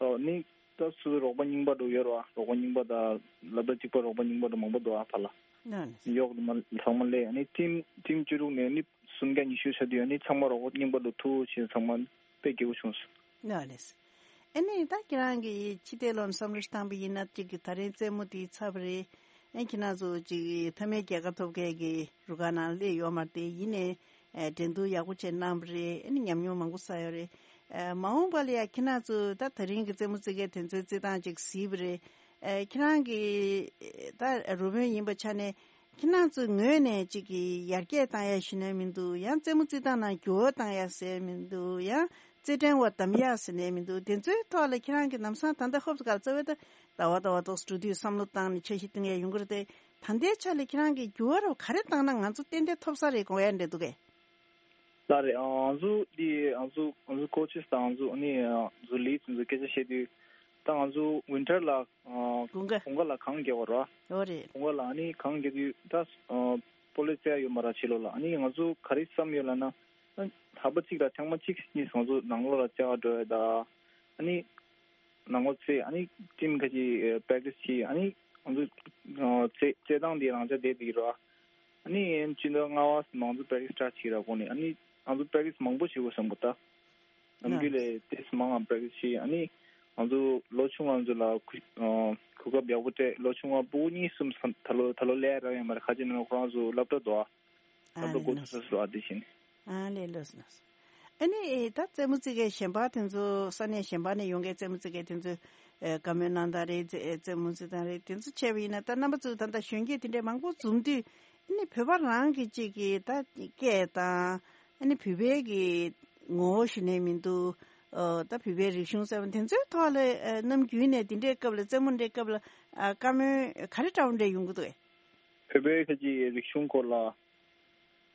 ཨ་ནི་ད་སུ་རོགས་པ་རྙིང་པ་འགྲོ་ཡོད་ར། རོགས་པ་རྙིང་པ་དང་ལབ་ད་གཅིག་པ་རོགས་པ་རྙིང་པ་འགྲོ་མང་པོ་འདུག་ཨ་ཕར་ལ། ཨ་ནི་གཡོག་དུ་མ་ཚང་མ་སླེབས། ཨ་ནི་ཊིམ་ཊིམ་བཅུ་དྲུག་ནས་ནི་སུམ་བརྒྱ་ཉི་ཤུ་ཆགས་དུས་ཨ་ནི་ཚང་མ་རོགས་པ་རྙིང་པ་འགྲོ་ཐུག་བྱས་ཚང་མ་དཔེ་སྐྱིད་པོ་བྱུང་སོང་། ལགས་ལགས། ཨ་ནི་ད་ཁྱེད་རང་གིས་ཕྱི་བལྟས་ལོག་ནས་བསམ་བློ་ཞིག་བཏང་པ་ཡིན་ན། གཅིག་གི་ད་རིང་རྩེད་མོ་དེ་ཚར་བ་རེད། ཨ་ཁྱེད་རང་ཚོ་གཅིག་གི་མཐའ་མའི་རྒྱལ་ཁ་ཐོབ་མཁན་གྱི་རུ་ཁག་ནང་སླེབས་ཡོད་མ་རེད་དེ། ཡིན་ནའི་ཨ། འགྲན་བསྡུར་ཡག་པོ་བྱས་གནང་བ་རེད། ཨ་ནི་ཉམས་མྱོང་མང་པོ་བསགས་ཡོད་རེད། ཨ། མ་འོངས་པ་ལ་ཡ་ཁྱེད་རང་ཚོ་ད་ད་རིང་གི་རྩེད་མོ་རྩེ་མཁན་དེ་ཚོའི་རྩེད་སྟངས་ཅིག་གཟིགས་པ་རེད། ཨ། ཁྱེད་རང་གི་ད་རུ་དཔོན་ཡིན་པའི་ཆ་ནས། ཁྱེད་རང་ཚོའི་ངོས་ནས་ཅིག་གི་ཡར་རྒྱས་བཏང་ཡ་ཞུ་ནའི་མི་འདུག་ཡང་རྩེད་མོ་རྩེད་སྟངས་ནང་འགྱུར་བ་བཏང་ཡ་ཟེར་མི་འདུག་ཡང་རྩེད་འགྲན་བ་གདམ་ཡ་ཟེར་ནའི་མི་འདུག་དེ་ཚོའི་ཐོག་ལ་ཁྱེད་རང་གི་ལམ་སང་ད་ལྟ་ཧོབ་ཏེ་ག་ལ་རྩ་བའི་ད་ཟླ་བ་ཟླ་བ་ཏོག་ཙམ་འགྲོ་དུས་བསམ་བློ་བཏང་ནས་འཆར་གཞི་བཏིང་ཡ་ཡོང་གི་རེད་དེ། ད་ལྟའི་ཆ་ལ་ཁྱེད་རང་གིས་འགྱུར་བ་རོ་ག་རེ་བཏང་ན་ང་ཚོ་ཏན་ཏན་ཐོབ་ས་རེད་དགོངས་ཡ་འདྲ་འདུག་གས། ལགས་རེད། ཨ། ང་ཚོ་འདི་ང་ཚོ་ང་ཚོ་ཀོ་ཆེས་དང་ང་ཚོ་ཨ་ནི་ང་ཚོ་ལིཌ་ང་ཚོ་སྐད་ཆ་བཤད་དུས། ད་ང་ཚོ་ཝིན་ཊར་ལ་ཨ། དགུན་ཁ། དགུན་ཁ་ལ་གངས་རྒྱག་པ་ར། ཨོ་རེད། དགུན་ཁ་ལ་ཨ་ནི་གངས་རྒྱག་དུས་ད་ཨ། སྤོ་ལོ་རྩེ་ཡ་ཡོད་མ་ར་ཕྱི་ལོགས་ལ། ཨ་ནི་ང་ཚོ་ག་རེ་བསམ་ཡོད་ལབ་ན། ཨ། ལྷག་པ་གཅིག་ལ་ཐེངས་མ་གཅིག་གཉིས་ང་ཚོ་ནང་ལོགས་ལ་རྩེ་ག་འགྲོ་ཡ་ད། ཨ་ནི་ནང་ལོགས་རྩེ། ཨ་ནི་ཊིམ་ཁ་ཅིག་པེ་རེག་ཊི་སི་བྱེད། ཨ་ནི་ང་ཚོ་ཨ། རྩེ་རྩེ་སྟངས་དེ་རང་ཅག་བསྡད་འདུག་ར། ཨ་ནི་སྤྱི་ཟླ་ལྔ་པ་ཙམ་ང་ཚོ་པེ་རེག་ཊི་སི་སི་ཊར་ཊི་བྱེད་ར། གོང་ནས་ཨ་ནི་ང་ཚོ་པེ་རེག་ཊི་སི་མང་པོ་བྱེད་དགོས་བསམ་གི་འདུག་ད་ནམ་རྒྱུན་ལས་ཏོག་ཙམ་མང་ང་པེ་རེག་ཊི་སི་བྱེད། ཨ་ནི་ང་ཚོ་ལོ་ཆུང་ང་ཚོ་ལ་གོ་ཨ། གོ་སྐབས་ཡག་པོ་སྤྲད། ལོ་ཆུང་ང་ཕྲུ་གུ་གཉིས་གསུམ་ད་ལོ་ད་ལོ་སླེབས་རག་ཡོད་མ་རེད། ཁ་ཅིག་ནང་ཁོ་རང་ཚོ་སློབ་གྲྭ་འགྲོ་ཨ། ཨ་ད་ལོ་ལེ་འགོ་ལོས། ཚུགས་ས་སུ་ཨ་དེ་བཞིན། ཨ་ལེ་ལོས་ལོས། ཨ་ནི་ད་རྩེད་མོ་རྩེ་མཁན་གཞན་པ་དེ་ཚོ་ས་གནས་གཞན་པ་ནས་ཡོང་མཁན་རྩེད་མོ་རྩེ་མཁན་དེ་ཚོ་ཨ། བཀའ་མོལ་གནང་སྟངས་རེད། རྩེད་རྩེད་མོ་རྩེ་སྟངས་རེད། དེ་ཚོ་བྱས་པ་ཡིན་ན་ད་རྣམ་པ་ཚོ་ད་ལྟ་གཞོན་སྐྱེས་དེ་འདྲའི་མང་པོ་འཛོམས་དུས། ཨ་ནི་བོད་པ་རང་གི་གཅིག་གི་ད་སྐད་དང་། ཨ་ནི་བོད་པའི་གི་ངོ་བོ་ཞུ་ནས་མི་འདུག་ཨ། ད་བོད་པའི་རིག་གཞུང་ཟེར་བ་དེ་ཚོའི་ཐོག་ལ་ཨ། ནམ་རྒྱུན་ནས་དེ་འདྲའི་སྐབས་ལ་རྩེད་མོ་འདྲའི་སྐབས་ལ་ཨ། བཀའ་མོལ་ག་རེ་འདྲ་བོ་འདྲ་ཡོང་གི་འདུག་གས། བོད་པའི་ཁ་ཅིག་རིག་གཞུང་སྐོར་ལ།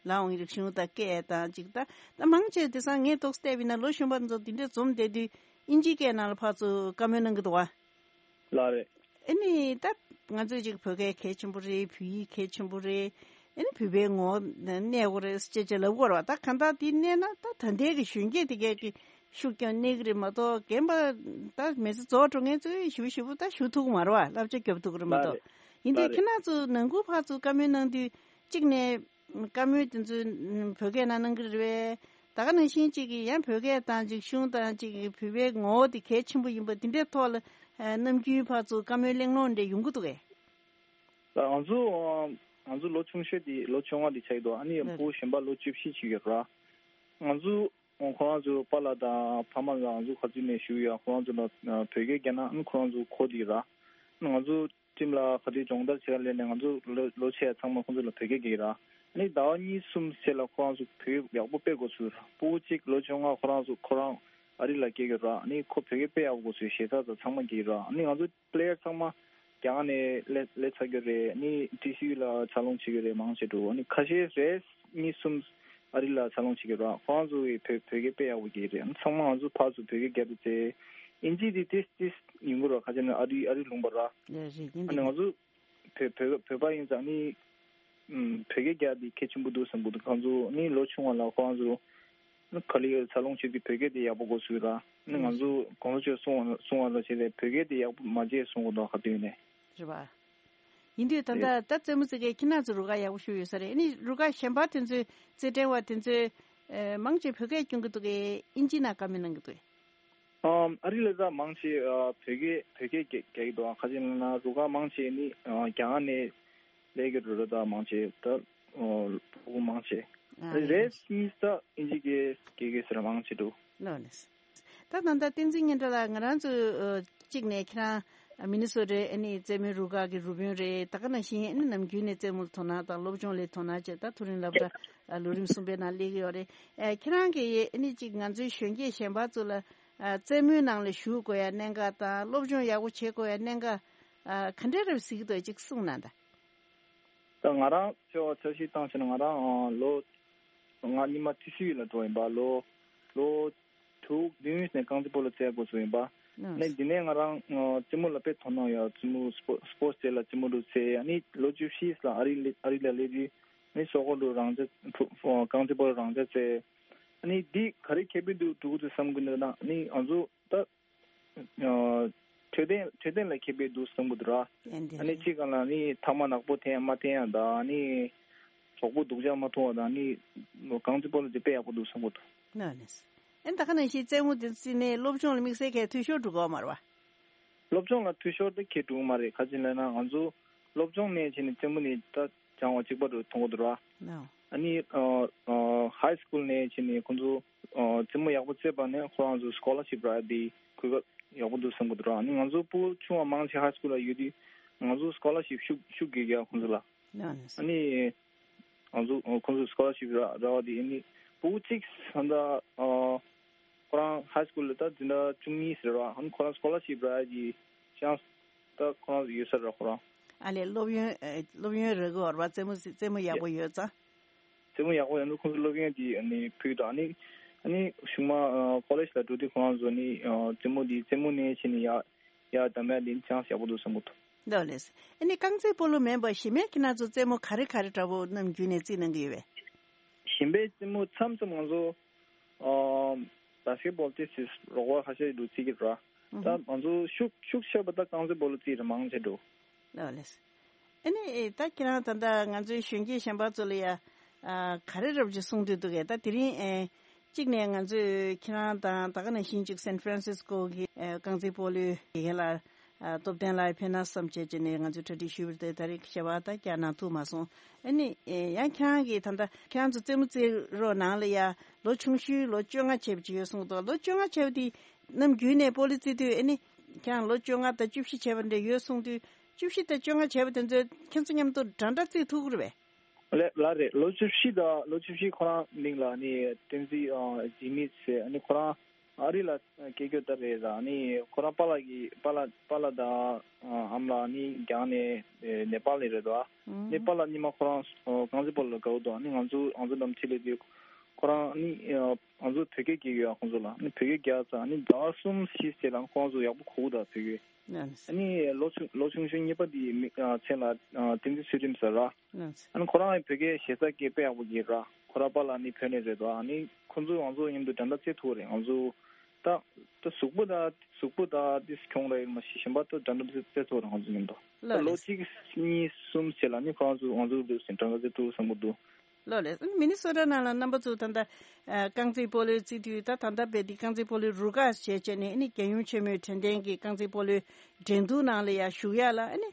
ལའང་རིག་གཞུང་དང་སྐད་དང་ཅིག་ད་ད་མང་ཆེ་དེང་སང་ངས་ཏོག་ཙམ་བལྟས་པ་ཡིན་ན་ལོ་གཞོན་པ་ཚོ་དེ་འདྲས་འཛོམས་བསྡད་དུས་དབྱིན་ཇིའི་སྐད་ནང་ལ་ཕར་ཚུར་བཀའ་མོལ་གནང་གི་འདུག་བ། ལགས་རེད། ཨ་ནི་ད་ང་ཚོས་ཅིག་བོད་སྐད་གལ་ཆེན་པོ་རེད། བོད་ཡིག་གལ་ཆེན་པོ་རེད། ཨ་ནི་བོད་པའི་ངོ་བོ་གནས་དགོས་རེད་ཅེས་ཅེས་ལབ་དགོས་རེད་བ། ད་གང་ལྟར་དེ་གནས་ན་ད་ད་ལྟའི་གི་གཞོན་སྐྱེས་དེ་གས་ཀྱི་ ཤུགས་ཀྱང་གནས་ཀྱི་རེད་མ་གཏོགས། རྒན་པ་ད་མི་ཚེ་རྫོགས་འགྲོ་མཁན་ཚོས་ཞིབ་ཞིབ་ད་ཞུ་ཐུབ་ཀྱི་མ་རེད་བ། བསླབ་བྱ་རྒྱོབ་ཐུབ་ཀྱི་རེད་མ་ལགས་གཏོགས། རེད། ཡིན་དུས་ལགས་རེད། ཁྱེད་རང་ཚོ་ནང་ཁུལ་ཕར་ཚུར་བཀའ་མོལ་གནང་དུས་གཅིག་ནས་བཀའ་མོལ་དེ་ཚོ་བོད་སྐད་ནང་གནང་གི་རེད་པས། ད་ག་ནང་བཞིན་གཅིག་གིས་ཡང་བོད་སྐད་དང་གཅིག་གཞུང་དང་གཅིག་གིས་བོད་པའི་ངོ་བོ་དེ་གལ་ཆེན་པོ་ཡིན་པ་འདི་འདྲའི་ཐོག་ལ་ནམ་རྒྱུན་ཕར་ཚུར་བཀའ་མོལ་གླེང་སློང་འདྲ་ཡོང་གི་འདུག་གས། ང་ཚོ་ང་ཚོ་ལོ་ཆུང་ཤོས་དེ་ལོ་བཅོ་ལྔ་དེ་ཆགས་ཀྱི་འདུག་ཨ་ནི་ཕྲུ་གུ་གཞན་པ་ལོ་བཅུ་བཞི་ཅིག་ཡོད་ར། ང་ཚོ་ཁོ་རང་ཚོ་པཱ་ལགས་དང་ཕ་མ་ལ་ང་ཚོ་ག་ཚོད་ནས་ཞུ་ཡ། ཁོ་རང་ཚོ་ལ་བོད་སྐད་རྒྱག་ན་ཨ་ནི་ཁོ་རང་ཚོ་གོ་བསྡད་ར། ང་ཚོ་ཁྲིམས་ལ་ག་དུས་སྦྱོང་བརྡར་བྱེད་ཡ་སླེབས་ནས་ང་ཚོ་ལོ་ལོ་ཆེ་ཡ་ཚང་མ་ཁོང་ཚོ་ལ་བོད་སྐད་རྒྱག་གི་ར། ཨ་ནི་ཟླ་བ་གཉིས་གསུམ་ཚེ་ལ་ཁོ་རང་ཚོ་བོད་ཡག་པོ་སྤེལ་དགོས་ཚུལ་ར། ཕྲུ་གུ་གཅིག་ལོ་བཅོ་ལྔ་ཁོ་རང་ཚོ་ཁོ་རང་ཨ་རི་ལ་སྐྱེས་ཡོད་ར། ཨ་ནི་ཁོ་བོད་སྐད་དཔེ་ཡག་པོ་དགོས་ཚུལ་ཞེ་ས་ཚང་མ་རྒྱག་གི་ར། ཨ་ནི་ང་ཚོ་པི་ལེ་ཡར་ཚང་མ་རྒྱ་གར་ནས་སླེབས་སླེབས་ཚར་གྱི་རེད། ཨ་ནི་ཊི་སི་ཡུ་ལ་འཚར་ལོངས་བྱེད་ཀྱི་རེད་མང་ཆེ་འགྲོ། ཨ་ནི་ཁ་ཤས་རེ་གཉིས་གསུམ་ཨ་རི་ལ་འཚར་ལོངས་བྱེད་ཀྱི་ར། ཁོ་རང་ཚོ་གི་བོད་བོད་སྐད་དཔེ་ཡག་པོ་རྒྱག་གི་རེད། ཨ་ནི་ཚང་མ་ང་ཚོ་ཕར་ཚུར་བོད་སྐད་རྒྱག་དུས་ཚེ་ཨིན་ཇི་དེ་ཏིས་ཏིས་ཡོང་གི་ར། ཁ་ཆེ་ན་ཨ་རི་ཨ་རི་ལུང་པ་ར། རེད་རེད་ཡིན་ཨ་ནི་ང་ཚོ་བོད་བོད་བོད་པ་ཡིན་ཙང་ནི་ཨམ་བོད་སྐད་རྒྱག་དེ་གལ་ཆེན་པོ་འདུག་བསམ་གྱི་འདུག་ཁོང་ཚོ་ནི་ལོ་ཆུང་བ་ལ་ཁོ་རང་ཚོ་ནི་ག་ལེར་འཚར་ལོངས་བྱེད་དུས་བོད་སྐད་དེ་ཡག་པོ་དགོས་ཚུལ་ར། ནི་ང་ཚོ་གོང་ས་མཆོག་གསུང་བ་གསུང་བ་ལ་བྱས་ཏེ་བོད་སྐད་དེ་ཡག་པོ་མ་བརྗེད་གསུང་གི་འདུག་ག་དུས་ནས། རེད་པ། ཡིན་དུས་ད་ལྟ་རེད། ད་རྩེད་མོ་རྩེ་མཁན་ཁྱེད་རང་ཚོ་རུ་ཁག་ཡག་པོ་ཞིག་ཡོད་ས་རེད། ཨ་ནི་རུ་ཁག་གཞན་པ་དེ་ཚོའི་རྩེད་འགྲན་བ་དེ་ཚོས་ཨེ་མང་ཆེ་བོད་སྐད་སྐྱོན་གྱི་འདུག་གས། ཨིན་ཇི་ནང་བཀའ་མོལ་གནང་གི་འདུག་གས། ཨམ་ཨ་རི་ལ་ད་མང་ཆེ་ཨ་བོད་སྐད་བོད་སྐད་རྒྱག་རྒྱག་གི་འདུག་ཨ་ཁ་ཅིག་ལ་ན་རུ་ཁག་མང་ཆེ་ནི་ཨ་རྒྱ་གར་ནས་སླེབས་ཀྱི་རེད་ར། ད་མང་ཆེ་ད་ཨ་ཕྲུ་གུ་མང་ཆེ་ཨ་རེད་ཡིན། གཉིས་ད་ཨིན་ཇི་སྐད་སྐད་སྐད་ཟེར་མང་ཆེ་འདུག་ལགས་ལགས། ད་ད་ལྟ་བསྟན་འཛིན་སྙན་གྲགས་ལགས། ང་རང་ཚོ་ཨ་གཅིག་ནས་ཁྱེད་རང་མི་ནི་སོ་ཊའི་ཨ་ནི་རྩེད་མོའི་རུ་ཁག་གི་རུ་དཔོན་རེད། ད་ག་ནང་བཞིན་ཨ་ནི་ནམ་རྒྱུན་ནས་རྩེད་མོར་དོ་སྣང་དང་སློབ་སྦྱོང་ལ་དོ་སྣང་བྱས། ད་མཐོ་རིམ་སློབ་གྲྭ་ཨ་ལོ་རིམ་གསུམ་པའི་ནང་སླེབས་ཀྱི་ཡོད་རེད། ཨ་ཁྱེད་རང་གིས་ཨ་ནི་གཅིག་ང་ཚོའི་གཞོན་སྐྱེས་གཞན་པ་ཚོ་ལ་ཨ་རྩེད་མོའི་ནང་ལ་ཞུགས་དགོས་ཡ་གནད་འགག་དང་སློབ་སྦྱོང་ཡག་པོ་བྱེད་དགོས་ཡ་གནད་འགག་ཨ་ག་འདྲ་རེད་གཟིགས་འདུག་གཅིག་གསུངས་གནང་དང་། ད་ང་རང་ཚོ་འཆར་གཞི་བཏང་བྱས་ན་ང་རང་ཨ་ལོ་ང་ཉི་མ་ཊི་སི་ཡུ་ལ་འགྲོ་ཡིན་པ། ལོ་ལོ་དྲུག་བདུན་ནས་རྐང་རྩེད་སྤོ་ལོ་རྩེ་དགོས་སུ་ཡིན་པ། ཨ་ནི་འདི་ནས་ང་རང་ཨ་རྩེད་མོ་ལ་དཔེ་དོ་སྣང་ཡོད། རྩེད་མོ་སྤོ་སྤོར་ཊི་ཌེ་ལ་རྩེད་མོ་འདྲ་རྩེ། ཨ་ནི་ལོ་བཅུ་བཞི་ལ་ཨ་རི་ལ་ཨ་རི་ལ་སླེབས་དུས་ཨ་ནི་སོག་པོ་འདྲ་རང་འཇགས་ཕུ་ཨ་རྐང་རྩེད་སྤོ་ལོ་རང་འཇགས་རྩེ། ཨ་ནི་འདི་ག་རེ་ཁེ་ཕན་འདུག་འགྲོ་གི་འདུག་བསམ་གི་འདུག་ན། ཨ་ནི་ང་ཚོ་ད་ཨ་འཕྲོད་བསྟེན་འཕྲོད་བསྟེན་ལ་ཁེ་ཕན་འདུག་བསམ་གི་འདུག་ར། ཨ་ནི་གཅིག་ག་ལ་ནི་ཐ་མག་ནག་པོ་འཐེན་ཡ་མ་འཐེན་ཡ་དང་། ཨ་ནི་གྲོགས་པོ་སྡུག་ཅག་མ་མཐོང་བ་དང་། ཨ་ནི་རྐང་རྩེད་སྤོ་ལོ་དེ་དཔེ་ཡག་པོ་འདུག་བསམ་གི་འདུག་ཨ་ནི་ད་ག་ནང་བཞིན་རྩེད་མོ་དེ་རྩེས་ནས་སློབ་སྦྱོང་ལ་དམིགས་བསལ་གྱི་འཐུས་ཤོར་འགྲོ་གི་ཡོད་མ་རེད་བ། སློབ་སྦྱོང་ལ་འཐུས་ཤོར་དེ་གང་ཡང་འགྲོ་གི་མ་རེད། ག་ཅི་ལབ་ན་ང་ཚོ་སློབ་སྦྱོང་ནས་བྱས་ནས་རྩེད་མོ་ནི་ད་སྦྱང་བ་གཅིག་པ་རུ་མཐོང་གི་འདུག་ར། ཨ་ནི་ཨ་ཨ་ཧའི་སི་ཀུལ་ནས་བྱས་ནས་ཁོང་ཚོ་ཨ་རྩེད་མོ་ཡག་པོ་རྩེས་པ་ནས་ཁོ་རང་ཚོ་སི་ཀོ་ལར་ཤིབ་རག་ཡ་དེ་གོ་སྐབས་ཡག་པོ་འདུག་བསམ་གི་འདུག་ར། ཨ་ནི་ང་ཚོ་ཕྲུ་གུ་ཆུང་བ་མང་ཆེ་ཧའི་སི་ཀུལ་ལ་ཡོད་དུས་ང་ཚོ་སི་ཀོ་ལར་ཤིབ་ཤུགས་ཤུགས་རྒྱག་རྒྱག་ཁོང་ཚོ་ལ། ཨ་ནི་ང་ཚོ་ཁོང་ཚོ་སི་ཀོ་ལར་ཤིབ་རག་རག་པ་དེ། ཨ་ནི་ཕྲུ་གུ་གཅིག་ད་ལྟ་ཨ་ཁོ་རང་ཧའི་སི་ཀུལ་ལ་ད་འཛིན་གྲྭ་བཅུ་གཉིས་ཟེར་བ། ཨ་ནི་ཁོ་རང་སི་ཀོ་ལར་ཤིབ་རག་ཡ་གི་ཅན་སི་ད་ཁོ་རང་ཡོད་ས་རེད། ཁོ་རང་། ཨ་ལས་སློབ་ཡོན་ཨ་སློབ་ཡོན་རག་གི་ཡོད་རེད་བ། རྩེད་མོ་རྩེད་མོ་ཡག་པོ་ཡོད་ཙང་། རྩེད་མོ་ཡག་པོ་ཡོད་འདུག་ཁོང་ཚོ་སློབ་ཡོན་དེ་ཨ་ནི་ཕུལ་དང་། ཨ་ནི་ཨ་ནི་གཞུག་མ་ཨ་ཀོ་ལེཇ་ལ་འགྲོ་དུས་ཁོ་རང་ཚོ་ནི་ཨ་རྩེད་མོ་འདི་རྩེད་མོ་ནས་བྱས་ནས་ཡར་ཡར་གདམ་ཡ་དེ་ཅན་སི་ཡག་པོ་འདུག་བསམ་གི་འདུག་ལགས་ལགས། ཨ་ནི་རྐང་རྩེད་སྤོ་ལོ་མིན་པ་གཞན་མའི་ཁྱེད་རང་ཚོ་རྩེད་མོ་ག་རེ་ག་རེ་འདྲ་པོ་ནམ་རྒྱུན་ནས་རྩེད་གནང་གི་ཡོད་པས། གཞན་པའི་རྩེད་མོ་མཚམས་མཚམས་ང་ཚོ་ཨ་བྷ་སི་ཀེ་ཊི་བྷོལ་ཏོག་ཙམ་རོགས་པ་ཁ་ཤས་འདུག་རྩེ་གི་ར། ཨུ་ད་ཧུམ། ང་ཚོ་ཤུགས་ཤུགས་ཆེ་བ་ད་རྐང་རྩེད་སྤོ་ལོ་རྩེ་རེད་མང་ཆེ་འགྲོ། ལགས་ལགས། ཨ་ནི་ཨེ་ད་ཁྱེད་རང་ད་ལྟ་ང་ཚོའི་གཞོན་སྐྱེས་གཞན་པ་ཚོ་ལ་ཡ་ཨ་ག་རེ་རབ་ཅིག་གསུང་འདོད་འདུག་གས། ད་དེ་རིང་ཨེ་གཅིག་ནས་ང་ཚོས་ཁྱེད་རང་དང་ད་ག་ནང་བཞིན་གཅིག་སན་ཧྥ་རན་སིས་ཀོ་གི་ཨེ་རྐང་རྩེད་སྤོ་ལོའི་དགེ་རྒན་ལགས་ཨ་སྟོབས་ལྡན་ལགས་ཕེབས་ན་བསམ་བྱས་བྱས་ནས་ང་ཚོས་གྲ་སྒྲིག་ཞུས་པ་རེད་དེ། ད་རེས་ཞལ་པར་ད་བསྐྱར་གནང་ཐུབ་མ་སོང་། ཨ་ནི་ཨེ་ཡང་ཁྱེད་རང་གིས་ད་ལྟ་ཁྱེད་རང་ཚོ་རྩེད་མོ་རྩེ་རོགས་ནང་ལ་ཡ་ལོ་ཆུང་ཤོས་ལོ་བཅོ་ལྔ་བྱས་པ་ཅིག་ཡོད་གསུངས་འདུག་ལོ་བཅོ་ལྔ་བྱས་པ་དེ་ནམ་རྒྱུན་ནས་སྤོ་ལོ་རྩེད་དུས་ཨ་ནི་ཁྱེད་རང་ལོ་བཅོ་ལྔ་དང་བཅུ་བཞི་བྱས་པ་འདྲ་ཡོད་གསུངས་དུས། བཅུ་བཞི་དང་བཅོ་ལྔ་བྱས་པ་དེ་ཚོས་ཁྱེད་ཚོ་མཉམ་དུ་འདྲ་འདྲ་རྩེད་ཐུབ་ཀྱི་རེད་པས། ལགས་ལགས་རེད། ལོ་བཅུ་བཞི་དང་ལོ་བཅུ་བཞི་ཁོ་རང་མིང་ལ་ནི་བསྟན་འཛིན་ཨ་ཇི་མི་ཟེར། ཨ་ནི་ཁོ་རང་ཨ་རི་ལ་སྐྱེས་རྒྱུ་ད་རེད་ལ། ཨ་ནི་ཁོ་རང་པཱ་ལགས་ཀྱི་པཱ་ལགས་པཱ་ལགས་དང་ཨ་ཨ་མ་ལགས་ནི་རྒྱ་ནས་ཨེ་ནེ་པཱལ་ནས་རེད་དོ། ཨ་ནི་ཨུམ། པཱ་ལགས་ཉི་མ་ཁོ་རང་ཨ་རྐང་རྩེད་སྤོ་ལོ་དགའ་བོ་འདུག་ཨ་ནི་ང་ཚོ་ང་ཚོ་འགྲམ་ཆེ་ལས་དུས་ཁོ་རང་ཨ་ནི་ཨ་ང་ཚོ་བོད་སྐད་རྒྱག་གི་ཡོད། ཁོང་ཚོ་ལ་ཨ་ནི་བོད་སྐད་རྒྱག་ཙང་ཨ་ནི་ཟླ་བ་གསུམ་བཞི་ཚེ་ལ་ཁོང་ཚོ་ཡག་པོ་གོ་གི་འདུག་བོད་སྐད། ཨ་ནི་ལོ་ཆུང་ལོ་ཆུང་ཆུང་གཉིས་པ་དེའི་མི་ཨ་མཚན་ལ་ཨ་བསྟན་འཛིན་ཚུལ་ཁྲིམས་ཟེར་ར། ཨ་ནི་ཁོ་རང་ཡང་བོད་སྐད་ཞེ་ས་སྐད་དཔེ་ཡག་པོ་རྒྱག་ར། ཁོ་ར་པཱ་ལགས་ནི་བོད་ནས་རེད་དོ། ཨ་ནི་ཁོ་ཚོ་ང་ཚོ་མཉམ་དུ་འདྲ་འདྲ་རྩེད་ཐུབ་རེད། ང་ཚོ་ ད་ད་གཟུགས་པོ་ད་གཟུགས་པོ་ད་དེ་གྱོང་རག་ཡོད་མ་གཞི་གཞན་པ་ད་འདྲ་འདྲ་བྱས་ཐུབ་རང་ཚོ་མཉམ་དུ། ད་ལོ་གཅིག་གཉིས་གསུམ་བྱས་ལ་ནི་ཁོ་རང་ཚོ་ང་ཚོ་འདུག་ཟིན་གྲངས་ཀ་ཚོད་དྲུག་བཟང་པོ་འདུག་ལོ་ལེ། མི་ནི་སོ་ཊ་ནང་ལ་རྣམ་པ་ཚོ་ད་ལྟ་རྐང་རྩེད་སྤོ་ལོའི་རྩེད་དུས་ད་ད་ལྟ་བས་འདི་རྐང་རྩེད་སྤོ་ལོའི་རུ་ཁག་བྱས་བྱས་ནས་ཨ་ནི་རྒྱལ་ཡོངས་ཆེན་མོའི་དྲན་རྟེན་གྱི་རྐང་རྩེད་སྤོ་ལོའི་འགྲན་བསྡུར་ནང་ལ་ཡང་ཞུགས་ཡ་ལ་ཨ་ནི་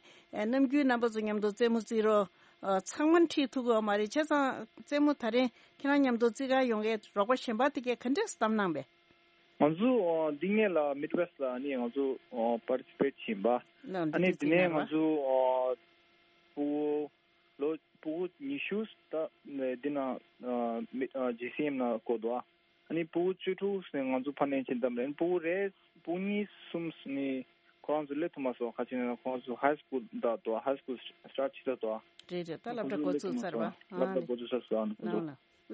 ནམ་རྒྱུན་རྣམ་པ་ཚོ་མཉམ་དུ་རྩེད་མོ་རྩེད་རོགས་ཚང་མ་ཁྲིད་ཐུབ་ཀྱི་ཡོད་མ་རེད། བྱས་ཙང་རྩེད་མོ་ད་རིང་ཁྱེད་རང་མཉམ་དུ་རྩེད་གར་ཡོང་མཁན་རོགས་པ་གཞན་པ་དེ་གས་ག་འདྲས་གཏམ་གནང་པས། ང་ཚོ་འདི་ངེད་ལ་མིད་ཝེ་སི་ལ་ནི་ང་ཚོ་པར་ཊི་སི་པེ་ཊི་བྱིན་པ། ཨ་ནི་འདི་ནས་ང་ཚོ་ཕྲུ་གུ་ལོ་ཕྲུ་གུ་ཉི་ཤུ་ད་འདི་ན་མི་ཇི་སི་ཨེམ་ན་བསྐོ་འདུག་ཨ་ནི་ཕྲུ་གུ་བཅུ་དྲུག་ནས་ང་ཚོ་ཕར་ནས་ཕྱིན་ཙམ་རེད། ཕྲུ་གུ་རེ་ཕྲུ་གུ་གཉིས་གསུམ་ནི་ཁོ་རང་ཚོ་སླེབས་ཐུབ་མ་སོང་། ཁ་ཆེ་ན་ཁོ་རང་ཚོ་ཧའི་སི་ཀུལ་འདྲ་འདུག་ཧའི་སི་ཀུལ་སི་ཊར་ཊི་བྱེད་ད་འདུག་རེད་རེད། ད་སློབ་གྲྭ་འགོ་ཚུགས་ཚར་བ། སློབ་གྲྭ་འགོ་ཚུགས་ཚར་སོང་། ལོ་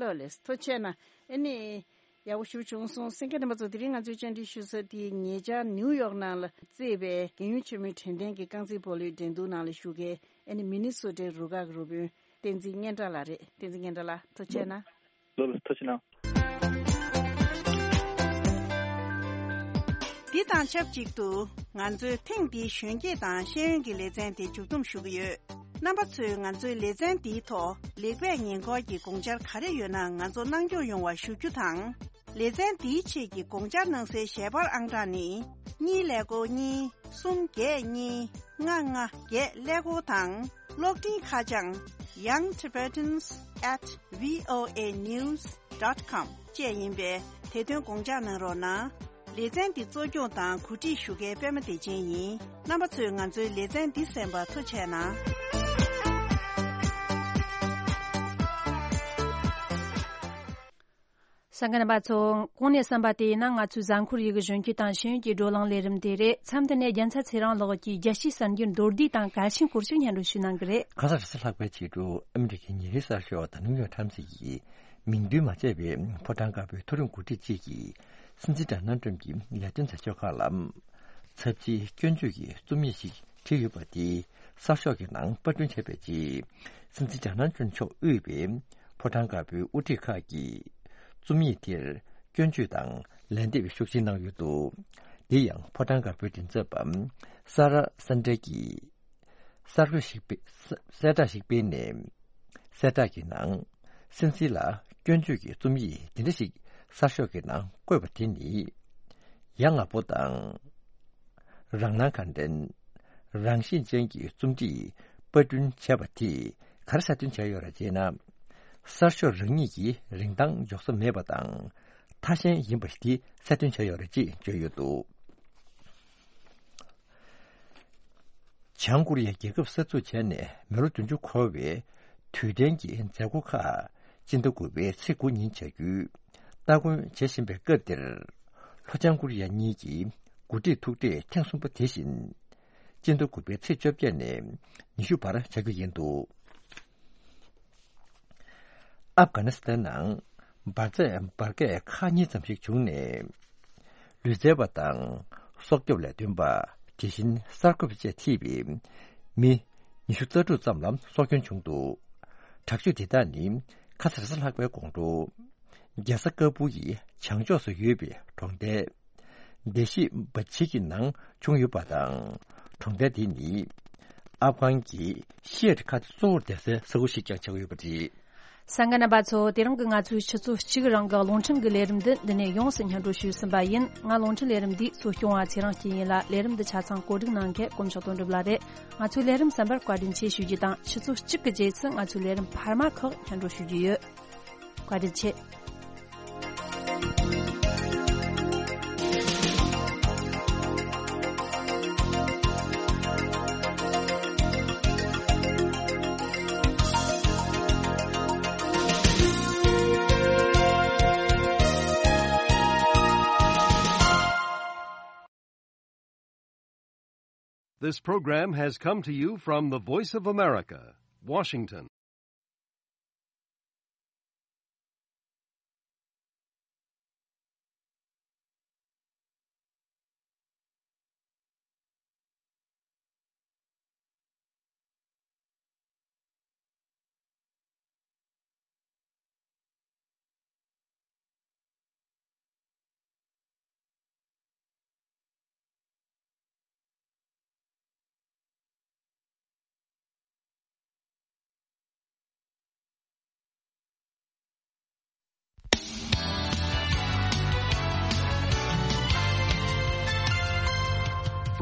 ལོ་ལེ། ཐུགས་རྗེ་ཆེ་གནང་། ཨ་ནི་ཡག་པོ་ཞེ་པོ་བྱུང་སོང་། གསན་མཁན་རྣམ་པ་ཚོ་དེ་རིང་ང་ཚོའི་བཅར་འདྲི་ཞུ་ས་དེ་ཉེ་ཆར་ནིའུ་ཡོག་ནང་ལ་རྩེད་པའི་རྒྱལ་ཡོངས་ཆེན་མོའི་དྲན་རྟེན་གྱི་རྐང་རྩེད་སྤོ་ལོའི་འགྲན་བསྡུར་ནང་ལ་ཞུགས་མཁན་ཨ་ནི་མི་ནི་སོ་ཊའི་རུ་ཁག་གི་རུ་དཔོན་བསྟན་འཛིན་སྙན་གྲགས་ལགས་རེད། བསྟན་འཛིན་སྙན་གྲགས་ལགས་ཐུགས་རྗེ་ཆེ་གནང་། ལོ་ལོ་ཐུགས་རྗེ་ཆེ་གནང་། འདི་དང་ཆབས་ཅིག་ཏུ་ང་ཚོའི་ཐེངས་འདིའི་གཞོན་སྐྱེས་དང་ཤེས་ཡོན་གྱི་ལེ་ཚན་དེ་མཇུག་བསྡོམས་ཞུ་གི་ཡོད། རྣམ་པ་ཚོས་ང་ཚོའི་ལེ་ཚན་འདིའི་ཐོག་ལེགས་སྤེལ་ཉེ་འཁོར་གྱི་དགོངས་འཆར་ག་རེ་ཡོད་ན་ང་ཚོ་གནང་སྐྱོང་ཡོང་བ་ཞུ་རྒྱུ་དང་། ལེ་ཚན་འདིའི་ཆེད་ཀྱི་དགོངས་འཆར་གནང་སའི་ཞལ་པར་ཨང་གྲངས་ནི། གཉིས་ཀླད་ཀོར་གཉིས། གསུམ་བརྒྱད་གཉིས། ལྔ་ལྔ་བརྒྱད་ཀླད་ཀོར་དང་། གློག་འཕྲིན་ཁ་བྱང་young tibetans at voa news dot com བཅས་ཡིན་པས་དེ་དོན་དགོངས་འཇགས་གནང་རོགས་གནང་། ལེ་ཚན་འདི་གཙོ་སྐྱོང་དང་གོ་སྒྲིག་ཞུ་མཁན་པད་མ་བདེ་ཆེན་ཡིན། རྣམ་པ་ཚོས་ང་ཚོའི་ལེ་ཚན་འདི་གསན་པར་ཐུགས་རྗེ་ཆེ་གནང་། གསན་མཁན་རྣམ་པ་ཚོ། གོང་ནས་གསན་པ་དེ་ཡིན་ན་ང་ཚོའི་གཟའ་འཁོར་ཡུལ་གྱི་གཞོན་སྐྱེས་དང་ཤེས་ཡོན་གྱི་བགྲོ་གླེང་ལས་རིམ་དེ་རེད། མཚམས་འདི་ནས་རྒྱལ་མཚན་ཚེ་རིང་ལགས་ཀྱིས་རྒྱལ་སྤྱིའི་གསར་འགྱུར་མདོར་བསྡུས་དང་གལ་ཆེན་སྐོར་ཞིག་སྙན་སྒྲོན་ཞུ་གནང་གི་རེད། ཁ་སང་རེས་གཟའ་ལྷག་པའི་ཕྱི་དྲོ་ཨ་མི་རི་ཀའི་ཉིན་རེའི་གསར་ཤོག་The New York Times ཡིས་མིང་འདོན་མ་བྱས་པའི་ཕོ་བྲང་དཀར་པོའི་མཐོ་རིམ་འགོ་ཁྲིད་ཅིག་གིས་སྲིད་འཛིན་ཌོ་ནལ་ཊམ་གྱི་ལས་དོན་མཛད་ཕྱོགས་ཁག་ལ་ཚབས་ཆེའི་སྐྱོན་བརྗོད་ཀྱི་རྩོམ་ཡིག་ཞིག་བྲིས་ཡོད་པ་དེ་གསར་ཤོག་གི་ནང་པར་སྐྲུན་བྱས་པའི་རྗེས། སྲིད་འཛིན་ཌོ་ནལ་ཊམ་མཆོག་དབུས་པའི་ཕོ་བྲང་དཀར་པོའི་དབུ་ཁྲིད་ཁག་གིས་རྩོམ་ཡིག་དེར་སྐྱོན་བརྗོད་དང་ལན་འདེབས་ཤུགས་ཆེན་གནང་ཡོད་འདུག་དེ་ཡང་ཕོ་བྲང་དཀར་པོའི་མགྲིན་ཚབ་པ་སཱ་ར་སན་ཌེ་གིས་གསར་འགོད་ཞིག་སྤེལ་གསལ་བསྒྲགས་ཤིག་སྤེལ་ནས། གསལ་བསྒྲགས་ཀྱི་ནང་། སྲིད་འཛིན་ལ་སྐྱོན་བརྗོད་ཀྱི་རྩོམ་ཡིག་འདི་འདྲ་ཞིག་གསར་ཤོག་གི་ནང་བཀོད་པ་དེ་ནི། ཡ་ང་པོ་དང་། རང་སྣང་གང་དྲན། རང་བཞིན་ཅན་གྱི་རྩོམ་བྲིས་པར་སྐྲུན་བྱས་པ་དེས་ག་རེ་གསལ་སྟོན་བྱས་ཡོད་རེད་ཅེ་ན། གསར་ཤོག་རང་ཉིད་ཀྱི་རིན་ཐང་འཇོག་ས་མེད་པ་དང་ཐ་ཞན་ཡིན་པ་དེ་གསལ་སྟོན་བྱས་ཡོད་རེད་ཅེས་བརྗོད་ཡོད་འདུག་བྱང་ཀོ་རི་ཡའི་རྒྱལ་ཁབ་གསར་འཛུགས་བྱས་ནས་མི་ལོ་བདུན་ཅུ་འཁོར་བའི་དུས་དྲན་གྱི་མཛད་སྒོ་ཁག་སྤྱི་ཟླ་དགུ་པའི་ཚེས་དགུ་ཉིན་བྱ་རྒྱུའི་སྟ་གོན་བྱེད་བཞིན་པའི་སྐབས་འདིར། ལྷོ་བྱང་ཀོ་རི་ཡ་གཉིས་ཀྱི་འགོ་ཁྲིད་ཐུག་འཕྲད་ཐེངས་གསུམ་པ་དེ་བཞིན། སྤྱི་ཟླ་དགུ་པའི་ཚེས་བཅོ་བརྒྱད་ནས་ཉི་ཤུ་བར་བྱ་རྒྱུ་ཡིན་འདུག་ཨབ་གྷ་ནི་སི་ཐན་ནང་འབར་རྫས་འབར་གས་ཁག་གཉིས་ཙམ་ཞིག་བྱུང་ནས། ལུས་རྩལ་བ་དང་སྲོག་སྐྱོབ་ལས་དོན་པ། དེ་བཞིན་གསར་འགོད་པ་བཅས་ཐེ་བའི་མི་ཉི་ཤུ་རྩ་དྲུག་ཙམ་ལ་སྲོག་སྐྱོན་བྱུང་འདུག་དྲག་སྤྱོད་དེ་དག་ནི་ཁ་སང་རེས་གཟའ་ལྷག་པའི་དགོང་དྲོ། རྒྱལ་ས་ཀ་བུ་ཡི་བྱང་ཕྱོགས་སུ་ཡོད་པའི་གྲོང་རྡལ། བདེ་གཤིས་འབའ་ཆི་གི་ནང་བྱུང་ཡོད་པ་དང་། གྲོང་རྡལ་དེ་ནི་ཨབ་གྷན་གྱི་ཤི་ཡ་ཊི་ཁ་གཏད་གཙོ་བོར་བསྡད་སའི་ས་ཁུལ་ཞིག་ཀྱང་ཆགས་ཡོད་པ་རེད། གསན་མཁན་རྣམ་པ་ཚོ། དེ་རིང་གི་ང་ཚོའི་ཆུ་ཚོད་གཅིག་རིང་གི་རླུང་འཕྲིན་གྱི་ལས་རིམ་འདི་འདི་ནས་ཡོངས་སུ་སྙན་སྒྲོན་ཞུས་ཟིན་པ་ཡིན། ང་རླུང་འཕྲིན་ལས་རིམ་འདིའི་གཙོ་སྐྱོང་བ་ཚེ་རིང་སྐྱིད་ཡིན་ལ། ལས་རིམ་འདི་ཆ་ཚང་བཀོད་སྒྲིག་གནང་མཁན་དཀོན་མཆོག་དོན་གྲུབ་ལགས་རེད། ང་ཚོའི་ལས་རིམ་གསན་པར་བཀའ་དྲིན་ཆེ་ཞུ་རྒྱུ་དང་། ཆུ་ཚོད་གཅིག་གི་རྗེས་སུ་ང་ཚོའི་ལས་རིམ་འཕར་མ་ཁག་སྙན་སྒྲོན་ཞུ་རྒྱུ་ཡོད། བཀའ་དྲིན་ཆེ། This program has come to you from the Voice of America, Washington.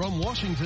From Washington.